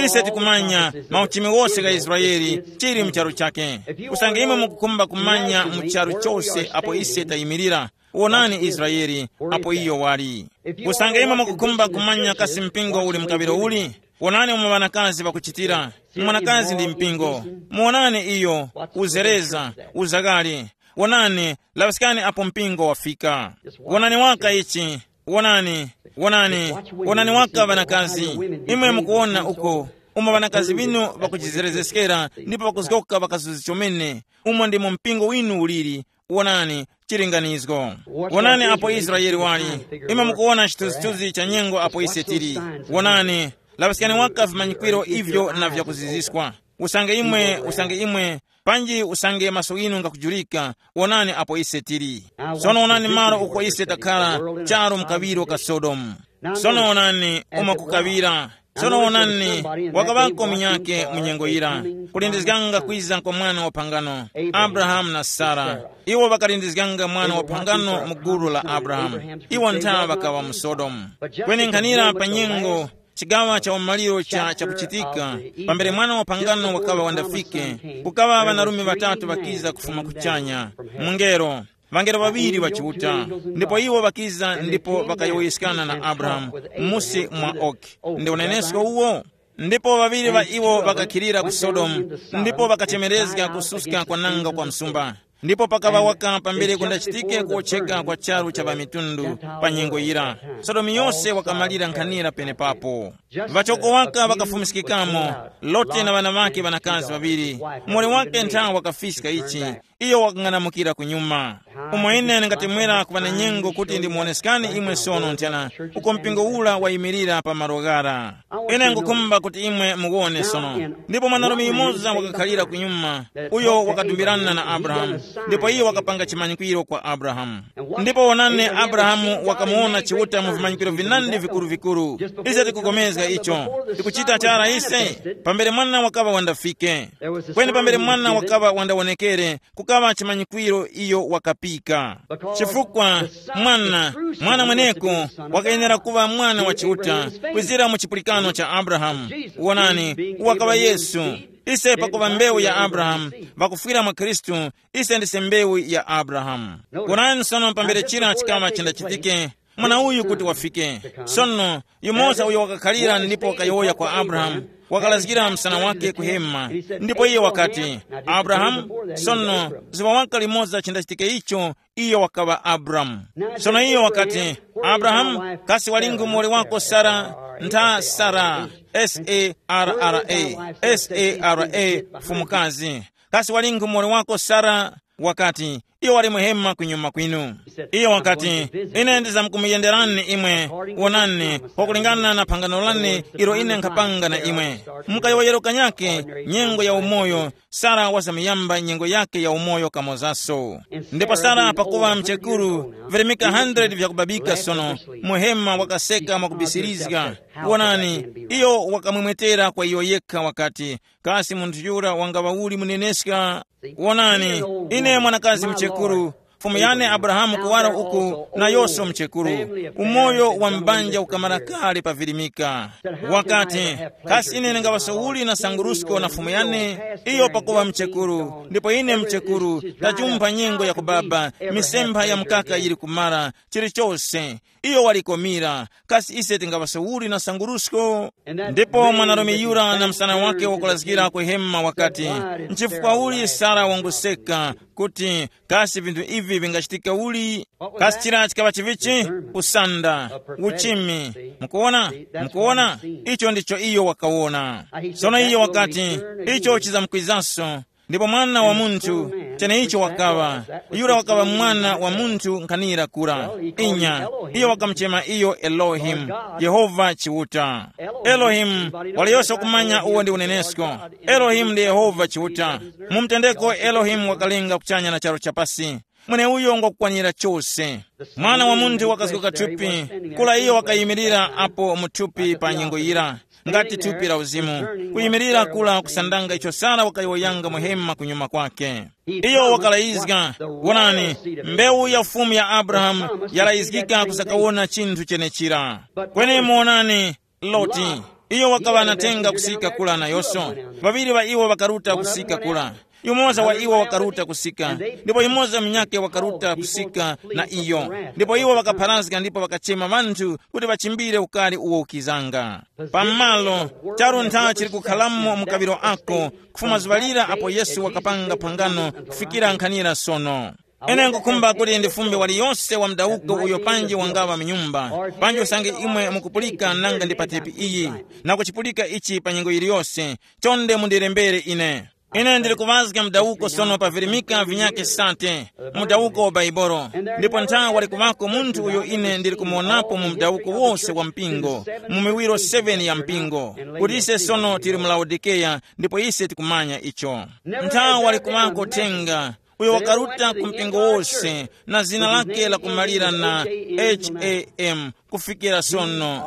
Ise tikumanya mauchimi wose gha Israeli chili mu charu chake. Usange imwe mukukhumba kumanya mu charu chose apo ise tayimirira, wonani Israeli apo iyo wali. Usange imwe mukukhumba kumanya kasi mpingo uli mu kaŵiro uli, wonani umo ŵanakazi ŵakuchitira. Mwanakazi ndi mpingo. Muwonani iyo, uzereza, uzakali. Wonani, laŵiskani apo mpingo wafika. Wonani waka ichi. Wonani, wonani, wonani waka ŵanakazi. Imwe mukuwona uko, umo ŵanakazi ŵinu ŵakujizerezeskera ndipo ŵakuzgoka ŵakazuzi chomene, umo ndimo mpingo winu uliri. Wonani, chilinganizgo. Wonani apo Israeli wali. Imwe mukuwona chithunzithunzi cha nyengo apo ise tili. Wonani, laŵiskani waka vimanyikwiro ivyo na vyakuziziskwa. Usange imwe, usange imwe, panji usange maso ghinu ngakujulika, wonani apo ise tili. Sono wonani malo uko ise takhala, charu mu kaŵiro ka Sodomu. Sono wonani umo kukaŵira. Sono wonani, wakaŵako munyakhe mu nyengo yira, kulindizganga kwiza kwa mwana wa phangano, Abrahamu na Sara. Iwo ŵakalindizganga mwana wa phangano mu gulu la Abrahamu. Iwo ntha ŵakaŵa mu Sodomu. Kweni nkhanira pa nyengo, chigaŵa cha umaliro cha chakuchitika, pambere mwana wa phangano wakaŵa wandafike, kukaŵa ŵanarume ŵatatu ŵakiza kufuma kuchanya, mungelo, ŵangelo ŵaŵiri ŵa Chiuta, ndipo iwo ŵakiza ndipo ŵakayowoyeskana na Abrahamu musi mwa oki. Ndi unenesko uwo? Ndipo ŵaŵiri ŵa iwo ŵakakhilira ku Sodomu, ndipo ŵakachemerezga kususka kwananga kwa msumba. Ndipo pakaŵa waka pambere kundachitike kuwotcheka kwa charu cha ŵamitundu pa nyengo yira. Sodomu yose wakamalira nkhanira penepapo. Ŵachoko waka ŵakafumiskikamo, Lote na ŵana ŵake ŵanakazi ŵaŵiri. Muwoli wake nthawe wakafiska ichi, iyo wakang'anamukira kunyuma. Umo ine ndingatemwera kuŵa na nyengo kuti ndimuwoneskani imwe sono nthena uko mpingo ura wayimirira pa malo ghara. Ine ngukhumba kuti imwe muwone sono. Ndipo mwanarume yumoza wakakhalira kunyuma, uyo wakadumbirana na Abrahamu, ndipo iyo wakapanga chimanyikwiro kwa Abrahamu. Ndipo wonani, Abrahamu wakamuwona Chiuta mu vimanyikiro vinandi vikuru-vikuru. Ise tikupulikana icho, tikuchita chara ise. Pambere mwana wakaŵa wandafike, kweni pambere mwana wakaŵa wandawonekere, kukaŵa chimanyikwiro iyo wakapika. Chifukwa mwana, mwana mweneko wakayenera kuŵa mwana wa Chiuta, kwizira mu chipulikano cha Abrahamu. Wonani, wakaŵa Yesu. Ise pakuva mbewu ya Abrahamu, vakufwira mwa Khristu, ise ndise mbewu ya Abrahamu. Wonani sono, pambere chira chikaŵa chindachitike, mwana uyu kuti wafike. Sono, yumoza uyo wakakhalira ndipo wakayowoya kwa Abrahamu, wakalazgira msana wake kuhema. Ndipo iye wakati, Abrahamu, sono, zuŵa waka limoza chindachitike icho, iyo wakaŵa Abramu. Sono iyo wakati, Abrahamu, kasi walingi muwoli wako Sara? Ntha Sara, S A R R A, S A R A, mfumukazi. Kasi walingi muwoli wako Sara? Wakati, iyo wali muhema kunyuma kwinu. Iyo wakati, ine ndizamkumuyenderani imwe, wonani, kwakulingana na phangano lane ilo ine nkhapanga na imwe. Mukayowoyero kanyake, nyengo ya umoyo, Sara wazamuyamba nyengo yake ya umoyo kamozaso. Ndipo Sara pakuŵa mchekuru, virimika hundred vyakubabika sono, muhema wakaseka mwakubisirizga. Wonani, iyo wakamwemwetera kwa iyo yekha wakati, kasi munthu yura wangaŵa uli muneneska? Wonani, ine mwanakazi mchekuru, fumu yane Abrahamu kuwara uku, nayonso mchekuru. Umoyo wa mbanja ukamara kale pavirimika. Wakati, kasi ine ndingaŵaso uli na sangurusko na fumu yane? Iyo pakuŵa mchekuru, ndipo ine mchekuru, tajumpha nyengo ya kubaba, misempha ya mkaka yili kumara, chilichose. Iyo walikomira, kasi ise tingaŵaso uli na sangurusko? Ndipo mwanarume yura na msana wake wakulazgira ku hema wakati, nchifukwa uli Sara wanguseka kuti, kasi vinthu ivi vingachitika uli? Kasi chira chikaŵa chivichi? Kusanda, uchimi. Mukuona? Mukuona? Icho ndicho iyo wakawona. Sono iyo wakati, icho chizamkwizanso. Ndipo mwana wa munthu, cheneicho wakaŵa, yura wakaŵa mwana wa munthu nkhanira kura. Inya, iyo wakamuchema iyo Elohimu, Yehova Chiuta. Elohimu, waliyose kumanya uwo ndi unenesko. Elohimu ndi Yehova Chiuta. Mu mtendeko Elohimu wakalenga kuchanya na charu chapasi. Mweneuyo ngwakukwanira chose. Mwana wa munthu wakazguka thupi, kula iyo wakayimirira apo mu thupi pa nyengo yira, ngati thupi la uzimu, kuyimirira kula kusandanga icho Sara wakayowoyanga muhema kunyuma kwake. Iyo wakalayizga, wonani, mbewu ya Fumu ya Abrahamu yalayizgika kusakawona chinthu chenechira. Kweni muwonani, Loti, iyo wakaŵa na thenga kusika kula nayose. Ŵaŵiri ŵa iwo ŵakaruta kusika kula. Yumoza wa iwo wakaruta kusika, ndipo yumoza munyakhe wakaruta kusika na iyo. Ndipo iwo ŵakapharazga ndipo ŵakachema ŵanthu kuti ŵachimbire ukari uwo ukizanga. Pamalo, charu ntha chili kukhalamo mu kawiro ako, kufuma zuŵa lira apo Yesu wakapanga phangano kufikira nkhanira sono. Ine nkukhumba kuti ndifumbe waliyose wa mdawuko uyo panji wangaŵa mu nyumba, panji usange imwe mukupulika nanga ndi pa tepi iyi, na kuchipulika ichi pa nyengo yiliyose, chonde mundirembere ine. Ine ndili kuŵazga mdawuko sono pa virimika vinyakhe sate, mudawuko wa Baibolo. Ndipo ntha wali kuŵako munthu uyo ine ndili kumuwonapo mu mdawuko wose wa mpingo, mu miwiro seven ya mpingo, kuti ise sono tili mu Laodikeya, ndipo ise tikumanya icho. Ntha wali kuŵako thenga, uyo wakaruta ku mpingo wose, na zina lake lakumalira na H A M kufikira sono,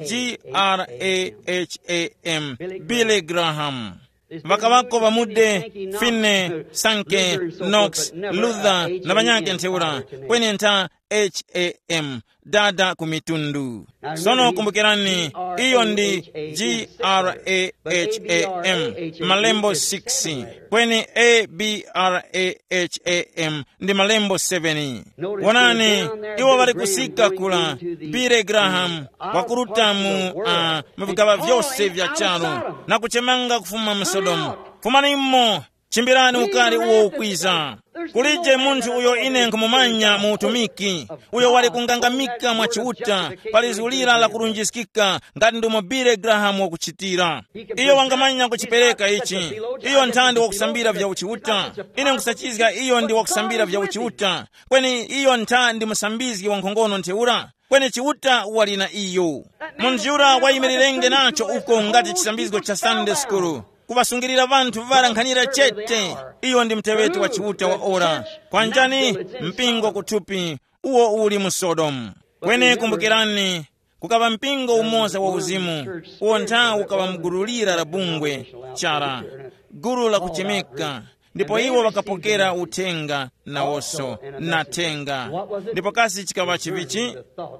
G R A H A M, Billy Graham. Ŵakaŵako ŵamude, Finney, Sankey, Knox, Luther, na ŵanyakhe ntheura, kweni ntha H A M, dada ku mitundu. Sono kumbukirani, iyo ndi G R A H A M, malembo six, kweni A B R A H A M ndi malembo seven. Wonani, iwo ŵali kusika kula, Billy Graham, wakuruta mu, uh, mu vigaŵa vyose vya charu, na kuchemanga kufuma mu Sodomu. Fumanimo, chimbirani ukari uwo ukwiza. Kulije munthu uyo ine nkhumumanya mu utumiki, uyo wali kungangamika mwa Chiuta pa lizu lira la kurunjiskika, ngati ndumo Billy Graham wakuchitira. Iyo wangamanya kuchipereka ichi. Iyo nthandi wakusambira vya uchiuta. Ine nkusachizga iyo ndi wakusambira vya uchiuta. Kweni iyo ntha ndi musambizgi wa nkhongono ntheura. Kweni Chiuta wali na iyo. Munthu yura wayimirirenge nacho uko ngati chisambizgo cha Sunday school, kuŵasungirira ŵanthu ŵara nkhanira chete. Iyo ndi muteŵeti wa Chiuta wa ora. Kwanjani mpingo kuthupi uwo uli mu Sodomu. Kweni kumbukirani, kukaŵa mpingo umoza wa uzimu, uwo nthawi ukaŵa mugululira la bungwe chara, gulu la kuchemeka, ndipo iwo ŵakapokera uthenga nawoso na thenga. Ndipo kasi chikaŵa chivichi?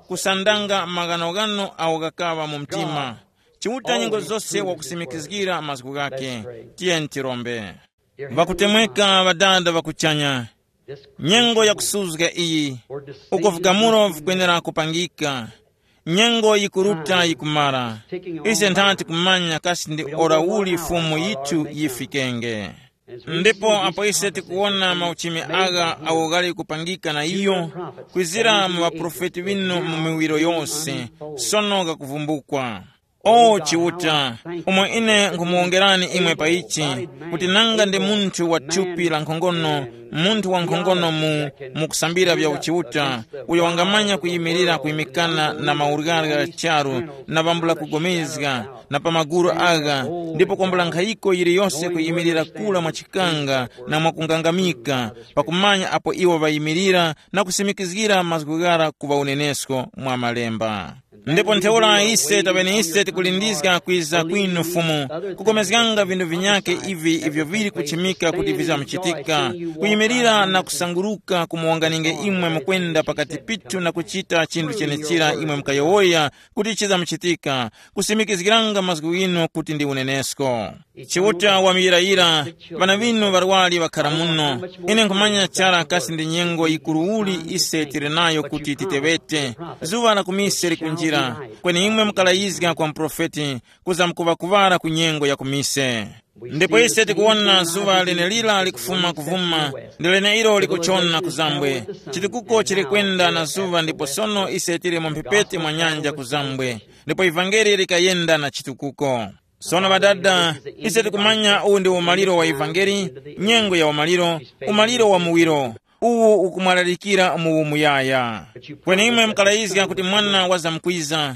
Kusandanga maghanoghano awo ghakaŵa mu mtima. Chiuta nyengo zose wakusimikizgira mazgu ghake. Tiyeni tirombe. Ŵakutemweka ŵadada ŵakuchanya, nyengo yakusuzga iyi, uko vigamulo vikwenera kupangika, nyengo yikuruta yikumara. Ise nthati kumanya kasi ndi ora uli Fumu yithu yifikenge. Ndipo apo ise tikuwona mauchimi agha awo ghali kupangika na iyo, kwizira mu ŵaprofeti ŵinu mu miwiro yose, sono ghakuvumbukwa. O Chiuta, umo ine nkhumuwongerani imwe pa ichi, kuti nanga ndi munthu wa thupi la nkhongono, munthu wa nkhongono mu mukusambira vya uchiuta, uyo wangamanya kuyimirira kuyimikana na mauryarya gha charu, na vambula kugomezga, na pa maguru agha, ndipo kwambula nkhayiko yiliyose kuyimirira kula mwa chikanga na mwa kungangamika, pakumanya apo iwo ŵayimirira na kusimikizgira mazgu ghara kuŵa unenesko mwa Malemba. Ndipo ntheura ise taŵene ise tikulindizga kwiza kwinu Fumu, kugomezganga vinthu vinyakhe ivi ivyo vili kuchimika kuti vizamuchitika, kuyimirira na kusanguruka kumuwanganinge imwe mukwenda pakati pithu na kuchita chinthu chenechira imwe mukayowoya kuti chizamuchitika, kusimikizgiranga mazgu ghinu kuti ndi unenesko. Chiuta wamuyirayira, ŵana ŵinu ŵarwari ŵakhara muno. Ine nkhumanya chara kasi ndi nyengo yikuru uli ise tili nayo kuti titeŵete. Zuŵa la kumise likunjira, kweni imwe mukalayizga kwa muprofeti, kuza mkuŵakuŵara ku nyengo ya kumise. Ndipo ise tikuwona zuŵa lenelira likufuma kuvuma, ndi leneilo likuchona kuzambwe. Chitukuko chili kwenda na zuŵa ndipo sono ise tili mu mphepete mwa nyanja kuzambwe, ndipo ivangeli likayenda na chitukuko. Sono ŵadada, ise tikumanya uwu ndi umaliro wa ivangeli, nyengo ya umaliro, umaliro wa muwiro, uwu ukumwalalikira mu umuyaya. Kweni imwe mukalayizga kuti mwana wazamkwiza,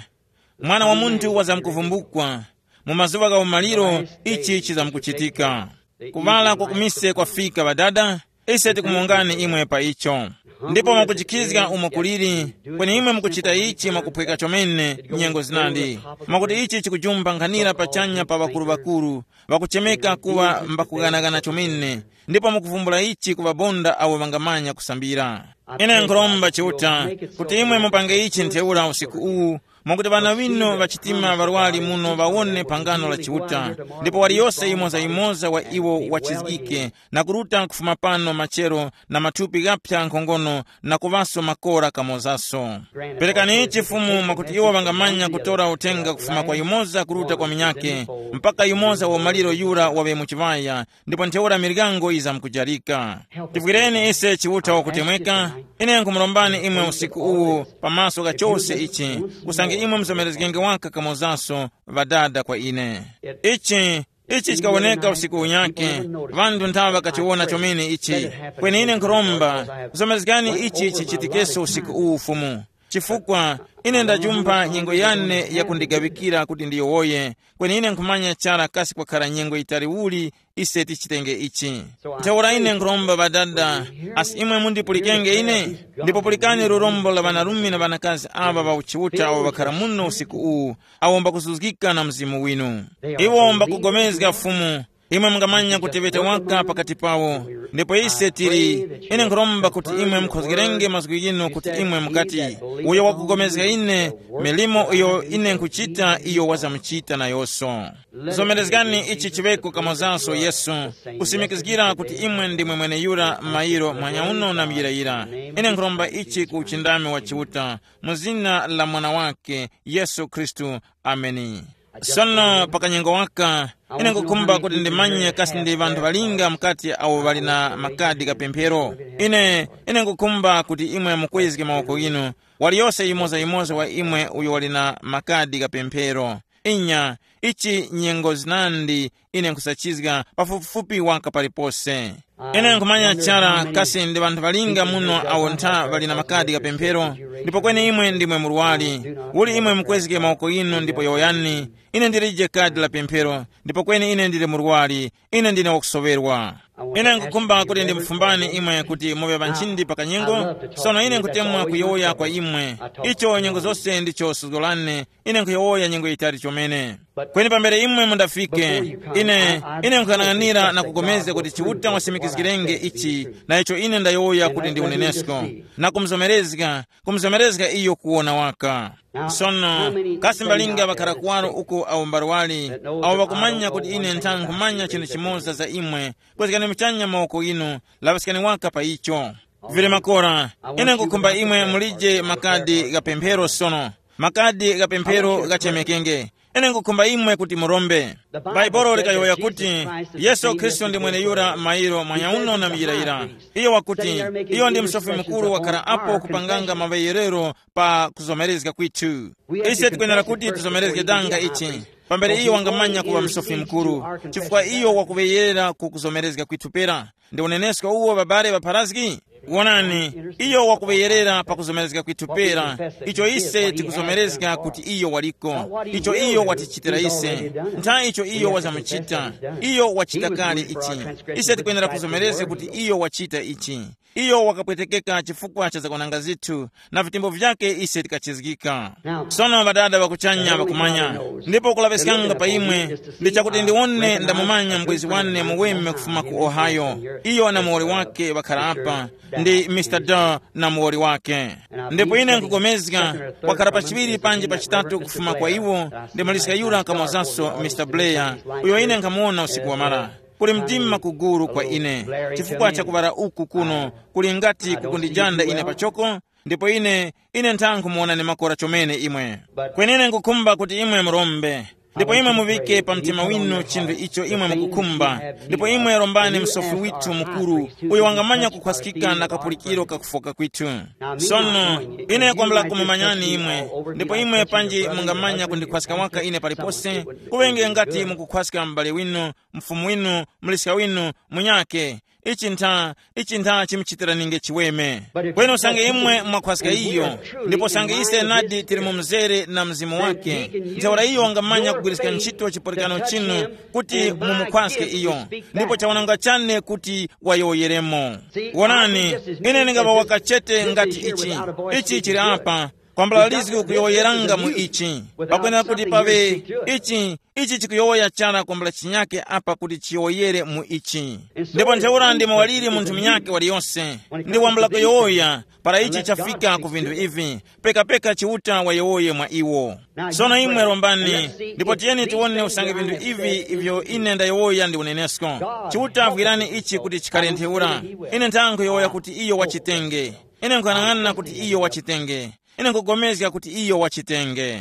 mwana wa munthu wazamkuvumbukwa, mu mazuŵa gha umaliro ichi chizamkuchitika. Kuŵala kwa kumise kwafika ŵadada, ise tikumongani imwe pa icho. Ndipo mwakuchikhizga umo kuliri, kweni imwe mukuchita ichi mwakuphweka chomene nyengo zinandi, mwakuti ichi chikujumba nkhanira pachanya pa ŵakuru-ŵakuru, ŵakuchemeka kuŵa mbakughanagana chomene, ndipo mukuvumbula ichi ku ŵabonda awo ŵangamanya kusambira. Ine nkhuromba Chiuta kuti imwe mupange ichi ntheura usiku uwu, mwakuti ŵana ŵinu ŵachitima ŵarwari muno ŵawone phangano la Chiuta, ndipo waliyose yimoza-yimoza wa iwo wachizgike na kuruta kufuma pano machero na mathupi ghaphya nkhongono na kuŵaso makora kamozaso. Perekani ichi Fumu mwakuti iwo ŵangamanya kutora uthenga kufuma kwa yumoza kuruta kwa minyake, mpaka yumoza wa maliro yura waŵe mu chiŵaya, ndipo ntheura miryango yizamkujarika. Tivwireni ise Chiuta wakutemweka. Ine nkhumurombani imwe usiku uwu pamaso gha chose ichi, usange imwe muzomerezgenge waka kamozaso ŵadada kwa ine. Ichi, ichi chikawoneka usiku unyake, ŵanthu nthawa ŵakachiwona chomene ichi. Kweni ine nkhuromba, zomerezgani ichi chichitikeso usiku uwu Fumu, chifukwa ine ndajumpha nyengo yane yakundigaŵikira kuti ndiyowoye, kweni ine nkhumanya chara kasi kwakhara nyengo yitali uli ise tichitenge ichi. Ntheura ine nkhuromba ŵadada, asi imwe mundipulikenge ine, ndipo pulikani lurombo la ŵanarume na ŵanakazi aŵa ŵa uchiuta awo ŵakhara muno usiku uwu, awo mbakuzuzgika na Mzimu winu. Iwo mbakugomezga Fumu, imwe mungamanya kuteŵeta waka pakati pawo. Ndipo ise tili, ine nkhuromba kuti imwe mukhozgerenge mazgu ghinu kuti imwe mukati, uyo wakugomezga ine, milimo iyo ine nkhuchita iyo wazamuchita nayonso. Zomerezgani ichi chiŵeko kamozanso Yesu, kusimikizgira kuti imwe ndimwe mweneyura mayiro mwanyauno na muyirayira. Ine nkhuromba ichi ku uchindami wa Chiuta, mu zina la Mwana wake, Yesu Khristu. Ameni. Sono pa kanyengo waka, ine nkukhumba kuti ndimanye kasi ndi ŵanthu ŵalinga mukati awo ŵali na makadi kapemphero. Ine, ine nkukhumba kuti imwe mukwezge mawoko ghinu, waliyose yimoza-yimoza wa imwe uyo wali na makadi kapemphero. Inya, ichi nyengo zinandi ine nkhusachizga pafupifupi waka palipose. Ine nkhumanya chara kasi ndi ŵanthu ŵalinga muno awo ntha ŵali na makadi kapemphero, ndipo kweni imwe ndimwe murwari. Uli imwe mukwezge mawoko inu ndipo yowoyani, ine ndilije kadi la pemphero, ndipo kweni ine ndili murwari, ine ndine wakusoŵerwa. Ine nkukhumba kuti ndimufumbani imwe kuti muŵe ŵanchindi pa kanyengo. Sono ine nkutemwa kuyowoya kwa imwe, icho nyengo zose ndicho suzgo lane. Ine nkhuyowoya nyengo yitali chomene. Kweni pambere imwe mundafike, ine ine nkuyang'anira na kugomezga kuti Chiuta wasimikizgirenge ichi, na icho ine ndayowoya kuti ndi unenesko, na kumuzomerezga, kumuzomerezga iyo kuwona waka. Sono, kasi mbalinga ŵakhara kuwaro uko awo mbarwali, awo ŵakumanya kuti ine ntha nkhumanya chinthu chimoza za imwe, kwezgani muchanya mawoko inu, laŵiskani waka pa icho. Vili makora, ine nkukhumba imwe mulije makadi gha pemphero sono. Makadi gha pemphero ghachemekenge. Ine nkukhumba imwe kuti murombe. Bhaibuli likayowoya kuti, Yesu Khristu ndi mweneyura mairo mwanyauno na muyirayira. Iyo wakuti, iyo ndi msofi mukuru wakhara apo kupanganga maŵeyerero pa kuzomerezga kwithu. Ise tikwenera kuti tuzomerezge danga ichi, pambere iyo wangamanya kuŵa msofi mukuru, chifukwa iyo wakuŵeyerera ku kuzomerezga kwithu pera. Ndi unenesko uwo babale ŵapharazgi? Wonani, iyo wakuŵeyerera pa kuzomerezga kwithu pera, icho ise tikuzomerezga kuti iyo waliko, icho iyo watichitira ise, ntha icho iyo wazamuchita, iyo wachita kale ichi. Ise tikwenera kuzomerezga kuti iyo wachita ichi. Iyo wakapwetekeka chifukwa cha zakwananga zithu, na vitembo vyake ise tikachizgika. Sono Ŵadada ŵa kuchanya ŵakumanya, ndipo kulaŵiskanga pa imwe ndi chakuti ndiwone ndamumanya mbwezi wane muweme kufuma ku Ohio. Iyo na muwoli wake ŵakhara apa, ndi Mr Dar na muwoli wake. Ndipo ine nkugomezga, wakhara pa chiŵiri panji pa chitatu kufuma kwa iwo, ndi maliska yura kamozaso Mr Blair, uyo ine nkhamuwona usiku wamara. Kuli mdima kuguru kwa ine, chifukwa cha kuŵala uku kuno kuli ngati kukundijanda ine pachoko, ndipo ine ine ntha nkhumuwonani makora chomene imwe. Kwenene nkhukhumba kuti imwe murombe, ndipo imwe muŵike pa mtima winu chinthu icho imwe mukukhumba, ndipo imwe rombani msofi withu mukuru, uyo wangamanya kukhwaskika na kapulikiro kakufoka kwithu. Sono, ine kwambula kumumanyani imwe, ndipo imwe panji mungamanya kundikhwaska waka ine palipose, kuŵenge ngati mukukhwaska m'bale winu, mfumu winu, muliska winu, munyakhe. Ichi ntha, ichi ntha chimuchitiraninge chiweme. Kweni usange imwe mwakhwaska iyo, ndipo usange ise nadi tili mu mzere na mzimu wake, ntheura iyo wangamanya kugwiriska ntchito chipulikano chinu kuti mumukhwaske iyo, ndipo chawananga chane kuti wayowoyeremo. Wonani, ine ndingaŵa wakachete ngati ichi. Ichi chili apa, kwambula lizgi ukuyowoyeranga mu ichi. Pakwenera kuti paŵe ichi, ichi chikuyowoya chara kwambula chinyake apa kuti chiyowoyere mu ichi. Ndipo ntheura ndi muwaliri munthu munyake waliyose, ndi wambula kuyowoya, para ichi chafika ku vinthu ivi, pekapeka Chiuta wayowoye mwa iwo. Sono imwe rombani, ndipo tiyeni tiwone usange vinthu ivi ivyo ine ndayowoya ndi unenesko. Chiuta vwirani ichi kuti chikhale ntheura. Ine ntha nkhuyowoya kuti iyo wachitenge. Ine nkuyang'ana kuti iyo wachitenge. Ine nkugomezga kuti iyo wachitenge.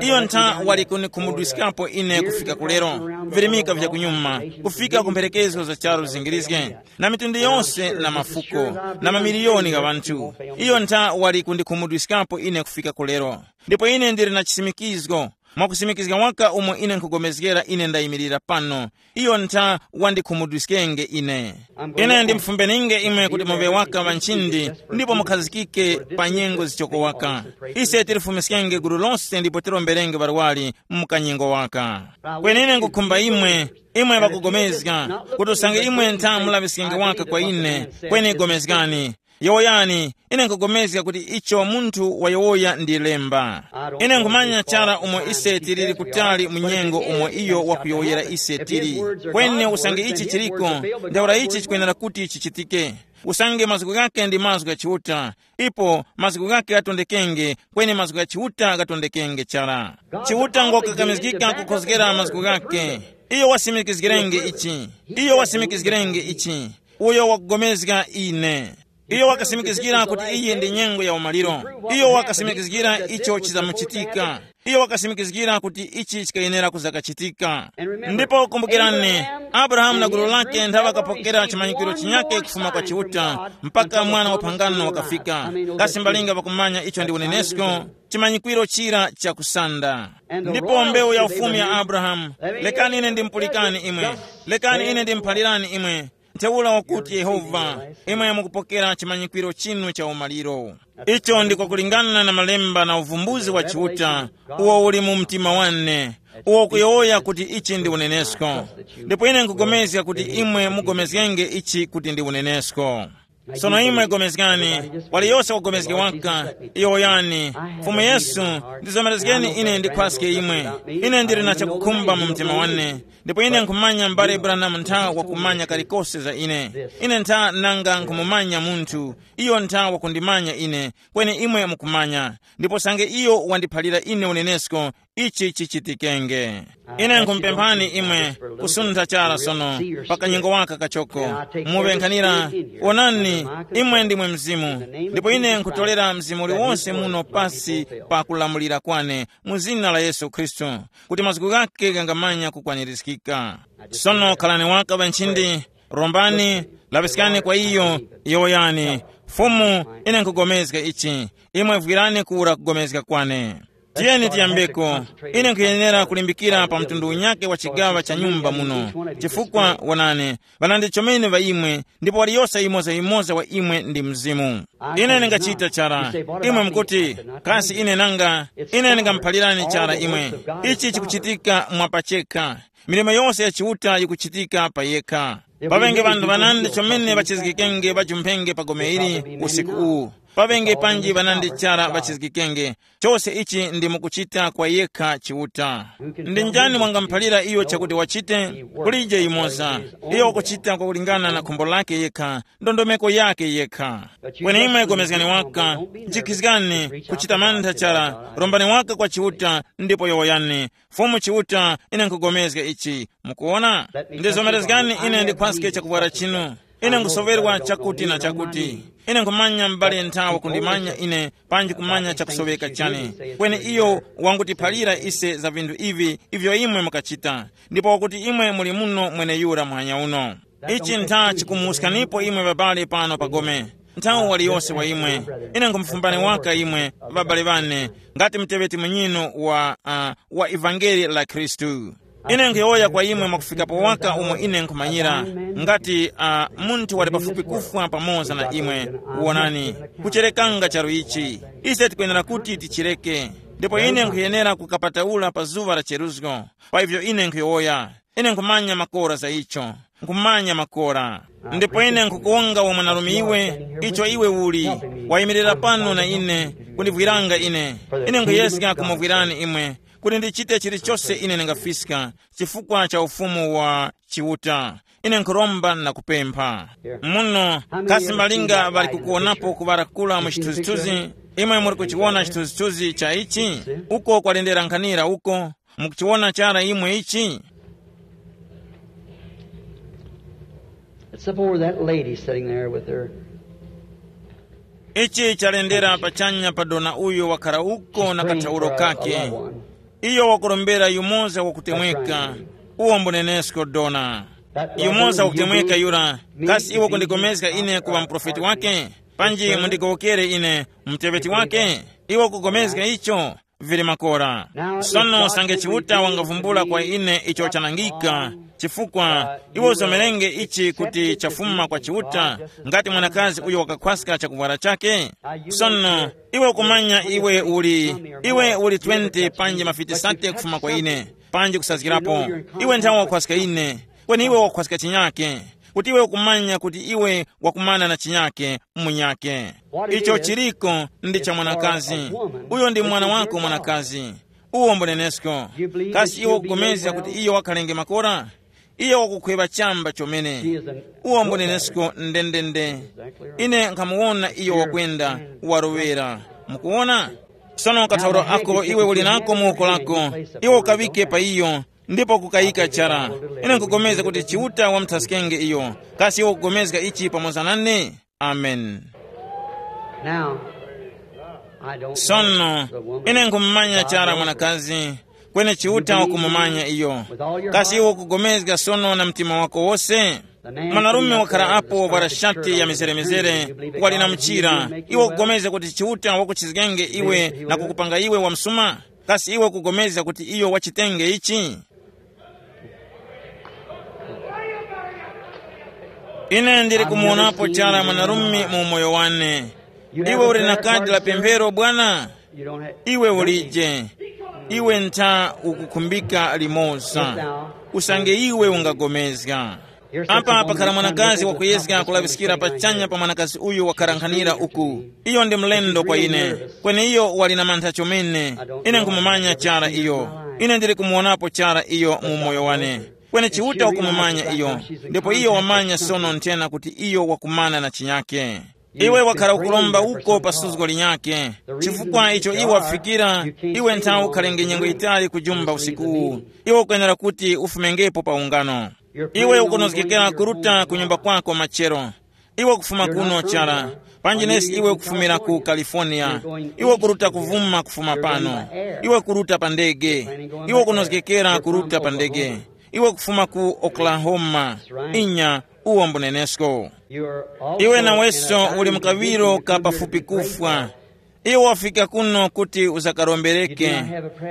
Iyo ntha wali kunikhumudwiskapo ine kufika kulero, virimika vya kunyuma, kufika ku mphelekezgo za charu zingirizge, na mitundu yonse na mafuko, na mamiliyoni gha ŵanthu. Iyo ntha wali kundikhumudwiskapo ine kufika kulero. Ndipo ine ndili na chisimikizgo, mwakusimikizga waka umo ine nkhugomezgera ine ndayimirira pano, iyo ntha wandikhumudwiskenge ine. Ine ndimufumbeninge imwe kuti muŵe waka ŵanchindi, ndipo mukhazikike pa nyengo zichoko waka. Ise tilifumiskenge gulu lose ndipo tilomberenge ŵarwari mu kanyengo waka. Kweni ine nkukhumba imwe, imwe ŵakugomezga, kuti usange imwe ntha mulaŵiskenge waka kwa ine, kweni gomezgani. Yowoyani, ine nkupulikana kuti icho munthu wayowoya ndi lemba. Ine nkhumanya chara umo ise tiliri kutali mu nyengo umo iyo wakuyowoyera ise tili. Kweni usange ichi chiliko, ntheura ichi chikwenera kuti chichitike. Usange mazgu ghake ndi mazgu gha Chiuta, ipo mazgu ghake ghatondekenge, kweni mazgu gha Chiuta ghatondekenge chara. Chiuta ngokakamizgika kukhozgera mazgu ghake. Iyo wasimikizgirenge ichi. Iyo wasimikizgirenge ichi. Uyo wakugomezga ine. Iyo wakasimikizgira kuti iyi ndi nyengo ya umaliro. Iyo wakasimikizgira icho chizamuchitika. Iyo wakasimikizgira kuti ichi chikayenera kuza kachitika. Ndipo kumbukirani, Abrahamu na gulu lake nthawe ŵakapokera chimanyikwiro chinyake kufuma kwa Chiuta, mpaka mwana wa phangano wakafika. Kasi mbalinga pakumanya icho ndi unenesko, chimanyikwiro chira chakusanda. Ndipo mbewu ya ufumu ya Abrahamu, lekani ine ndimupulikani imwe, lekani ine ndimuphalirani imwe, ntheura wakuti Yehova, imwe mukupokera chimanyikwiro chinu cha umaliro. Icho ndiko kulingana na malemba na uvumbuzi wa Chiuta, uwo uli mu mtima wane, uwo kuyowoya kuti ichi ndi unenesko. Ndipo ine nkupulikana kuti imwe mugomezgenge ichi kuti ndi unenesko. Sono imwe pulikani, waliyose wapulikana waka, iyo yani, Fumu Yesu, ndizomerezgeni ine ndikhwaske imwe. Ine ndili na chakukhumba mu mtima wane, ndipo ine nkhumanya m'bale Branham ntha wakumanya kalikose za ine. Ine ntha nanga nkhumumanya munthu, iyo ntha wakundimanya ine, kweni imwe mukumanya, ndipo sange iyo wandiphalira ine unenesko, ichi chichitikenge. Ine nkhumupemphani imwe kusuntha chara sono, pa kanyengo waka kachoko, muŵenkhanira. Wonani, imwe ndimwe mzimu, ndipo ine nkhutolera mzimu uliwonse muno pasi pa kulamulira kwane, mu zina la Yesu Khristu, kuti mazgu ghake ghangamanya kukwanirizgika. Sono khalani waka ŵanchindi, rombani, laŵiskani kwa iyo, yowoyani, Fumu, ine nkugomezga ichi. Imwe vwirani kura kugomezga kwane. Tiyeni tiyambeko. Ine nkhuyenera kulimbikira pa mtundu unyake wa chigaŵa cha nyumba muno, chifukwa wonani, ŵanandi chomene ŵa imwe, ndipo waliyose yimoza-yimoza wa imwe ndi mzimu. Ine ndingachita chara. Imwe mukuti, kasi ine nanga, ine ndingamuphalirani chara imwe? Ichi chikuchitika mwa pachekha. Milimo yose ya Chiuta yikuchitika pa yekha. Paŵenge ŵanthu ŵanandi chomene ŵachizgikenge ŵajumphenge pa gome ili usiku uwu. Paŵenge panji ŵanandi chara ŵachizgikenge. Chose ichi ndi mukuchita kwa yekha Chiuta. Ndi njani wangamuphalira iyo chakuti wachite? Kulije yumoza. Iyo wakuchita kwakulingana na khumbo lake yekha, ndondomeko yake yekha. Kweni imwe gomezgani waka, njikhizgani kuchita mantha chara, rombani waka kwa Chiuta, ndipo yowoyani, Fumu Chiuta, ine nkugomezga ichi. Mukuwona? Ndizomerezgani ine ndikhwaske chakuvwara chinu. Ine nkusoŵerwa chakuti na chakuti. Ine nkhumanya m'bale nthawa kundimanya ine panji kumanya chakusoweka chane. Kweni iyo wangutiphalira ise za vinthu ivi ivyo imwe mukachita, ndipo wakuti imwe muli muno mweneyura muhanya uno. Ichi ntha chikumuwuskanipo imwe ŵabale pano pa gome. Nthawi waliyose wa imwe, ine nkhumufumbani waka imwe, ŵabale ŵane, ngati muteŵeti munyinu wa, uh, wa ivangeli la Khristu. Ine nkhuyowoya kwa imwe mwakufikapo waka umo ine nkhumanyira, ngati, uh, munthu wali pafupi kufwa pamoza na imwe, wonani, kucherekanga charu ichi. Ise tikwenera kuti tichireke. Ndipo ine nkhuyenera kukapataula pa zuŵa la cheruzgo. Pa ivyo ine nkhuyowoya, ine nkhumanya makora za icho. Nkhumanya makora. Ndipo ine nkhukuwonga wa mwanarume iwe, icho iwe uli, wayimirira pano na ine, kundivwiranga ine. Ine nkhuyeska kumuvwirani imwe, kuti ndichite chilichose ine ndingafiska, chifukwa cha ufumu wa Chiuta. Ine nkhuromba na kupempha. Muno, kasi malinga ŵali kukuwonapo kuŵala kula mu chithunzithunzi? Imwe muli kuchiwona chithunzithunzi cha ichi? Uko kwalendera nkhanira uko. Mukuchiwona chara imwe ichi? It's up over that lady sitting there with her. Ichi chalendera pachanya pa dona uyo wakhala uko na kathauro kake. Iyo wakurombera yumoza wakutemweka. Uwo mbunenesko dona. Yumoza wakutemweka yura, kasi iwo kundigomezga ine kuŵa muprofeti wake? Panji mundigowokere ine muteŵeti wake? Iwo kugomezga icho? Vili makora. Sono usange Chiuta wangavumbula kwa ine icho chanangika, chifukwa iwe uzomerenge ichi kuti chafuma kwa Chiuta, ngati mwanakazi uyo wakakhwaska chakuvwara chake. Sono iwe ukumanya iwe uli, iwe uli twenty panji mafiti sate kufuma kwa ine, panji kusazgirapo. Iwe nthawe wakhwaska ine, kweni iwe wakhwaska chinyake, kuti iwe ukumanya kuti iwe wakumana na chinyake munyake. Icho chiliko ndi cha mwanakazi. Uyo ndi mwana wako mwanakazi. Uwo mbunenesko. Kasi iwe ukupulikana kuti iyo wakhalenge makora? Iyo wakukhweva chamba chomene. Uwo mbunenesko ndendende. Ine nkhamuwona iyo wakwenda, warowera. Mukuwona? Sono kathauro ako iwe uli nako mu woko lako, iwe ukaŵike pa iyo, ndipo kukayika chara. Ine nkupulikana kuti Chiuta wamuthaskenge iyo. Kasi iwe ukupulikana ichi pamoza nane? Amen. Now, Sono, ine nkhumumanya chara mwanakazi, kweni Chiuta wakumumanya iyo. Kasi iwe ukugomezga sono na mtima wako wose? Mwanarume wakhala apo wavwara shati ya mizere-mizere, wali na mchira. Iwe ukugomezga kuti Chiuta wakuchizgenge iwe na kukupanga iwe wamsuma? Kasi iwe ukugomezga kuti iyo wachitenge ichi? Ine ndili kumuwonapo chara mwanarume mu umoyo wane. Iwe uli na kadi la pemphero, bwana? Iwe ulije. Iwe ntha ukukhumbika limoza. Usange iwe ungagomezga. Apa pakhala mwanakazi wakuyezga kulaŵiskira pachanya pa mwanakazi uyu wakarankhanira uku. Iyo ndi mlendo kwa ine. Kweni iyo wali na mantha chomene. Ine nkhumumanya chara iyo. Ine ndili kumuwonapo chara iyo mu umoyo wane. Kweni Chiuta wakumumanya iyo. Ndipo iyo wamanya sono nthena kuti iyo wakumana na chinyake. Iwe wakhala ukuromba uko pa suzgo linyakhe. Chifukwa icho iwe wafikira, iwe nthawe ukhalenge nyengo yitali kujumba usiku uwu. Iwe ukwenera kuti ufumengepo pa ungano. Iwe ukunozgekera kuruta ku nyumba kwako machero. Iwe kufuma kuno chara. Panji nesi iwe kufumira ku California. Iwe kuruta kuvuma kufuma pano. Iwe kuruta pa ndege. Iwe kunozgekera kuruta pa ndege. Iwe kufuma ku Oklahoma. Inya, uwo mbunenesko. Iwe naweso uli mu kaŵiro ka pafupi kufwa. Iwe wafika kuno kuti uzakarombereke.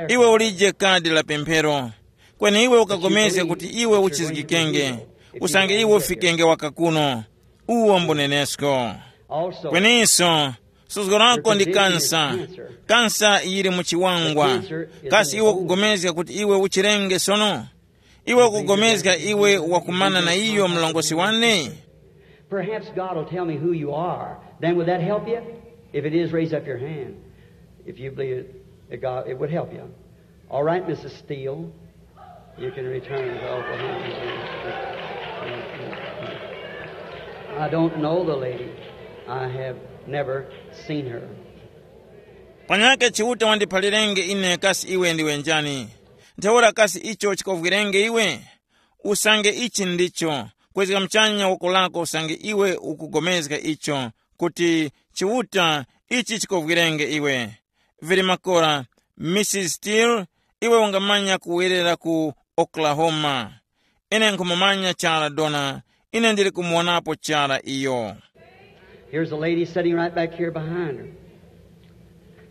Iwe ulije kadi la pemphero. Kweni iwe ukapulikana kuti iwe uchizgikenge. Usange iwe ufikenge waka kuno. Uwo mbunenesko. Kweninso, suzgo lako ndi kansa. Kansa yili mu chiwangwa. Kasi iwe ukupulikana kuti iwe uchirenge sono? Iwe ukupulikana iwe wakumana na iyo mlongosi wane? Perhaps God will tell me who you are. Then would that help you? If it is, raise up your hand. If you believe it, that God, it would help you. All right, Missus Steele, you can return to Oklahoma. I don't know the lady. I have never seen her. Panyake Chiuta wandiphalirenge ine kasi iwe ndiwe njani. Ntheura kasi icho chikovwirenge iwe? Usange ichi ndicho, kwezga muchanya woko lako usange iwe ukupulikana icho, kuti Chiuta ichi chikovwirenge iwe. Vili makora, Missus Steele, iwe ungamanya kuwerera ku Oklahoma. Ine nkhumumanya chara Dona, ine ndili kumuwonapo chara iyo. Here's a lady sitting right back here behind her.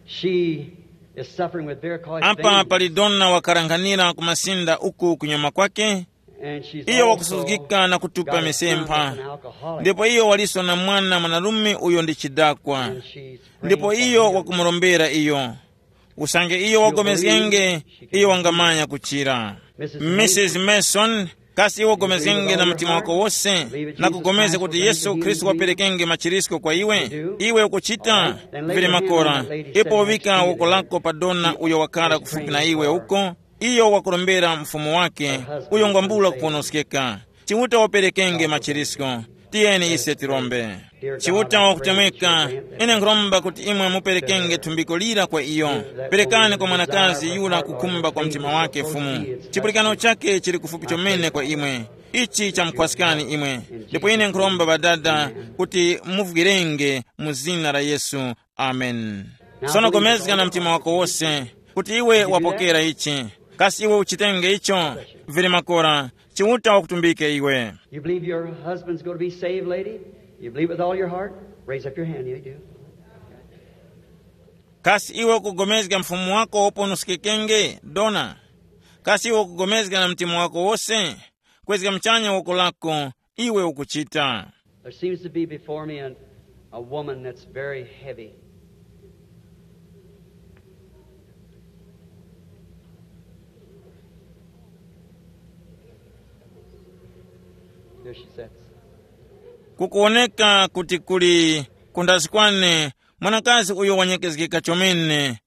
She is suffering with varicose apa veins. Pali Dona wakarankhanira ku masinda uku kunyuma kwake. And she's iyo also wakusuzgika na kutupa got a son misempha that's an alcoholic. Ndipo iyo waliso na mwana mwanarume uyo ndi chidakwa. And she's praying ndipo for iyo him. Wakumurombera iyo. Usange iyo wagomezgenge, iyo wangamanya kuchira. Missus Mason, kasi iwe ugomezgenge na mtima wako wose, na kugomeza kuti Yesu Khristu waperekenge machirisko kwa iwe? Iwe ukuchita? Vili makora. Ipo uvika woko lako pa Dona uyo wakhala kufupi na iwe uko. Iyo wakurombera mfumu wake, uyo ngwambula kuponoskeka. Chiuta waperekenge machirisko. Tiyeni ise tirombe. Chiuta wakutemweka, ine nkhuromba kuti imwe muperekenge thumbiko lira kwa iyo. Perekani kwa mwanakazi yura kukhumba kwa mtima wake Fumu. Chipulikano chake chili kufupi chomene kwa imwe. Ichi chamukhwaskani imwe. Ndipo ine nkhuromba Ŵadada kuti muvwirenge mu zina la Yesu. Amen. Sono gomezga na mtima wako wose kuti iwe wapokera ichi. Kasi iwe uchitenge icho? Vili makora, Chiuta wakutumbike iwe. You believe your husband's going to be saved, lady? You believe with all your heart? Raise up your hand. You do. Kasi iwe ukugomezga mfumu wako woponoskekenge, Dona? Kasi iwe ukugomezga na mtima wako wose? Kwezga mchanya woko lako, iwe ukuchita. There seems to be before me a, a woman that's very heavy. There she sits. Kukuwoneka kuti kuli kundazi kwane mwanakazi uyo wanyekezgeka chomene,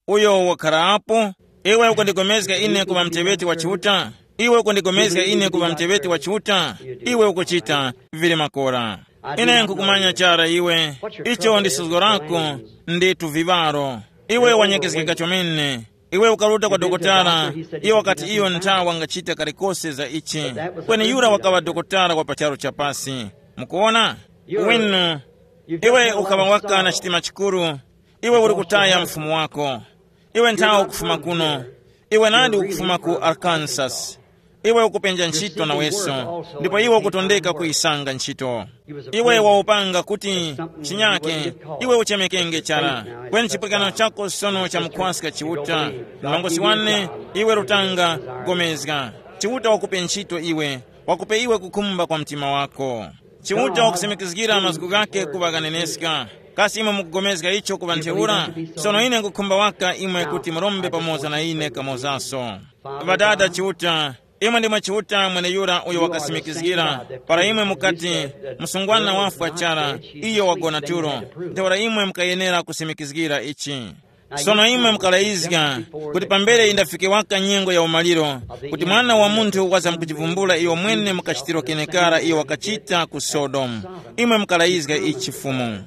uyo wakhara apo. Iwe ukundigomezga ine kuŵa muteŵeti wa Chiuta? Iwe ukundigomezga ine kuŵa muteŵeti wa Chiuta? Iwe ukuchita, vili makora. Ine nkukumanya chara iwe. Icho ndi suzgo lako, ndi tuviŵaro. Iwe wanyekezgeka chomene. Iwe ukaruta kwa dokotala, iyo wakati iyo ntha wangachita kalikose za ichi. Kweni yura wakaŵa dokotala wa pa charu cha pasi. Mukuwona? Winu, iwe ukaŵa waka na chitima chikuru. Iwe uli kutaya mfumu wako. Iwe nthawe ukufuma kuno. Iwe nadi ukufuma ku Arkansas. Iwe ukupenja ntchito naweso, ndipo iwe ukutondeka kuyisanga ntchito. Iwe waupanga kuti chinyake, iwe uchemekenge chara. Kweni chipulikano chako sono chamukhwaska Chiuta. Mlongosi wane, iwe lutanga, gomezga. Chiuta wakupe ntchito iwe, wakupe iwe kukhumba kwa mtima wako. Chiuta wakusimikizgira mazgu ghake kuŵa ghaneneska. Kasi imwe mukugomezga icho kuŵa ntheura? Sono ine nkukhumba waka imwe kuti murombe pamoza na ine kamozaso. Ŵadada Chiuta, imwe ndimwe Chiuta mweneyura uyo wakasimikizgira para imwe mukati, msungwana wafwa chara, iyo wagona tulo. Ntheura imwe mukayenera kusimikizgira ichi. Sono imwe mukalayizga kuti pambere indafike waka nyengo ya umaliro, kuti Mwana wa Munthu wazamkuchivumbula iyo mwene mukachitiro kenekara iyo wakachita ku Sodomu. Imwe mukalayizga ichi Fumu.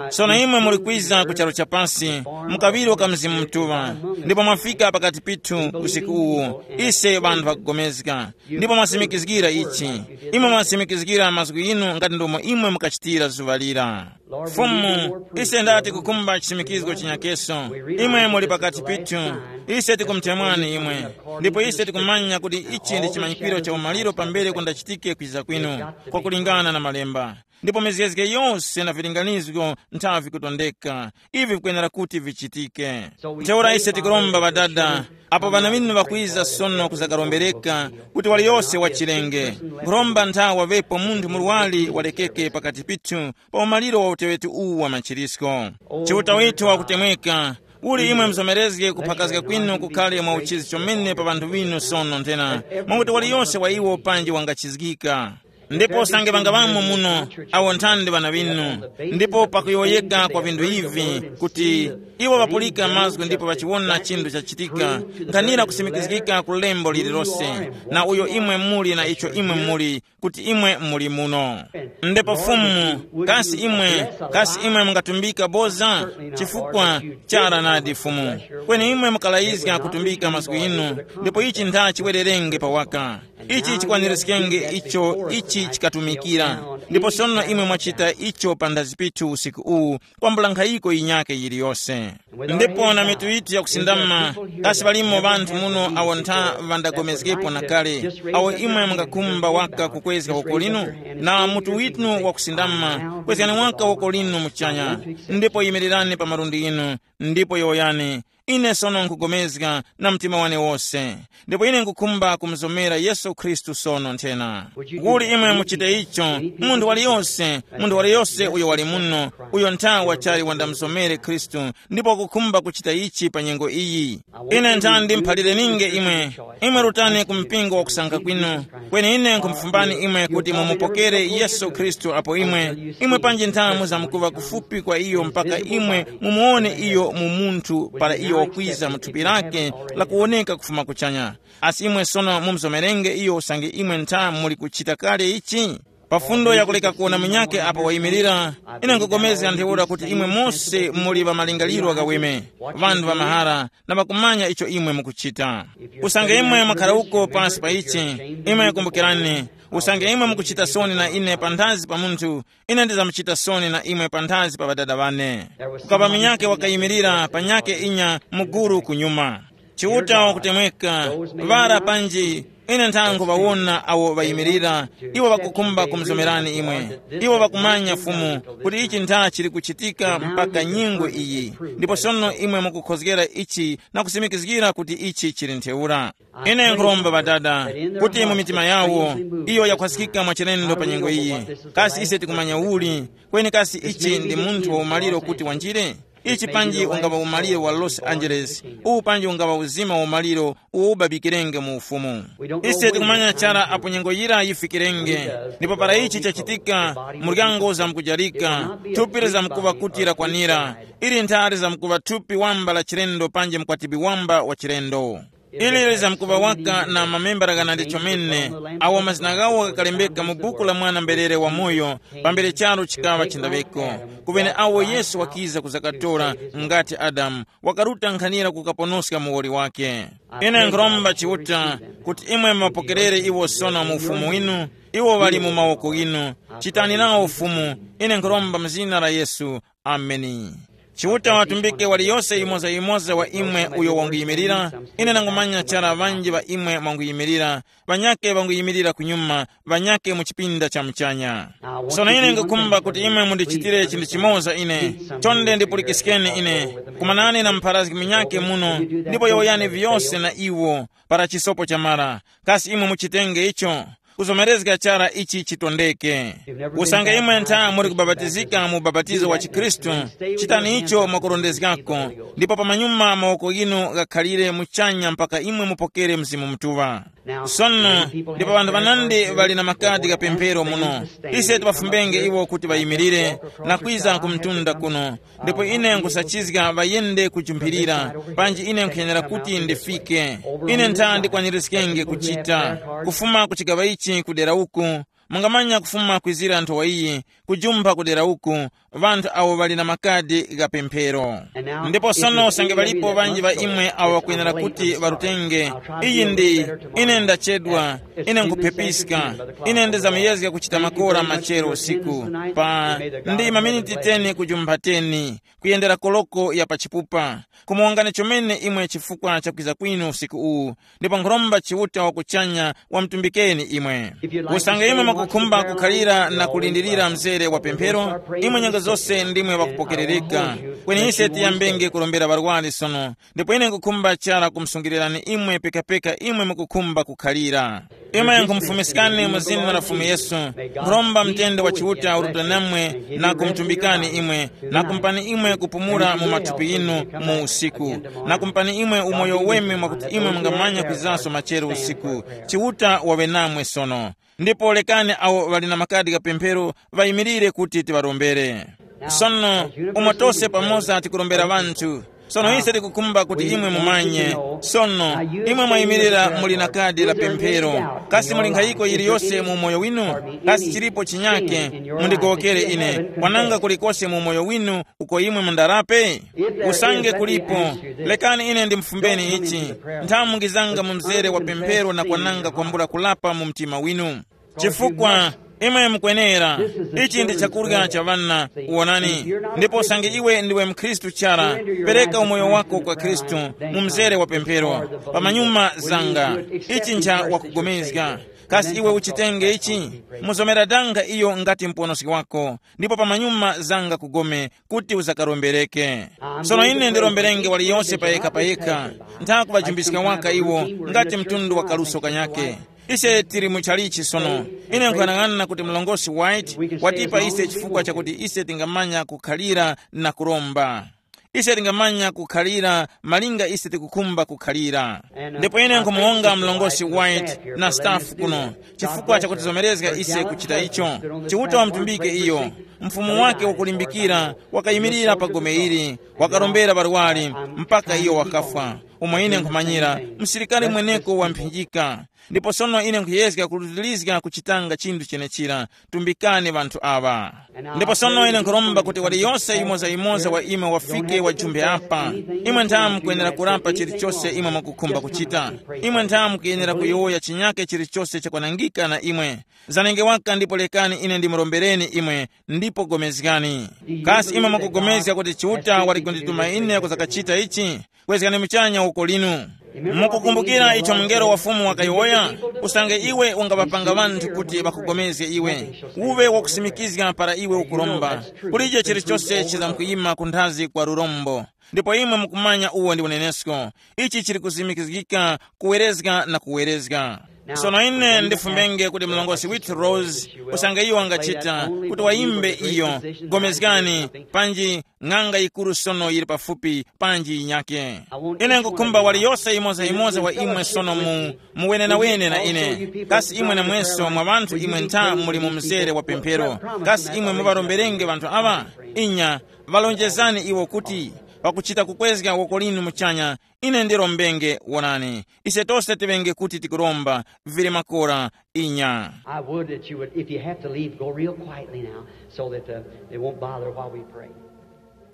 Sono imwe muli kwiza ku charu cha pasi, mukaŵirwa ka Mzimu Mutuŵa, ndipo mwafika pakati pithu usiku uwu, ise ŵanthu ŵakugomezga, ndipo mwasimikizgira ichi. Imwe mwasimikizgira mazgu inu ngati ndomo imwe mukachitira zuŵa lira. Fumu, ise ndati kukumba chisimikizgo chinyakeso. Imwe muli pakati pithu. Ise tikumutemwani imwe. Ndipo ise tikumanya kuti ichi ndi chimanyikiro cha umaliro pambere kundachitike kwiza kwinu, kwakulingana na malemba. Ndipo mizgezge yose na vilinganizgo nthavi kutondeka, ivi vikwenera kuti vichitike. Ntheura ise tikuromba ŵadada, apo ŵana ŵinu ŵakwiza sono kuzakarombereka, kuti waliyose wachilenge. Nkhuromba nthawi waŵepo munthu murwari walekeke pakati pithu pa umaliro wa uteŵeti uwu wa machirisko. Chiuta withu wakutemweka, uli imwe muzomerezge kuphakazga kwinu kukhale mwa uchizi chomene pa ŵanthu ŵinu sono nthena, mwakuti waliyose wa iwo panji wangachizgika. Ndipo usange ŵangaŵamo muno awo nthandi ŵana ŵinu, ndipo pakuyowoyeka kwa vinthu ivi kuti iwo ŵapulika mazgu ndipo ŵachiwona chinthu chachitika, nkhanira kusimikizgika ku lembo lililose, na uyo imwe muli na icho imwe muli, kuti imwe muli muno. Ndipo Fumu, kasi imwe, kasi imwe mungatumbika boza? Chifukwa chara nadi Fumu. Kweni imwe mukalayizga kutumbika mazgu inu, ndipo ichi ntha chiwererenge pawaka. Ichi chikwanirizgenge icho ichi chikatumikira. Ndipo sono imwe mwachita icho panthazi pithu usiku uwu, kwambula nkhayiko yinyake yiliyose. Ndipo na mitu yithu yakusindama, kasi ŵalimo ŵanthu muno awo ntha ŵandagomezgepo na kale, awo imwe mungakhumba waka kukwezga woko linu? Na mutu withu wakusindama, kwezgani waka woko linu muchanya, ndipo yimirirani pa malundi inu, ndipo yowoyani, ine sono nkugomezga na mtima wane wose, ndipo ine nkukhumba kumuzomera Yesu Khristu sono nthena. Kuli imwe muchite icho, munthu waliyose, munthu waliyose uyo wali muno, uyo nthawa chali wandamuzomere Khristu, ndipo wakukhumba kuchita ichi pa nyengo iyi. Ine nthandi muphalire ninge imwe, imwe rutani ku mpingo wakusankha kwinu, kweni ine nkhumufumbani imwe kuti mumupokere Yesu Khristu apo imwe, imwe panji nthamu zamkuva kufupi kwa iyo mpaka imwe mumuwone iyo mu munthu para iyo wakwiza mu thupi lake lakuwoneka kufuma kuchanya. Asi imwe sono mumuzomerenge iyo usange imwe ntha muli kuchita kale ichi? Pa fundo yakuleka kuwona munyakhe apo wayimirira, ine nkupulikana ntheura kuti imwe mose muli pa malingaliro ghaweme, ŵanthu ŵa mahara, na ŵakumanya icho imwe mukuchita. Usange imwe mwakhara uko pansi pa ichi, imwe kumbukirani, usange imwe mukuchita soni na ine panthazi pa munthu, ine ndizamuchita soni na imwe panthazi pa ŵadada ŵane. Kukapa munyakhe wakayimirira pa nyakhe inya muguru kunyuma. Chiuta wakutemweka, ŵara panji, ine nthango ŵawona awo ŵayimirira, iwo ŵakukhumba kumuzomerani imwe. Iwo ŵakumanya Fumu kuti ichi ntha chili kuchitika mpaka nyengo iyi, ndipo sono imwe mukukhozgera ichi na kusimikizgira kuti ichi chili ntheura. Ine nkhuromba Ŵadada kuti mu mitima yawo iyo yakhwaskika mwachilendo pa nyengo iyi, kasi ise tikumanya uli, kweni kasi ichi ndi munthu wa umaliro kuti wanjire? Ichi panji ungaŵa umaliro wa Los Angeles, uwu panji ungaŵa uzima wa umaliro uwo ubabikirenge mu Ufumu. Ise tikumanya chara apo nyengo yira yifikirenge, ndipo para ichi chachitika, muryango uzamkujarika, thupi lizamkuŵa kuti lakwanira, ili nthara lizamkuŵa thupi wamba la chilendo panji mkwatibwi wamba wa chilendo. Ili lizamkuŵa waka na mamembala ghanandi chomene, awo mazina ghawo ghakalembeka mu buku la Mwana-mberere wamoyo, pambere charu chikaŵa chindaŵeko, kumene awo Yesu wakiza kuzakatora, ngati Adamu, wakaruta nkhanira kukaponoska muwoli wake. Ine nkhuromba Chiuta kuti imwe muŵapokerere iwo sono mu Ufumu winu, iwo ŵali mu mawoko ghinu. Chitani nawo Fumu, ine nkhuromba mu zina la Yesu. Ameni. Chiuta watumbike waliyose yimoza-yimoza wa imwe uyo wanguyimirira. Ine nangumanya chara ŵanji ŵa imwe mwanguyimirira, ŵanyake ŵanguyimirira kunyuma, ŵanyake mu chipinda cha muchanya. Sono ine ngukhumba kuti imwe mundichitire chinthu chimoza ine. Chonde ndipulikiskeni ine. Kumanani na mupharazgi munyake muno, ndipo yowoyani vyose na iwo, para chisopo chamara. Kasi imwe muchitenge icho? Kuzomerezga chara ichi chitondeke. Usange imwe ntha muri kubapatizika mu ubapatizo wa chikhristu, chitani icho mwakurondezgako, ndipo pamanyuma mawoko ghinu ghakhalire muchanya mpaka imwe mupokere Mzimu Mutuŵa. Sono, ndipo ŵanthu ŵanandi ŵali na makadi gha pemphero muno. Ise tiŵafumbenge iwo kuti ŵayimirire na kwiza ku mtunda kuno, ndipo ine nkhusachizga ŵayende kujumphirira, panji ine nkhuyenera kuti ndifike. Ine ntha ndikwanirizgenge kuchita, kufuma ku chigaŵa ichi kudera uku, mungamanya kufuma kwizira nthowa iyi, kujumpha kudera uku, ŵanthu awo ŵali na makadi gha pemphero. Ndipo sono usange ŵalipo ŵanji ŵa imwe awo ŵakwenera kuti ŵarutenge, iyi ndi, ine ndachedwa, ine nkhuphepiska, ine ndizamuyezga kuchita makora machero usiku, pa ndi maminiti teni kujumpha teni, kuyendera koloko ya pachipupa. Kumuwongani chomene imwe chifukwa cha kwiza kwinu usiku uwu, ndipo nkhuromba Chiuta wa kuchanya wamutumbikeni imwe. Usange imwe mukukhumba kukhalira na kulindirira mzere wa pemphero, imwe nyengo zose ndimwe ŵakupokerereka. Kweni ise tiyambenge kurombera ŵarwari sono, ndipo ine nkukhumba chara kumsungilirani imwe pekapeka imwe mukukhumba kukhalira. Imwe nkhumufumiskani mu zina la Fumu Yesu. Nkhuromba mtende wa Chiuta uruta namwe na kumutumbikani imwe, na kumpani imwe kupumula mu mathupi yinu mu usiku, na kumpani imwe umoyo weme mwakuti imwe mungamanya kwizaso machero usiku. Chiuta waŵe namwe sono. Ndipo lekani awo ŵali na makadi gha pemphero ŵayimirire kuti tiŵarombere. Sono, umo tose pamoza tikurombera ŵanthu. Sono ise tikukhumba kuti imwe mumanye. Sono, imwe mwayimirira muli na kadi la pemphero. Kasi muli nkhayiko yiliyose mu umoyo winu? Kasi chilipo chinyake? Mundigowokere ine. Kwananga kulikose mu umoyo winu uko imwe mundarape? Usange kulipo, lekani ine ndimufumbeni ichi. Nthamungizanga mu mzere wa pemphero na kwananga kwambula kulapa mu mtima winu. Chifukwa imwe mukwenera, ichi ndi chakurya cha ŵana, wonani. Ndipo usange iwe ndiwe mkhristu chara, pereka umoyo wako kwa Khristu mu mzere wa pemphero. Pamanyuma zanga, ichi ncha wakugomezga. Kasi iwe uchitenge ichi? Muzomera danga iyo ngati muponoski wako, ndipo pamanyuma zanga kugome kuti uzakarombereke. Sono ine ndiromberenge waliyose payekha payekha. Nthakuvajumbiska waka iwo ngati mtundu wa kaluso kanyake. Ise tili mu chalichi sono. Ine nkuyang'ana kuti mlongosi White watipa ise chifukwa chakuti ise tingamanya kukhalira na kuromba. Ise tingamanya kukhalira malinga ise tikukhumba kukhalira. Ndipo ine nkumuwonga mlongosi White na staff kuno chifukwa chakutizomerezga ise kuchita icho. Chiuta wamtumbike iyo. Mfumu wake wakulimbikira wakayimirira pa gome ili, wakarombera barwali mpaka iyo wakafwa. Umo ine nkhumanyira, msilikari mweneko wamphinjika. Ndipo sono ine nkhuyezga kulutilizga kuchitanga chinthu chenechira. Tumbikani ŵanthu aŵa. Ndipo sono ine nkhuromba kuti waliyose yimoza-yimoza wa imwe wafike wajumbe apa. Imwe ntha mukwenera kurapa chilichose imwe mukukhumba kuchita. Imwe ntha mukuyenera kuyowoya chinyake chilichose chakwanangika na imwe. Zanenge waka ndipo lekani ine ndimurombereni imwe, ndipo gomezgani. Kasi imwe mukugomezga kuti Chiuta wali kundituma ine kuzakachita ichi? Kwezgani muchanya uko linu. Mukukumbukira icho mungelo wa Fumu wakayowoya? Usange iwe ungaŵapanga ŵanthu kuti ŵakugomezge iwe, uŵe wakusimikizga para iwe ukuromba. Kulije chilichose chizamkuyima kunthazi kwa lurombo. Ndipo imwe mukumanya uwo ndi unenesko. Ichi chili kusimikizgika kuwerezga na kuwerezga. Sono ine ndifumbenge kuti mlongosi Whitrose, usange iyo wangachita, kuti wayimbe iyo, gomezgani, panji ng'anga yikuru sono yili pafupi, panji yinyake. Ine nkukhumba waliyose yimoza-yimoza wa imwe sono mu, muwenenawene na ine. Kasi imwe namweso mwa ŵanthu imwe ntha muli mu mzere wa pemphero? Kasi imwe muŵaromberenge ŵanthu aŵa? Inya, ŵalonjezani iwo kuti, pakuchita kukwezga woko linu muchanya, ine ndirombenge, wonani. Ise tose tiŵenge kuti tikuromba, vili makora, inya. I would that you would, if you have to leave, go real quietly now, so that uh, they won't bother while we pray.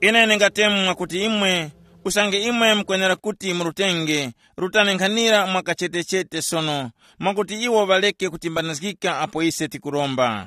Ine ndingatemwa kuti imwe, usange imwe mukwenera kuti murutenge, rutani nkhanira mwakachetechete sono, mwakuti iwo ŵaleke kutimbanizgika apo ise tikuromba.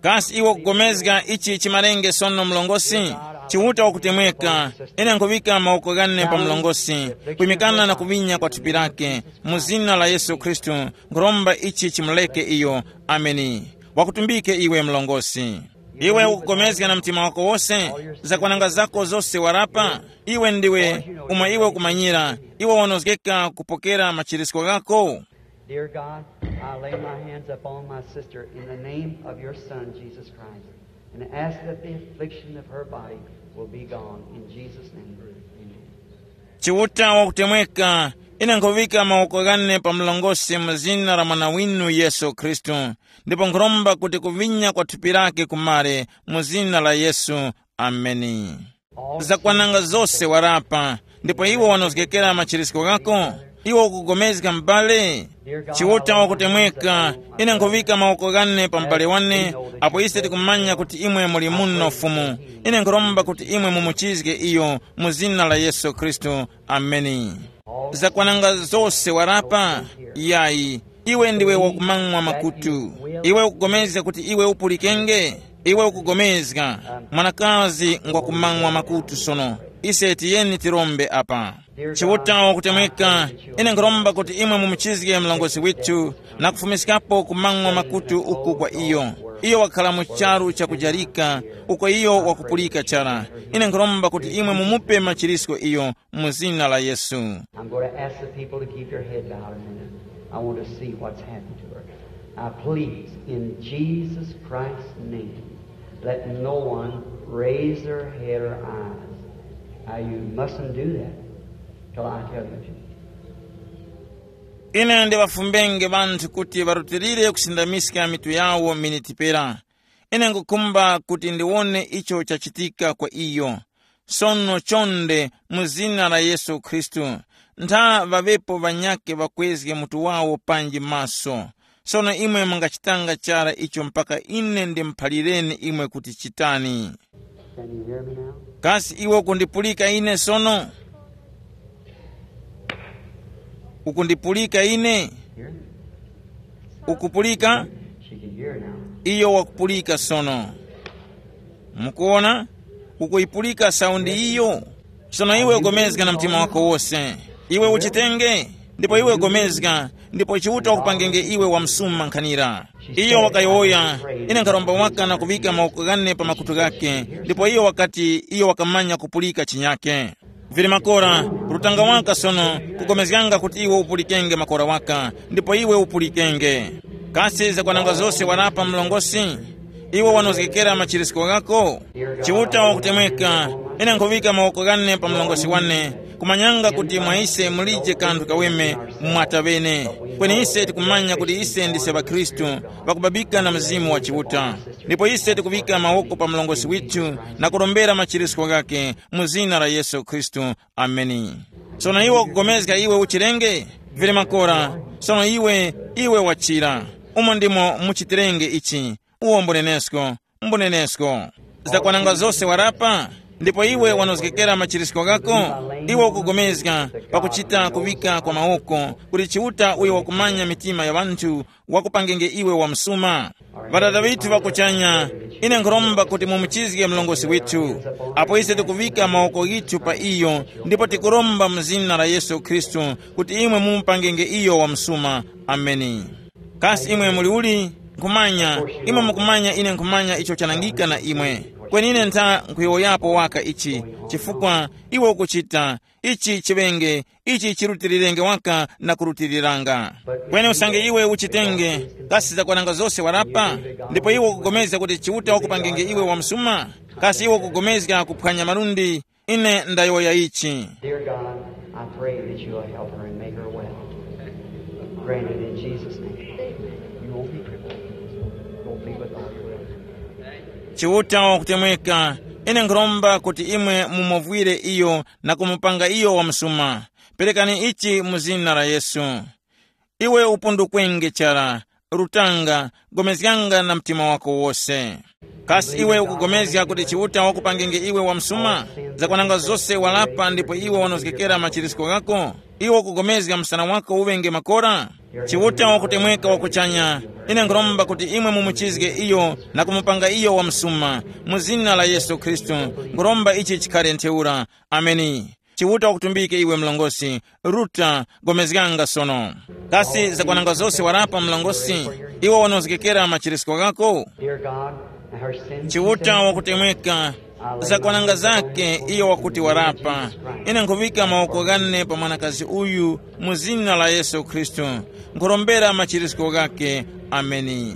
Kasi iwe ukugomezga ichi chimalenge sono mlongosi? Chiuta wakutemweka, ine nkhuŵika mawoko ghane pa mlongosi, kwimikana na kuŵinya kwa thupi lake, mu zina la Yesu Khristu, nkhuromba ichi chimuleke iyo. Ameni. Wakutumbike iwe mlongosi. Iwe ukupulikana na mtima wako wose, zakwananga zako zose warapa. Iwe ndiwe, umo iwe ukumanyira, iwe wanozgeka kupokera machirisko ghako. Dear God, I lay my hands upon my sister in the name of your Son, Jesus Christ, and ask that the affliction of her body will be gone. In Jesus' name, amen. Chiuta wakutemweka, ine nkhuŵika mawoko ghane pa mlongosi mu zina la Mwana winu Yesu Khristu, ndipo nkhuromba kuti kuvinya kwa thupi lake kumare mu zina la Yesu. Ameni. Zakwananga zose warapa, ndipo iwe wanozgekera machirisko ghako. Iwe ukugomezga m'bale? Chiuta wakutemweka, ine nkhuŵika mawoko ghane pa m'bale wane, apo ise tikumanya kuti imwe muli muno Fumu. Ine nkhuromba kuti imwe mumuchizge iyo mu zina la Yesu Khristu. Ameni. Zakwananga zose warapa? Yayi. Iwe ndiwe wakumang'wa makutu. Iwe ukugomezga kuti iwe upulikenge? Iwe ukugomezga? Mwanakazi ngwakumang'wa makutu sono. Ise tiyeni tirombe apa. Chiuta wakutemweka, ine nkhuromba kuti imwe mumuchizge mlongozi withu, na kufumiskapo kumang'wa makutu uku kwa iyo. Iyo wakhala mu charu chakujarika, uko iyo wakupulika chara. Ine nkhuromba kuti imwe mumupe machirisko iyo, mu zina la Yesu. I'm going to ask the people to keep your head bowed a minute. I want to see what's happened to her. Now, please, in Jesus Christ's name, let no one raise their head or eyes. Now, you mustn't do that till I tell you to. Ine ndiwafumbenge ŵanthu kuti ŵarutilire kusindamiska mitu yawo miniti pera. Ine ngukhumba kuti ndiwone icho chachitika kwa iyo. Sono chonde, mu zina la Yesu Khristu, ntha ŵaŵepo ŵanyakhe ŵakwezge mutu wawo panji maso. Sono imwe mungachitanga chara icho mpaka ine ndimuphalireni imwe kuti chitani. Can you hear me now? Kasi iwe ukundipulika ine sono? Ukundipulika ine? Hear me? Ukupulika? She can hear now. Iyo wakupulika sono. Mukuona? Ukuyipulika saundi iyo? Sono iwe ugomezga na mtima wako wose. Iwe uchitenge, ndipo iwe ugomezga, ndipo Chiuta wakupangenge iwe wamsuma nkhanira. Iyo wakayowoya, ine nkharomba waka na kuŵika mawoko ghane pa makutu ghake, ndipo iyo wakati iyo wakamanya kupulika chinyake. Vili makora, rutanga waka sono, kugomezganga kuti iwe upulikenge makora waka, ndipo iwe upulikenge. Kasi zakwananga zose warapa mlongosi? Iwe wanozgekera machirisko ghako? Chiuta wakutemweka, ine nkhuŵika mawoko ghane pa mlongosi wane, kumanyanga kuti mwa ise mulije kanthu kaweme mwata ŵene. Kweni ise tikumanya kuti ise ndise ŵakhristu, ŵakubabika na Mzimu wa Chiuta. Ndipo ise tikuŵika mawoko pa mlongosi withu na kurombera machirisko ghake mu zina la Yesu Khristu. Ameni. Sono iwe ukugomezga iwe uchirenge? Vili makora, sono iwe, iwe wachira. Umo ndimo muchitirenge ichi. Uwo mbunenesko, mbunenesko. Zakwananga zose warapa? Ndipo iwe wanozgekera machirisko ghako? Iwe ukugomezga pakuchita kuŵika kwa mawoko kuti Chiuta uyo wakumanya mitima ya ŵanthu wakupangenge iwe wamsuma. Ŵadada ŵithu ŵa kuchanya, ine nkhuromba kuti mumuchizge mlongosi withu. Apo ise tikuŵika mawoko ghithu pa iyo, ndipo tikuromba mu zina la Yesu Khristu kuti imwe mumupangenge iyo wamsuma. Ameni. Kasi imwe muli uli? Nkhumanya, imwe mukumanya ine nkhumanya icho chanangika na imwe. Kweni ine ntha nkhuyowoyapo waka ichi, chifukwa iwe ukuchita, ichi chiŵenge, ichi chirutilirenge waka na kurutiriranga. Kweni usange iwe uchitenge, kasi zakwananga zose warapa? Ndipo iwe ukupulikana kuti Chiuta wakupangenge iwe wamsuma? Kasi iwe ukupulikana kuphwanya malundi? Ine ndayowoya ichi. Dear God, I pray that you will help her and make her well. Grant it in Jesus' name. You won't be crippled. Go be with all your will. Chiuta wakutemweka, ine nkhuromba kuti imwe mumuvwire iyo na kumupanga iyo wamsuma. Perekani ichi mu zina la Yesu. Iwe upundukwenge chara, rutanga, gomezganga na mtima wako wose. Kasi iwe ukugomezga kuti Chiuta wakupangenge iwe wamsuma? Zakwananga zose walapa ndipo iwe wanozgekera machirisko ghako? Iwe ukupulikana msana wako uŵenge makora? Chiuta wakutemweka wa kuchanya, ine nkhuromba kuti imwe mumuchizge iyo na kumupanga iyo wamsuma, mu zina la Yesu Khristu. Nkhuromba ichi chikhale ntheura. Ameni. Chiuta wakutumbike iwe mlongosi. Ruta, gomezganga sono. Kasi zakwananga zose warapa mlongosi? Iwe wanozgekera machirisko ghako? Dear God, her sins Chiuta wakutemweka, zakwananga zake iyo wakuti warapa. Ine nkhuŵika mawoko ghane pa mwanakazi uyu, mu zina la Yesu Khristu. Nkhurombera machirisko ghake. Ameni.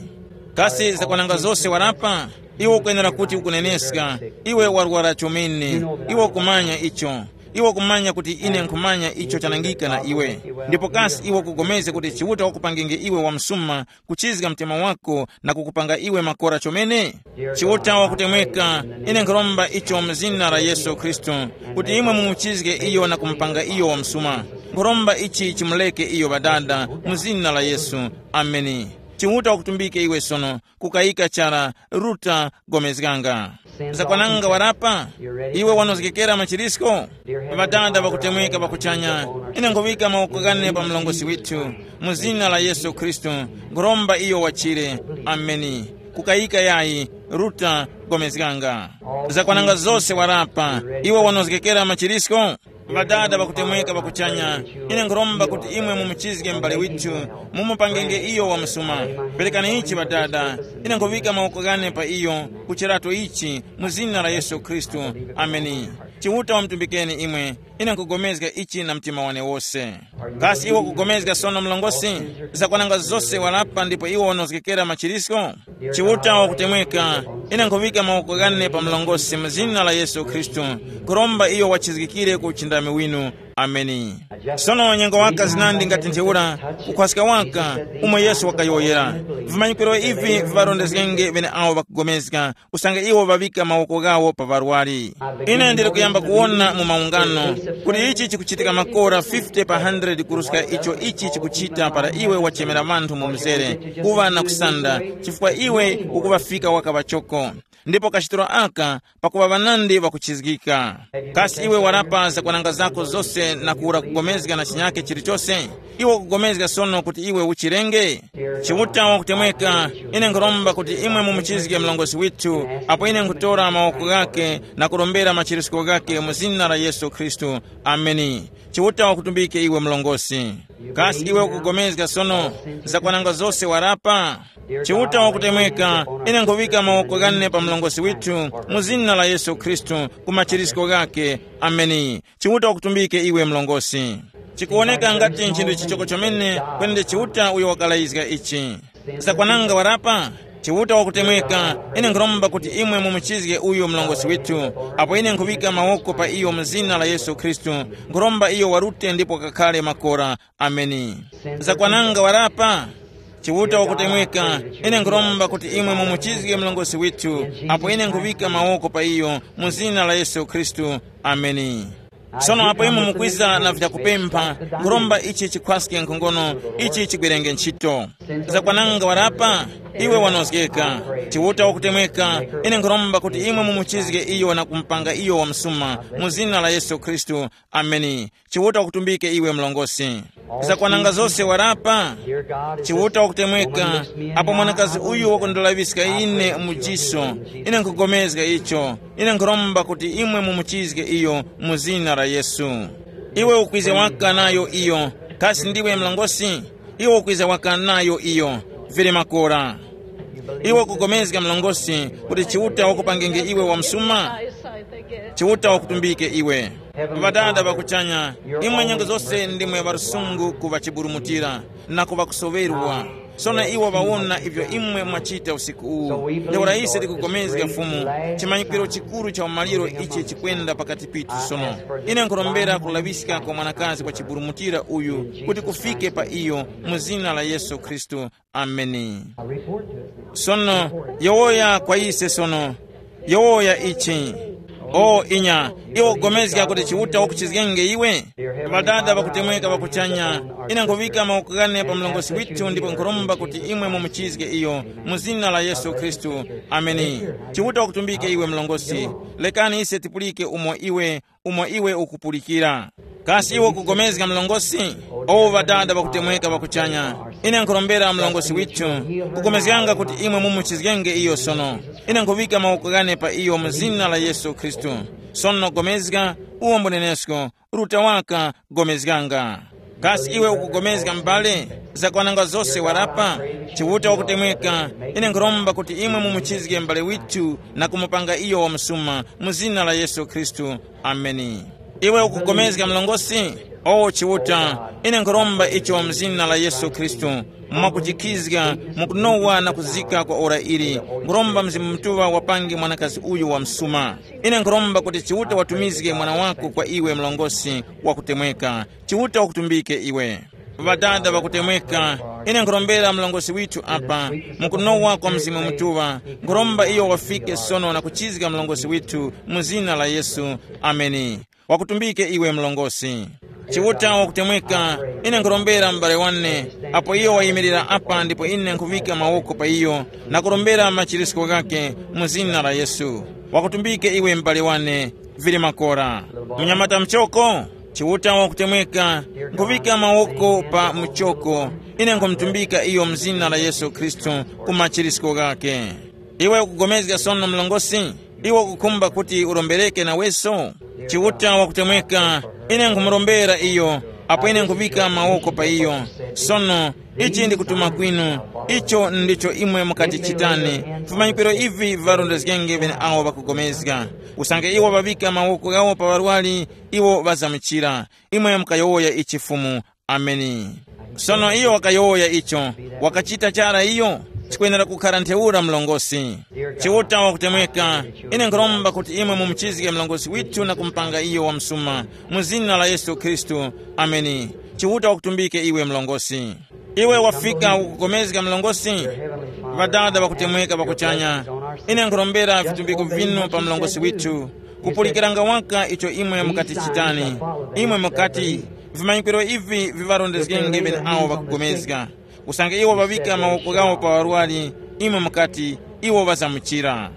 Kasi zakwananga zose warapa? Iwe ukwenera kuti ukuneneska. Iwe warwara chomene. Iwe ukumanya icho. Iwe ukumanya kuti ine nkhumanya icho chanangika na iwe. Ndipo kasi iwe ukugomezga kuti Chiuta wakupangenge iwe wamsuma, kuchizga mtima wako na kukupanga iwe makora chomene? Chiuta wakutemweka, ine nkhuromba icho mu zina la Yesu Khristu, kuti imwe mumuchizge iyo na kumupanga iyo wamsuma. Nkhuromba ichi chimuleke iyo Ŵadada, mu zina la Yesu. Ameni. Chiuta wakutumbike iwe sono, kukayika chara. Ruta, gomezganga. Zakwananga warapa? Iwe wanozgekera machirisko? Ŵadada ŵakutemweka ŵakuchanya, ine nkhuŵika mawoko ghane pa mlongosi withu, mu zina la Yesu Khristu. Nkhuromba iyo wachire. Ameni. Kukayika yayi. Ruta, gomezganga. Zakwananga zose warapa? Iwe wanozgekera machirisko? Ŵadada ŵakutemweka ŵakuchanya, ine nkhuromba kuti imwe mumuchizge m'bale withu, mumupangenge iyo wamsuma. Perekani ichi Ŵadada, ine nkhuŵika mawoko ghane pa iyo, ku chirato ichi, mu zina la Yesu Khristu. Ameni. Chiuta wamutumbikeni imwe. Ine nkugomezga ichi na mtima wane wose. Kasi iwe ukugomezga sono mlongosi? Zakwananga zose warapa ndipo iwe wanozgekera machirisko? Chiuta wakutemweka, ine nkhuŵika mawoko ghane pa mlongosi mu zina la Yesu Khristu, kuromba iyo wachizgikire ku uchindami winu. Ameni. Sono nyengo waka zinandi ngati ntheura, kukhwaska waka, umo Yesu wakayowoyera. Vimanyikiro ivi viŵarondezgenge ŵene awo ŵakugomezga, usange iwo ŵaŵika mawoko ghawo pa ŵarwari. Ine ndili kuyamba kuwona mu maungano kuti ichi chikuchitika makora fifty pa hundred kuruska icho ichi chikuchita para iwe wachemera ŵanthu mu mzere, kuŵa na kusanda, chifukwa iwe ukuŵafika waka ŵachoko. Ndipo kachitiro aka pakuŵa ŵanandi ŵakuchizgika. Kasi iwe warapa zakwananga zako zose na kuwura kugomezga na chinyake chilichose? Iwe ukugomezga sono kuti iwe uchirenge? Chiuta wakutemweka, ine nkhuromba kuti imwe mumuchizge mlongosi withu, apo ine nkhutora mawoko ghake na kurombera machirisko ghake mu zina la Yesu Khristu. Ameni. Chiuta wakutumbike iwe mlongosi. Kasi iwe ukugomezga sono zakwananga zose warapa? Chiuta wakutemweka, ine nkhuŵika mawoko ghane pa mlongosi withu mu zina la Yesu Khristu, ku machirisko ghake. Ameni. Chiuta wakutumbike iwe mlongosi. Chikuwoneka ngati nchinthu chichoko chomene kwenende Chiuta uyo wakalayizga ichi. Zakwananga warapa? Chiuta wakutemweka, ine nkhuromba kuti imwe mumuchizge uyu mlongosi withu, apo ine nkhuŵika mawoko pa iyo mu zina la Yesu Khristu, nkhuromba iyo warute ndipo wakakhale makora. Ameni. Zakwananga warapa? Chiuta wakutemweka, ine nkhuromba kuti imwe mumuchizge mlongosi withu, apo ine nkhuŵika mawoko pa iyo mu zina la Yesu Khristu. Ameni. Sono apo imwe mukwiza na vyakupempha, nkhuromba ichi chikhwaske nkhongono, ichi chigwerenge ntchito. Zakwananga warapa? Iwe wanozgeka. Chiuta wakutemweka, ine nkhuromba kuti imwe mumuchizge iyo na kumupanga iyo wamsuma, mu zina la Yesu Khristu. Ameni. Chiuta wakutumbike iwe mlongosi. Zakwananga zose warapa? Chiuta wakutemweka, apo mwanakazi uyu wakundilawizga ine mu jiso, ine nkhugomezga icho. Ine nkhuromba kuti imwe mumuchizge iyo mu zina la Yesu. Iwe ukwize waka nayo iyo. Kasi ndiwe mlongosi? Iwe ukwize waka nayo iyo. Vili makora. Iwe ukugomezga mlongosi kuti Chiuta wakupangenge iwe wamsuma? Chiuta wakutumbike iwe. Ŵadada ŵakuchanya, imwe nyengo zose ndimwe ŵarusungu ku ŵachiburumutira na ku ŵakusoŵerwa. Sono iwo ŵawona ivyo imwe mwachita usiku uwu. Ntheura ise tikugomezga Fumu, chimanyikiro chikuru cha umaliro ichi chikwenda pakati pithu sono. Ine nkhurombera kulaŵiska kwa mwanakazi wa chiburumutira uyu kuti kufike pa iyo mu zina la Yesu Khristu. Ameni. Sono, yowoya kwa ise sono. Yowoya ichi. O inya, iwe ukugomezga kuti Chiuta wakuchizgenge iwe? Ŵadada ŵakutemweka ŵakuchanya, ine nkhuŵika mawoko ghane pa mlongosi withu ndipo nkhuromba kuti imwe mumuchizge iyo, mu zina la Yesu Khristu. Ameni. Chiuta wakutumbike iwe mlongosi. Lekani ise tipulike umo iwe, umo iwe ukupulikira. Kasi iwe ukugomezga mlongosi? O Ŵadada ŵakutemweka ŵa kuchanya, ine nkhurombera mlongosi withu, kugomezganga kuti imwe mumuchizgenge iyo sono. Ine nkhuŵika mawoko ghane pa iyo mu zina la Yesu Khristu. Sono gomezga, uwo mbunenesko, ruta waka, gomezganga. Kasi iwe ukugomezga m'bale? Zakwananga zose warapa? Chiuta wakutemweka, ine nkhuromba kuti imwe mumuchizge m'bale withu na kumupanga iyo wamusuma mu zina la Yesu Khristu. Ameni. Iwe ukugomezga mlongosi? O Chiuta, ine nkhuromba icho mu zina la Yesu Khristu, mwakujikhizga, mukunowa na kuzika kwa ora ili, nkhuromba Mzimu Mutuŵa wapange mwanakazi uyu wa msuma. Ine nkhuromba kuti Chiuta watumizge mwana wako kwa iwe mlongosi wakutemweka. Chiuta wakutumbike iwe. Ŵadada ŵakutemweka, ine nkhurombera mlongosi withu apa, mukunowa kwa Mzimu Mutuŵa, nkhuromba iyo wafike sono na kuchizga mlongosi withu mu zina la Yesu. Ameni. Wakutumbike iwe mlongosi. Chiuta wakutemweka, ine nkhurombera m'bale wane, apo iyo wayimirira apa ndipo ine nkhuŵika mawoko pa iyo na kurombera machirisko ghake mu zina la Yesu. Wakutumbike iwe m'bale wane, vili makora. Mnyamata mchoko, Chiuta wakutemweka, nkhuŵika mawoko pa muchoko, ine nkhumutumbika iyo mu zina la Yesu Khristu ku machirisko ghake. Iwe ukugomezga sono mlongosi? Iwe ukukhumba kuti urombereke naweso? Chiuta wakutemweka, ine nkhumurombera iyo, apo ine nkhuŵika mawoko pa iyo. Sono, ichi ndikutuma kwinu, icho ndicho imwe mukati chitani, vimanyikiro ivi viŵarondezgenge ŵeneawo ŵakugomezga. Usange iwo ŵaŵika mawoko ghawo pa ŵarwari, iwo ŵazamuchira. Imwe mukayowoya ichi Fumu. Ameni. Sono iyo wakayowoya icho, wakachita chara iyo, chikwenera kukhara ntheura mlongosi. Chiuta wakutemweka, ine nkhuromba kuti imwe mumuchizge mlongosi withu na kumupanga iyo wamsuma, mu zina la Yesu Khristu. Ameni. Chiuta wakutumbike iwe mlongosi. Iwe wafika ukukomezga mlongosi? Ŵadada ŵakutemweka ŵakuchanya, ine nkhurombera vitumbiko vinu pa mlongosi withu, kupulikiranga waka icho imwe mukati chitani. Imwe mukati, vimanyikiro ivi viŵarondezgenge ŵeneawo ŵakugomezga. Usange iwo ŵaŵika mawoko ghawo pa ŵarwari, imwe mukati, iwo ŵazamuchira.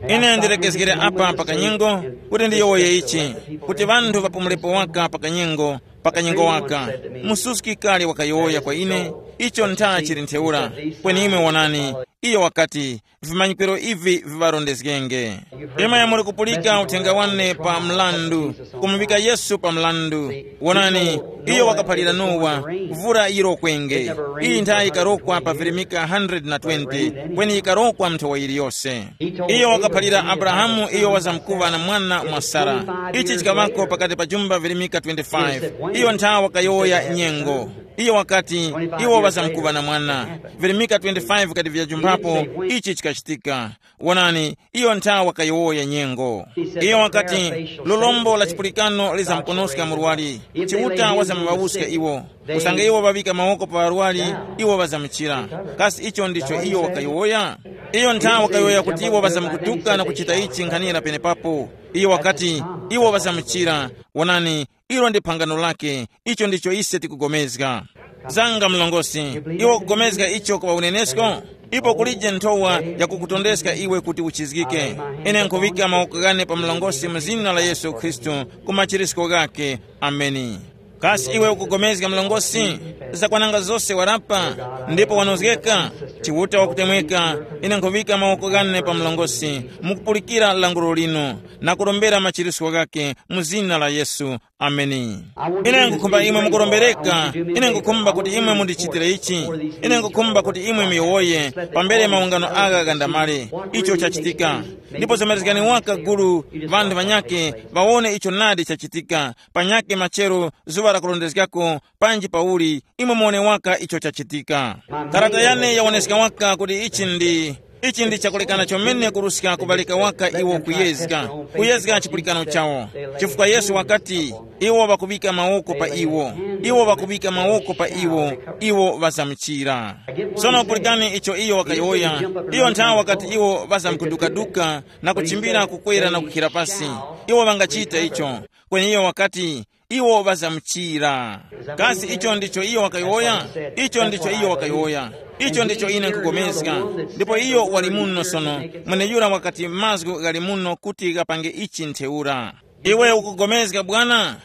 Ine ndilekezgere apa pa kanyengo kuti ndiyowoye ichi, kuti ŵanthu ŵapumulepo waka pa kanyengo, pa kanyengo waka. Mususki kale wakayowoya kwa ine, icho ntha chili ntheura. Kweni imwe wonani, iyo wakati, vimanyikiro ivi viŵarondezgenge. Imwe muli kupulika uthenga wane pa mlandu, kumuŵika Yesu pa mlandu. Wonani, iyo wakaphalira Nowa, vura yirokwenge. Iyi nthayi yikarokwa pa virimika one hundred twenty, kweni yikarokwa nthowa yiliyose. Iyo wakaphalira Abrahamu iyo wazamkuŵa na mwana mwa Sara. Ichi chikaŵako pakati pa jumba virimika twenty-five. Iyo nthawa wakayowoya nyengo. Iyo wakati, iwo ŵazamkuŵa na mwana. Virimika twenty-five kati vyajumphapo, ichi chikachitika. Wonani, iyo ntha wakayowoya nyengo. Iyo wakati, lolombo la chipulikano lizamkonoska murwari, Chiuta wazamuvawuska iwo. Usange iwo ŵaŵika mawoko pa ŵarwari, iwo ŵazamuchira. Kasi icho ndicho iyo wakayowoya? Iyo ntha wakayowoya kuti iwo ŵazamukutuka na kuchita ichi nkhanira penepapo. Iyo wakati, iwo ŵazamuchira. Wonani, ilo ndi phangano lake. Icho ndicho ise tikugomezga. Zanga mlongosi, iwe ukugomezga icho kuŵa unenesko? Ipo kulije nthowa yakukutondeska iwe kuti uchizgike. Ine nkhuŵika mawoko ghane pa mlongosi mu zina la Yesu Khristu, ku machirisko ghake. Ameni. Kasi iwe ukugomezga mlongosi? Zakwananga zose warapa, ndipo wanozgeka. Chiuta wakutemweka. Ine nkhuŵika mawoko ghane pa mlongosi, mukupulikira languro lino, na kurombera machirisko ghake mu zina la Yesu. Ameni. Ine nkukhumba imwe mukurombereka. Ine nkukhumba kuti imwe mundichitire ichi. Ine nkukhumba kuti imwe muyowoye pambere maungano agha ghandamale. Icho chachitika. Ndipo zomerezgani waka gulu, vanthu vanyakhe, vawone icho nadi chachitika. Panyakhe machero, zuŵa lakurondezgako, panji pauli, imwe muwone waka icho chachitika. Karata yane yawoneska waka kuti ichi ndi ichi ndi chakulekana chomene kuruska kuŵalika waka iwo kuyezga, kuyezga chipulikano chawo. Chifukwa Yesu wakati, iwo ŵakuŵika mawoko pa iwo, iwo ŵakuŵika mawoko pa iwo, iwo ŵazamuchira. Sono pulikani icho iyo wakayowoya. Iyo nthawi wakati iwo ŵazamkudukaduka na kuchimbira kukwera na kukhira pasi, iwo ŵangachita icho. Kweni iyo wakati, iwo ŵazamuchira. Kasi icho ndicho iyo wakayowoya? Icho ndicho iyo wakayowoya. Icho ndicho ine nkugomezga. Ndipo iyo wali muno sono. Mweneyura wakati mazgu ghali muno kuti ghapange ichi ntheura. Iwe ukugomezga bwana?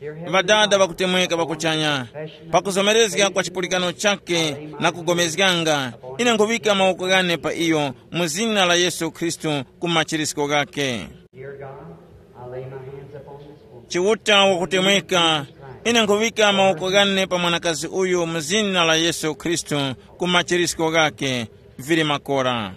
Ŵadada ŵakutemweka ŵakuchanya, pakuzomerezga kwa chipulikano chake na kugomezganga, ine nkhuŵika mawoko ghane pa iyo mu zina la Yesu Khristu ku machirisko ghake. Dear God, I lay my hands upon this woman. Chiuta wakutemweka, ine nkhuŵika mawoko ghane pa mwanakazi uyu mu zina la Yesu Khristu ku machirisko ghake. Vili makora.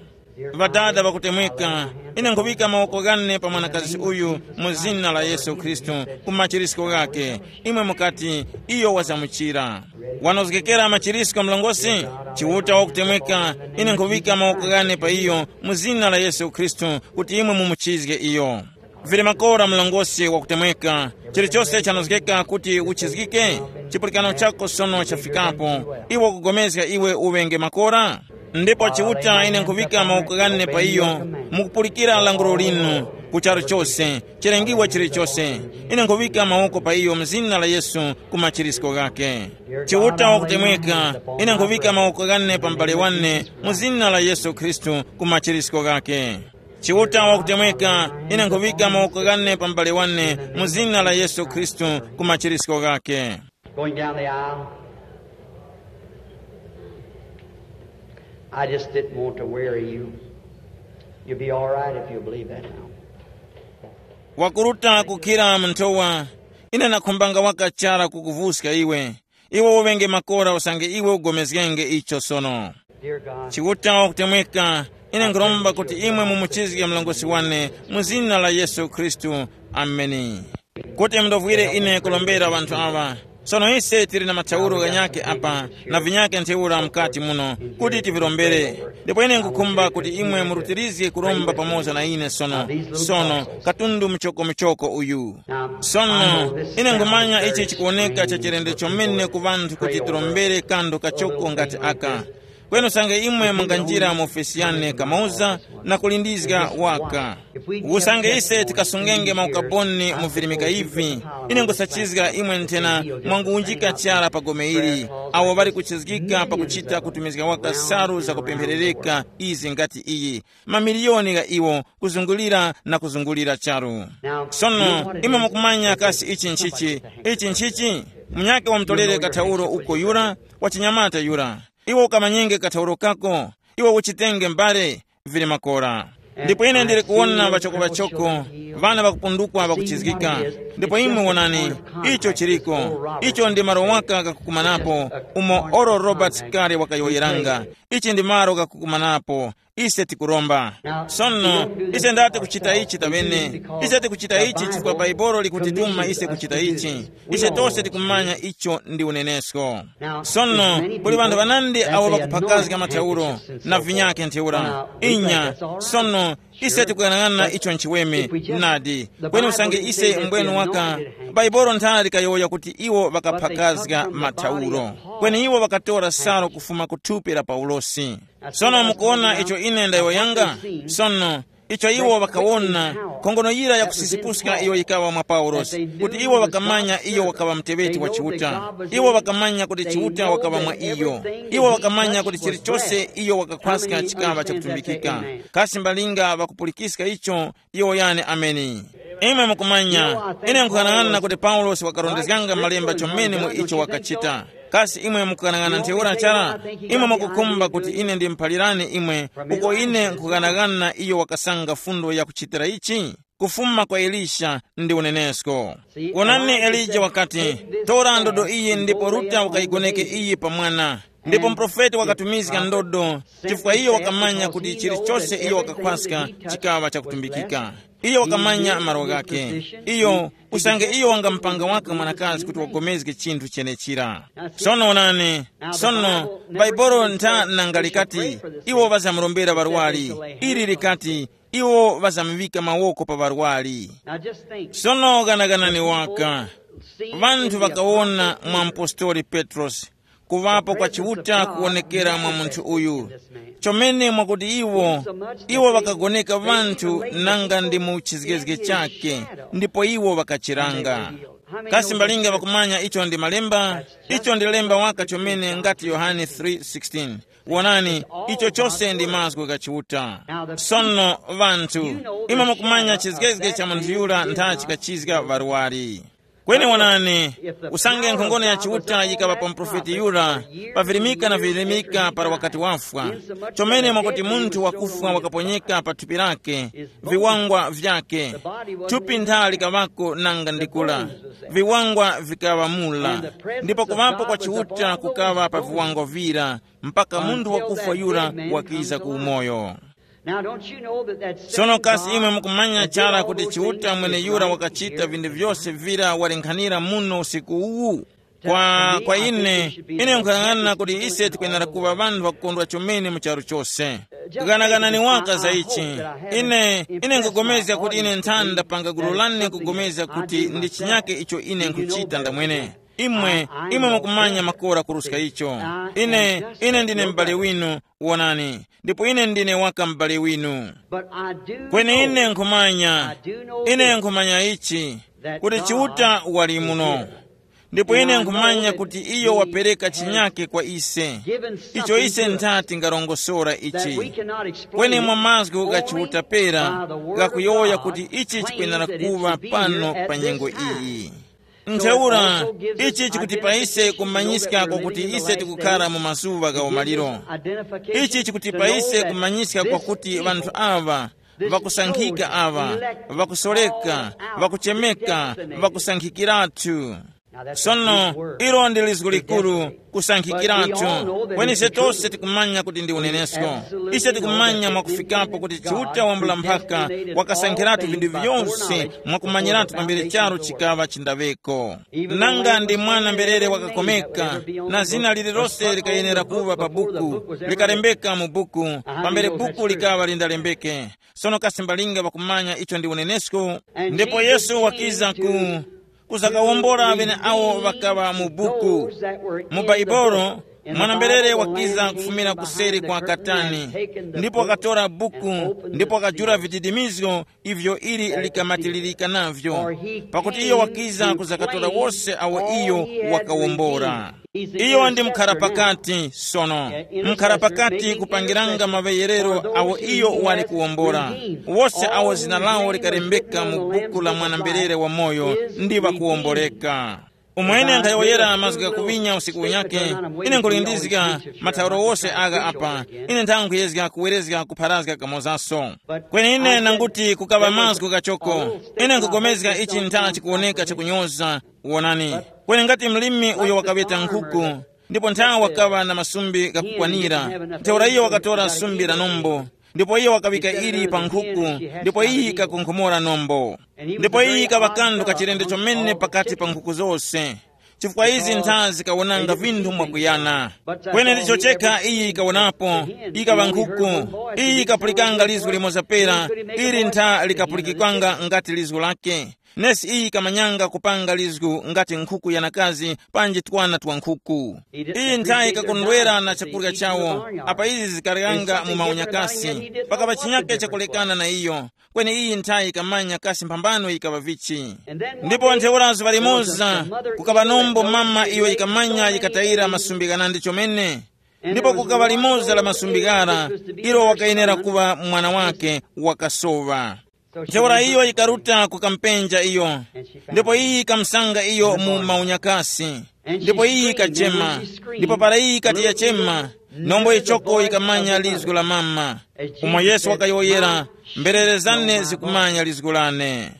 Ŵadada ŵakutemweka, ine nkhuŵika mawoko ghane pa mwanakazi uyu mu zina la Yesu Khristu ku machirisko ghake. Imwe mukati, iyo wazamuchira. Wanozgekera machirisko mlongosi? Chiuta wakutemweka, ine nkhuŵika mawoko ghane pa iyo mu zina la Yesu Khristu kuti imwe mumuchizge iyo. Vili makora mlongosi wakutemweka, chilichose chanozgeka kuti uchizgike. Chipulikano chako sono chafikapo. Iwe ukugomezga iwe uŵenge makora. Ndipo Chiuta, ine nkhuŵika mawoko ghane pa iyo, mukupulikira lankhulo linu, ku charu chose, chilengiwa chilichose. Ine nkhuŵika mawoko pa iyo mu zina la Yesu ku machirisko ghake. Chiuta wakutemweka, ine nkhuŵika mawoko ghane pa m'bale wane mu zina la Yesu Khristu ku machirisko ghake. Chiuta wakutemweka, ine nkhuŵika mawoko ghane pa m'bale wane mu zina la Yesu Khristu ku machirisko ghake. Going down the aisle. I just didn't want to weary you. You'll be all right if you'll believe that now. Wakuruta kukhira mnthowa, ine nakhumbanga waka chara kukuvuska iwe. Iwe uŵenge makora usange iwe ugomezgenge icho sono. Dear God, Chiuta wakutemweka, ine nkhuromba kuti imwe mumuchizge mlongosi wane mu zina la Yesu Khristu. Ameni. Kuti mundovwire ine kulombera ŵanthu awa. Sono ise tili na mathauro ghanyakhe apa na vinyakhe ntheura mukati muno kuti tivirombere. Ndipo ine nkhukhumba kuti imwe murutirizge kuromba pamoza na ine sono, sono katundu muchokomuchoko uyu. Sono ine nkhumanya ichi chikuwoneka cha chilendo chomene ku ŵanthu kuti tirombere kanthu kachoko ngati aka. Kweni usange imwe munganjira mu ofesi yane kamauza na kulindizga waka. Usange ise tikasungenge maukaboni mu virimika ivi, ine nkusachizga imwe nthena mwanguwunjika chara pa gome ili, awo ŵali kuchizgika pakuchita kutumizga waka salu zakupempherereka izi ngati iyi, mamiliyoni gha iwo kuzungulira na kuzungulira charu. Sono imwe mukumanya kasi ichi nchichi? Ichi nchichi? Munyakhe wamutolere kathauro uko yura, wa chinyamata yura. Iwe ukamanyenge kathauro kako, iwe uchitenge mbale, vili makora. Ndipo ine ndili kuwona ŵachoko-ŵachoko, ŵana ŵakupundukwa ŵakuchizgika. Ndipo imwe wonani, icho chiliko. Icho ndi malo waka ghakukumanapo, umo Oral Roberts kale wakayowoyeranga. Ichi ndi malo ghakukumanapo. Ise tikuromba. Sono, ise ndati kuchita ichi tavene. Ise tikuchita ichi chifukwa Baibolo likutituma ise kuchita ichi. Ise tose tikumanya icho ndi unenesko. Sono, kuli ŵanthu ŵanandi awo ŵakuphakazga mathauro na vinyakhe ntheura. Inya, sono, ise tikuyang'ana icho nchiweme, nadi. Kweni usange ise mbwenu waka, Baibolo nthara likayowoya kuti iwo ŵakaphakazga mathauro. Kweni iwo ŵakatora salu kufuma ku thupi la Paulosi. Sono mukuwona icho ine ndayowoyanga? Sono, icho iwo ŵakawona, khongono yira yakusisipuska iyo yikaŵa mwa Paulosi, kuti iwo ŵakamanya iyo wakaŵa muteŵeti wa Chiuta. Iwo ŵakamanya kuti Chiuta wakaŵa mwa iyo. Iwo ŵakamanya kuti chilichose iyo wakakhwaska chikaŵa chakutumbikika. Kasi mbalinga ŵakupulikiska icho? Iwo yani, ameni. Imwe mukumanya, ine nkughanag'ana kuti Paulosi wakarondezganga malemba chomene mu icho wakachita. Kasi imwe mukughanag'ana ntheura chara? Imwe mukukhumba kuti ine ndimuphalirani imwe uko ine nkughanag'ana iyo wakasanga fundo yakuchitira ichi? Kufuma kwa Elisha ndi unenesko. Wonani, Elija wakati, tora ndodo iyi ndipo ruta ukayigoneke iyi pa mwana. Ndipo muprofeti wakatumizga ndodo, chifukwa iyo wakamanya kuti chilichose iyo wakakhwaska chikaŵa chakutumbikika. Iyo wakamanya malo ghakhe. Iyo, usange iyo wangamupanga waka mwanakazi kuti wagomezge chinthu chenechira. Sono onani, sono, Baibolo ntha nanga likati, iwo ŵazamurombera ŵarwari. Ili likati, iwo ŵazamuŵika mawoko pa ŵarwari. Sono ghanaganani waka. Ŵanthu ŵakawona mwa mpostoli Petrosi kuŵapo kwa Chiuta kuwonekera mwa munthu uyu. Chomene mwakuti iwo, iwo ŵakagoneka ŵanthu nanga ndi mu chizgezge chakhe, ndipo iwo ŵakachiranga. Kasi mbalinga ŵakumanya icho ndi malemba? Icho ndi lemba waka chomene ngati Yohane three sixteen. Wonani, icho chose ndi mazgu gha Chiuta. Sono, ŵanthu, imwe mukumanya chizgezge cha munthu yura ntha chikachizga ŵarwari. Kweni wonani, usange nkhongono ya Chiuta yikaŵa pa muprofeti yura, pavirimika na virimika para wakati wafwa, chomene mwakuti munthu wakufwa wakaponyeka pa thupi lake, viwangwa vyake, thupi ntha likaŵako nanga ndikula, viwangwa vikaŵa mula, ndipo kuŵapo kwa Chiuta kukaŵa pa viwangwa vira, mpaka munthu wakufwa yura wakiza ku umoyo. Now, don't you know that that sono kasi imwe mukumanya chara kuti chiuta mwene yura wakachita vindu vyose vira walenkhanira muno usiku uwu? Kwa, kwa ine, ine nkuyang'ana kuti ise tikwenera kuŵa ŵanthu ŵakukondwa chomene mu charu chose. Ganaganani waka za ichi. Ine, ine nkupulikana kuti ine nthani ndapanga gulu lane kupulikana kuti ndi chinyake icho ine nkuchita ndamwene. Imwe, imwe mukumanya makora kuruska icho. Ine, ine ndine m'bale winu, wonani, ndipo ine ndine waka m'bale winu. Kweni ine nkhumanya, ine nkhumanya ichi, kuti Chiuta wali muno. Ndipo ine nkhumanya kuti iyo wapereka chinyake kwa ise, icho ise ntha tingarongosora ichi. Kweni mwa mazgu gha Chiuta pera, ghakuyowoya kuti ichi chikwenera kuŵa pano pa nyengo iyi. Ntheura, ichi chikuti pa ise kumanyiska kwakuti ise tikukhara mu mazuŵa gha umaliro. Ichi chikuti pa ise kumanyiska kwakuti ŵanthu aŵa, ŵakusankhika aŵa, ŵakusoreka, ŵakuchemeka, ŵakusankhikiratu. Sono, ilo ndi lizgu likuru, kusankhikiratu. Kweni ise tose tikumanya kuti ndi unenesko. Ise tikumanya mwakufikapo kuti Chiuta wambula mphaka wakasankhiratu vinthu vyose mwakumanyiratu pambere charu chikaŵa chindaŵeko. Nanga ndi mwana mberere wakakomeka, na zina lililose likayenera kuŵa pa buku, likalembeka mu buku, pambere buku likaŵa lindalembeke. Sono kasi mbalinga ŵakumanya icho ndi unenesko? Ndipo Yesu wakiza ku, kuzakawombora ŵeneawo ŵakaŵa mu buku. Mu Baibolo, mwana-mberere wakiza kufumira kuseri kwa katani, ndipo wakatora buku, ndipo wakajula vididimizgo ivyo ili likamatilirika navyo, pakuti iyo wakiza kuzakatora wose awo iyo wakawombora. Iyo ndi mkhara pakati sono, mkhara pakati kupangiranga maŵeyerero awo iyo wali kuwombora. Wose awo zina lawo likalembeka mu buku la mwana-mberere wamoyo ndi ŵakuwomboreka. Umwene nkhayowoyera mazgu ghakuŵinya usiku unyakhe, ine nkhulindizga mathauro wose agha apa, ine nthanga nkhuyezga kuwerezga kupharazga kamozaso. Kweni ine nanguti kukaŵa mazgu ghachoko, ine nkhupulikana ichi ntha chikuwoneka chakunyoza, wonani. Kweni ngati mlimi uyo wakaŵeta nkhuku, ndipo ntha wakaŵa na masumbi ghakukwanira, ntheura iyo wakatora sumbi la nombo, ndipo iyo wakaŵika ili pa nkhuku, ndipo iyi ikakonkhomora nombo. Ndipo iyi ikaŵa kanthu kachilendo chomene pakati pa nkhuku zose, chifukwa izi ntha zikawonanga vinthu mwakuyana. Kweni ndicho chekha iyi ikawonapo, ikaŵa nkhuku. Iyi ikapulikanga lizgu limoza pera, ili ntha likapulikikwanga ngati lizgu lake. Nesi iyi ikamanyanga kupanga lizgu ngati nkhuku yanakazi panji twana twa nkhuku. Iyi ntha ikakondwera na chakurya chawo, apa izi zikaryanga mu maunyakasi, pakaŵa chinyake chakulekana na iyo. Kweni iyi ntha ikamanya kasi mphambano yikaŵa vichi. Ndipo ntheura zuŵa limoza, kukaŵa nombo mama iyo yikamanya yikatayira masumbi ghanandi chomene. Ndipo kukaŵa limoza la masumbi ghara, ilo wakayenera kuŵa mwana wake wakasoŵa. Ntheura iyo yikaruta kukampenja iyo, ndipo iyi ikamusanga iyo mu maunyakasi. Ndipo iyi ikachema, ndipo para iyi ikati yachema, nombo ichoko ikamanya lizgu la mama. Umo Yesu wakayowoyera, mberere zane zikumanya lizgu lane.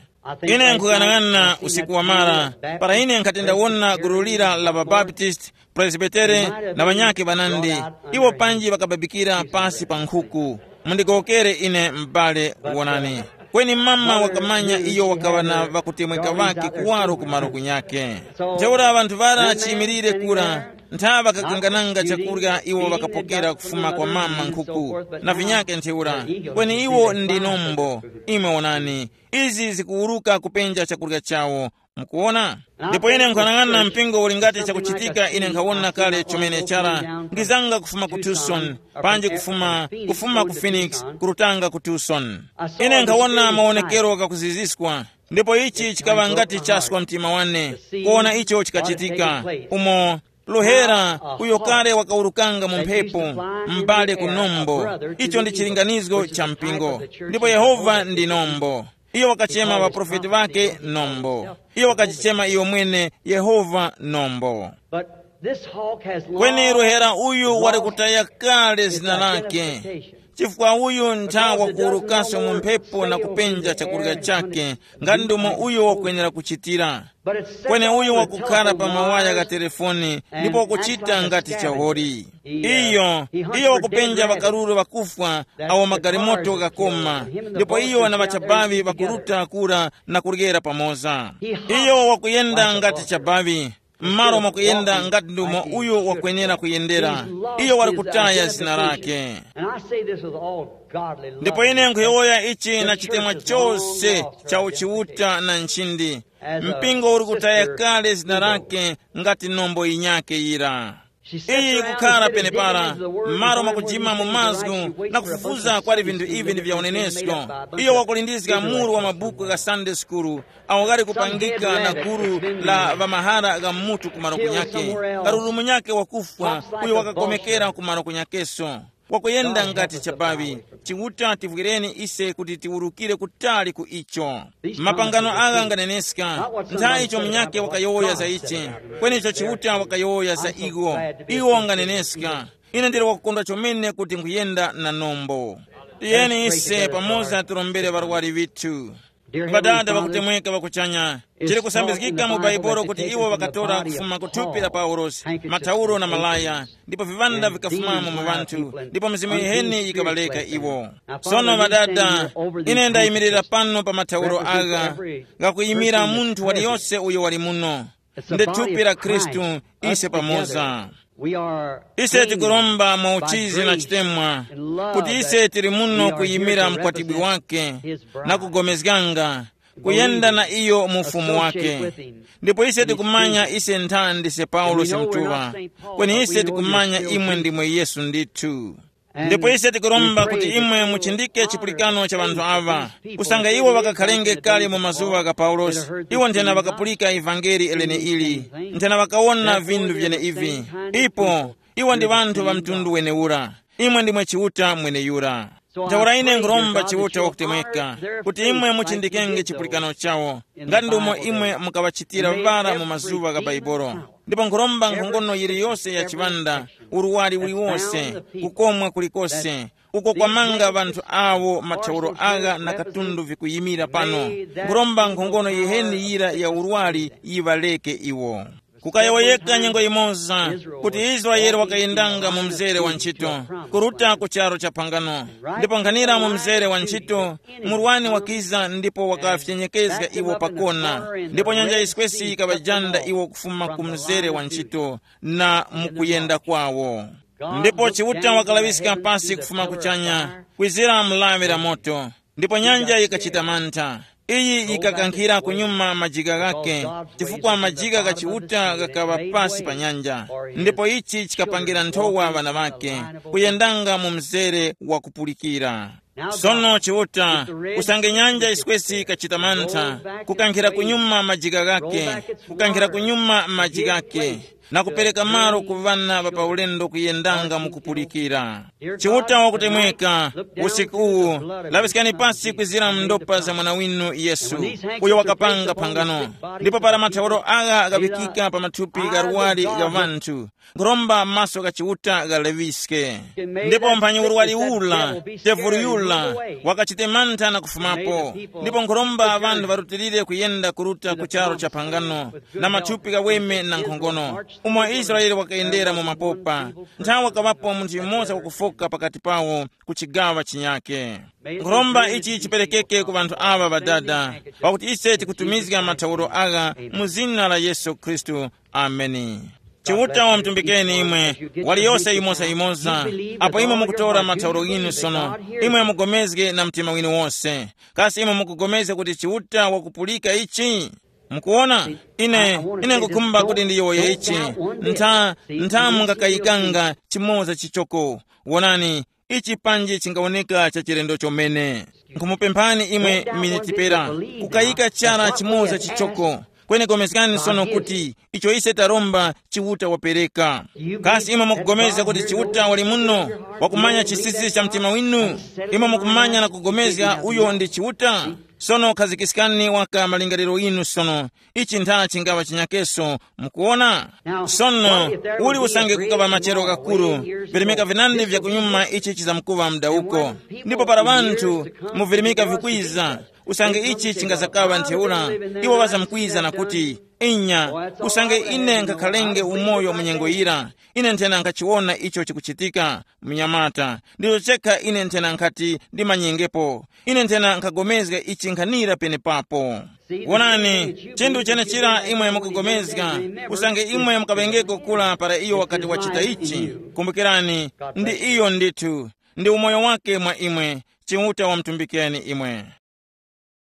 Ine nkuyang'ana usiku wamara, para ine nkhati ndawona gulu lira la ŵaBaptisti, Presbitere na ŵanyakhe ŵanandi, iwo panji ŵakababikira pasi pa nkhuku. Mundigowokere ine m'bale, wonani. Kweni mama wakamanya iyo wakaŵa na ŵakutemweka ŵakhe kuwaro ku malo kunyakhe. Ntheura ŵanthu ŵara chiyimilire kura, ntha ŵakakangananga chakurya iwo ŵakapokera kufuma kwa mama nkhuku, na vinyakhe ntheura. Kweni iwo ndi nombo. Imwe wonani, izi zikuwuruka kupenja chakurya chawo. Mukuwona? Ndipo ine nkhanang'ana mpingo uli ngati chakuchitika ine nkhawona kale chomene chara, ngizanga kufuma ku Tucson, panji kufuma, kufuma ku Phoenix, kurutanga ku Tucson. Ine nkhawona mawonekero ghakuziziskwa, ndipo ichi chikaŵa ngati chaswa mtima wane, kuwona icho chikachitika, umo luhera uyo kale wakawurukanga mu mphepo, m'bale ku nombo. Icho ndi chilinganizgo cha mpingo. Ndipo Yehova ndi nombo. Iyo wakachema ŵaprofeti ŵake nombo. Iyo wakajichema iyo mwene Yehova nombo. But this hawk has kweni long ruhera uyu wari lost kutaya kale its zina lake identification. Chifukwa uyu ntha wakuwurukaso mu mphepo na kupenja chakurya chake, ngati ndomo uyo wakwenera kuchitira. But it's set kweni uyu on the wakukhala pa telephone mawaya wires gha telefoni and ndipo act kuchita like a ngati scavenger. Chahori. Iyo iyo wakupenja ŵakaruru ŵakufwa awo magalimoto ghakoma, ndipo iyo na ŵachabaŵi ŵakuruta kura na kuryera pamoza. Iyo wakuyenda ngati chabaŵi, m'malo mwa kuyenda ngati ndumo uyo wakwenera kuyendera. Iyo wali kutaya zina lake. And I say this with all godly love. Ndipo ine nkhuyowoya ichi na chitemwa chose cha uchiuta na nchindi. Mpingo uli kutaya kale zina lake ngati nombo yinyake yira. Iyi kukhala penepara, m'malo mwa kujima mu mazgu na kufufuza kwali vinthu ivi ndi vya unenesko. Iyo wakulindizga muru wa mabuku gha Sunday school awo ghali kupangika na gulu la ŵamahara gha mutu ku malo kunyake. Karuru munyake wakufwa uyo wakakomekera ku malo kunyakeso. Wakuyenda ngati chabaŵi. Chiuta tivwireni ise kuti tiwurukire kutali ku icho. Mapangano agha nganeneska. Nthawi icho munyake wakayowoya za ichi, kweni icho Chiuta wakayowoya za iwo. Iwo nganeneska. Ine ndili wakukondwa chomene kuti nkhuyenda na nombo. Tiyeni ise pamoza tirombere ŵarwari vithu. Ŵadada ŵakutemweka ŵakuchanya, chili kusambizgika mu Baibolo kuti iwo ŵakatora kufuma ku thupi la Paulosi, mathauro na malaya, ndipo viŵanda vikafumamo mu ŵanthu, ndipo mizimu yiheni yikaŵaleka iwo. Sono ŵadada, ine ndayimirira pano pa mathauro agha, ghakuyimira munthu waliyose uyo wali muno. Ndi thupi la Khristu, ise pamoza. Ise tikuromba mwa uchizi na chitemwa kuti ise tili muno kuyimira mkwatibwi wake na kugomezganga kuyenda na iyo mu ufumu wake. Ndipo ise tikumanya ise nthandi se Paulosi mutuŵa, kweni ise tikumanya imwe ndimwe Yesu ndithu. Ndipo ise tikuromba kuti imwe muchindike chipulikano cha ŵanthu aŵa, kusanga iwo ŵakakhalenge kale mu mazuŵa gha Paulosi. Iwo nthena ŵakapulika ivangeli leneili, nthena ŵakawona vinthu vyeneivi. Ipo iwo ndi ŵanthu ŵa mtundu wenewura. Imwe ndimwe Chiuta mweneyura. Ntheura ine nkhuromba Chiuta wakutemweka kuti imwe muchindikenge chipulikano chawo, ngati ndumo imwe mukaŵachitira ŵara mu mazuŵa gha Baibolo. Ndipo nkhuromba nkhongono yiliyose ya chiŵanda, urwari uliwose, kukomwa kulikose, uko kwamanga ŵanthu awo mathauro agha na katundu vikuyimira pano. Nkhuromba nkhongono yiheni yira ya urwari yiŵaleke iwo. Kukayowoyeka nyengo yimoza kuti Israele wakayendanga mu mzere wa ntchito, kuruta ku charo cha phangano. Ndipo nkhanira mu mzere wa ntchito, murwani wakiza ndipo wakafyenyekezga iwo pakona, ndipo nyanja yiswesi yikaŵajanda iwo kufuma ku mzere wa ntchito na mukuyenda kwawo. Ndipo Chiuta wakalaŵiska pasi kufuma kuchanya, kwizira mlawi la moto, ndipo nyanja yikachita mantha. Iyi yikakankhira kunyuma majika ghake, chifukwa majika gha Chiuta ghakaŵa pasi pa nyanja. Ndipo ichi chikapangira nthowa ŵana ŵake kuyendanga mu mzere wakupulikira. Sono Chiuta, usange nyanja yiswesi kachita mantha, kukankhira kunyuma majika ghake, kukankhira kunyuma maji ghake, na kupereka malo ku ŵana ŵa paulendo kuyendanga mu kupulikira. Chiuta wakutemweka, usiku uwu, laŵiskani pasi kwizira mu ndopa za mwana winu Yesu, uyo wakapanga phangano. Ndipo para mathauro agha ghaŵikika pa mathupi gha luwali gha ŵanthu, nkhuromba maso gha Chiuta ghaleŵiske. Ndipo mphanyi urwari ula, tevulu yula, wakachite mantha na kufumapo. Ndipo nkhuromba ŵanthu ŵarutilire kuyenda kuruta ku charo cha phangano, na mathupi ghaweme na nkhongono, umo Israele wakayendera mu mapopa. Nthawi wakaŵapo munthu yumoza wakufoka pakati pawo ku chigaŵa chinyake. Nkhuromba ichi chiperekeke ku ŵanthu aŵa ŵadada, pakuti ise tikutumizga mathauro agha mu zina la Yesu Khristu. Ameni. Chiuta wamutumbikeni imwe, waliyose yimosa-yimosa, apo imwe mukutora mathauro ghinu sono, imwe mugomezge na mtima winu wose. Kasi imwe mukugomezga kuti Chiuta wakupulika ichi? Mukuwona, ine, ine ngukhumba kuti ndiyowoye ichi. Ntha, ntha mungakayikanga chimoza chichoko. Wonani, ichi panji chingawoneka cha chilendo chomene. Nkhumupemphani imwe miniti pera, kukayika chara chimoza chichoko. Kweni komeskani sono kuti icho ise taromba Chiuta wapereka. Kasi imwe mukugomezga kuti Chiuta wali muno, wakumanya chisisi cha mtima winu? Imwe mukumanya na kugomezga uyo ndi Chiuta? Sono khazikiskani waka malingaliro yinu sono. Ichi ntha chingaŵa chinyakeso, mukuona? Sono, uli usange kukaŵa machero kakuru, virimika vinandi vya kunyuma ichi chizamkuŵa mdawuko. Ndipo para ŵanthu mu virimika vikwiza, usange ichi chingazakaŵa ntheura, iwo ŵazamkwiza na kuti, inya, usange ine nkhakhalenge umoyo mu nyengo yira, ine nthena nkhachiwona icho chikuchitika. Mnyamata, ndizo chekha ine nthena nkhati ndimanyengepo. Ine nthena nkhagomezga ichi nkhanira penepapo. Wonani, chinthu chenechira imwe mukugomezga, usange imwe mukaŵengeko kula para iyo wakati wachita ichi, kumbukirani, ndi iyo ndithu, ndi umoyo wake mwa imwe, Chiuta wamtumbikeni imwe.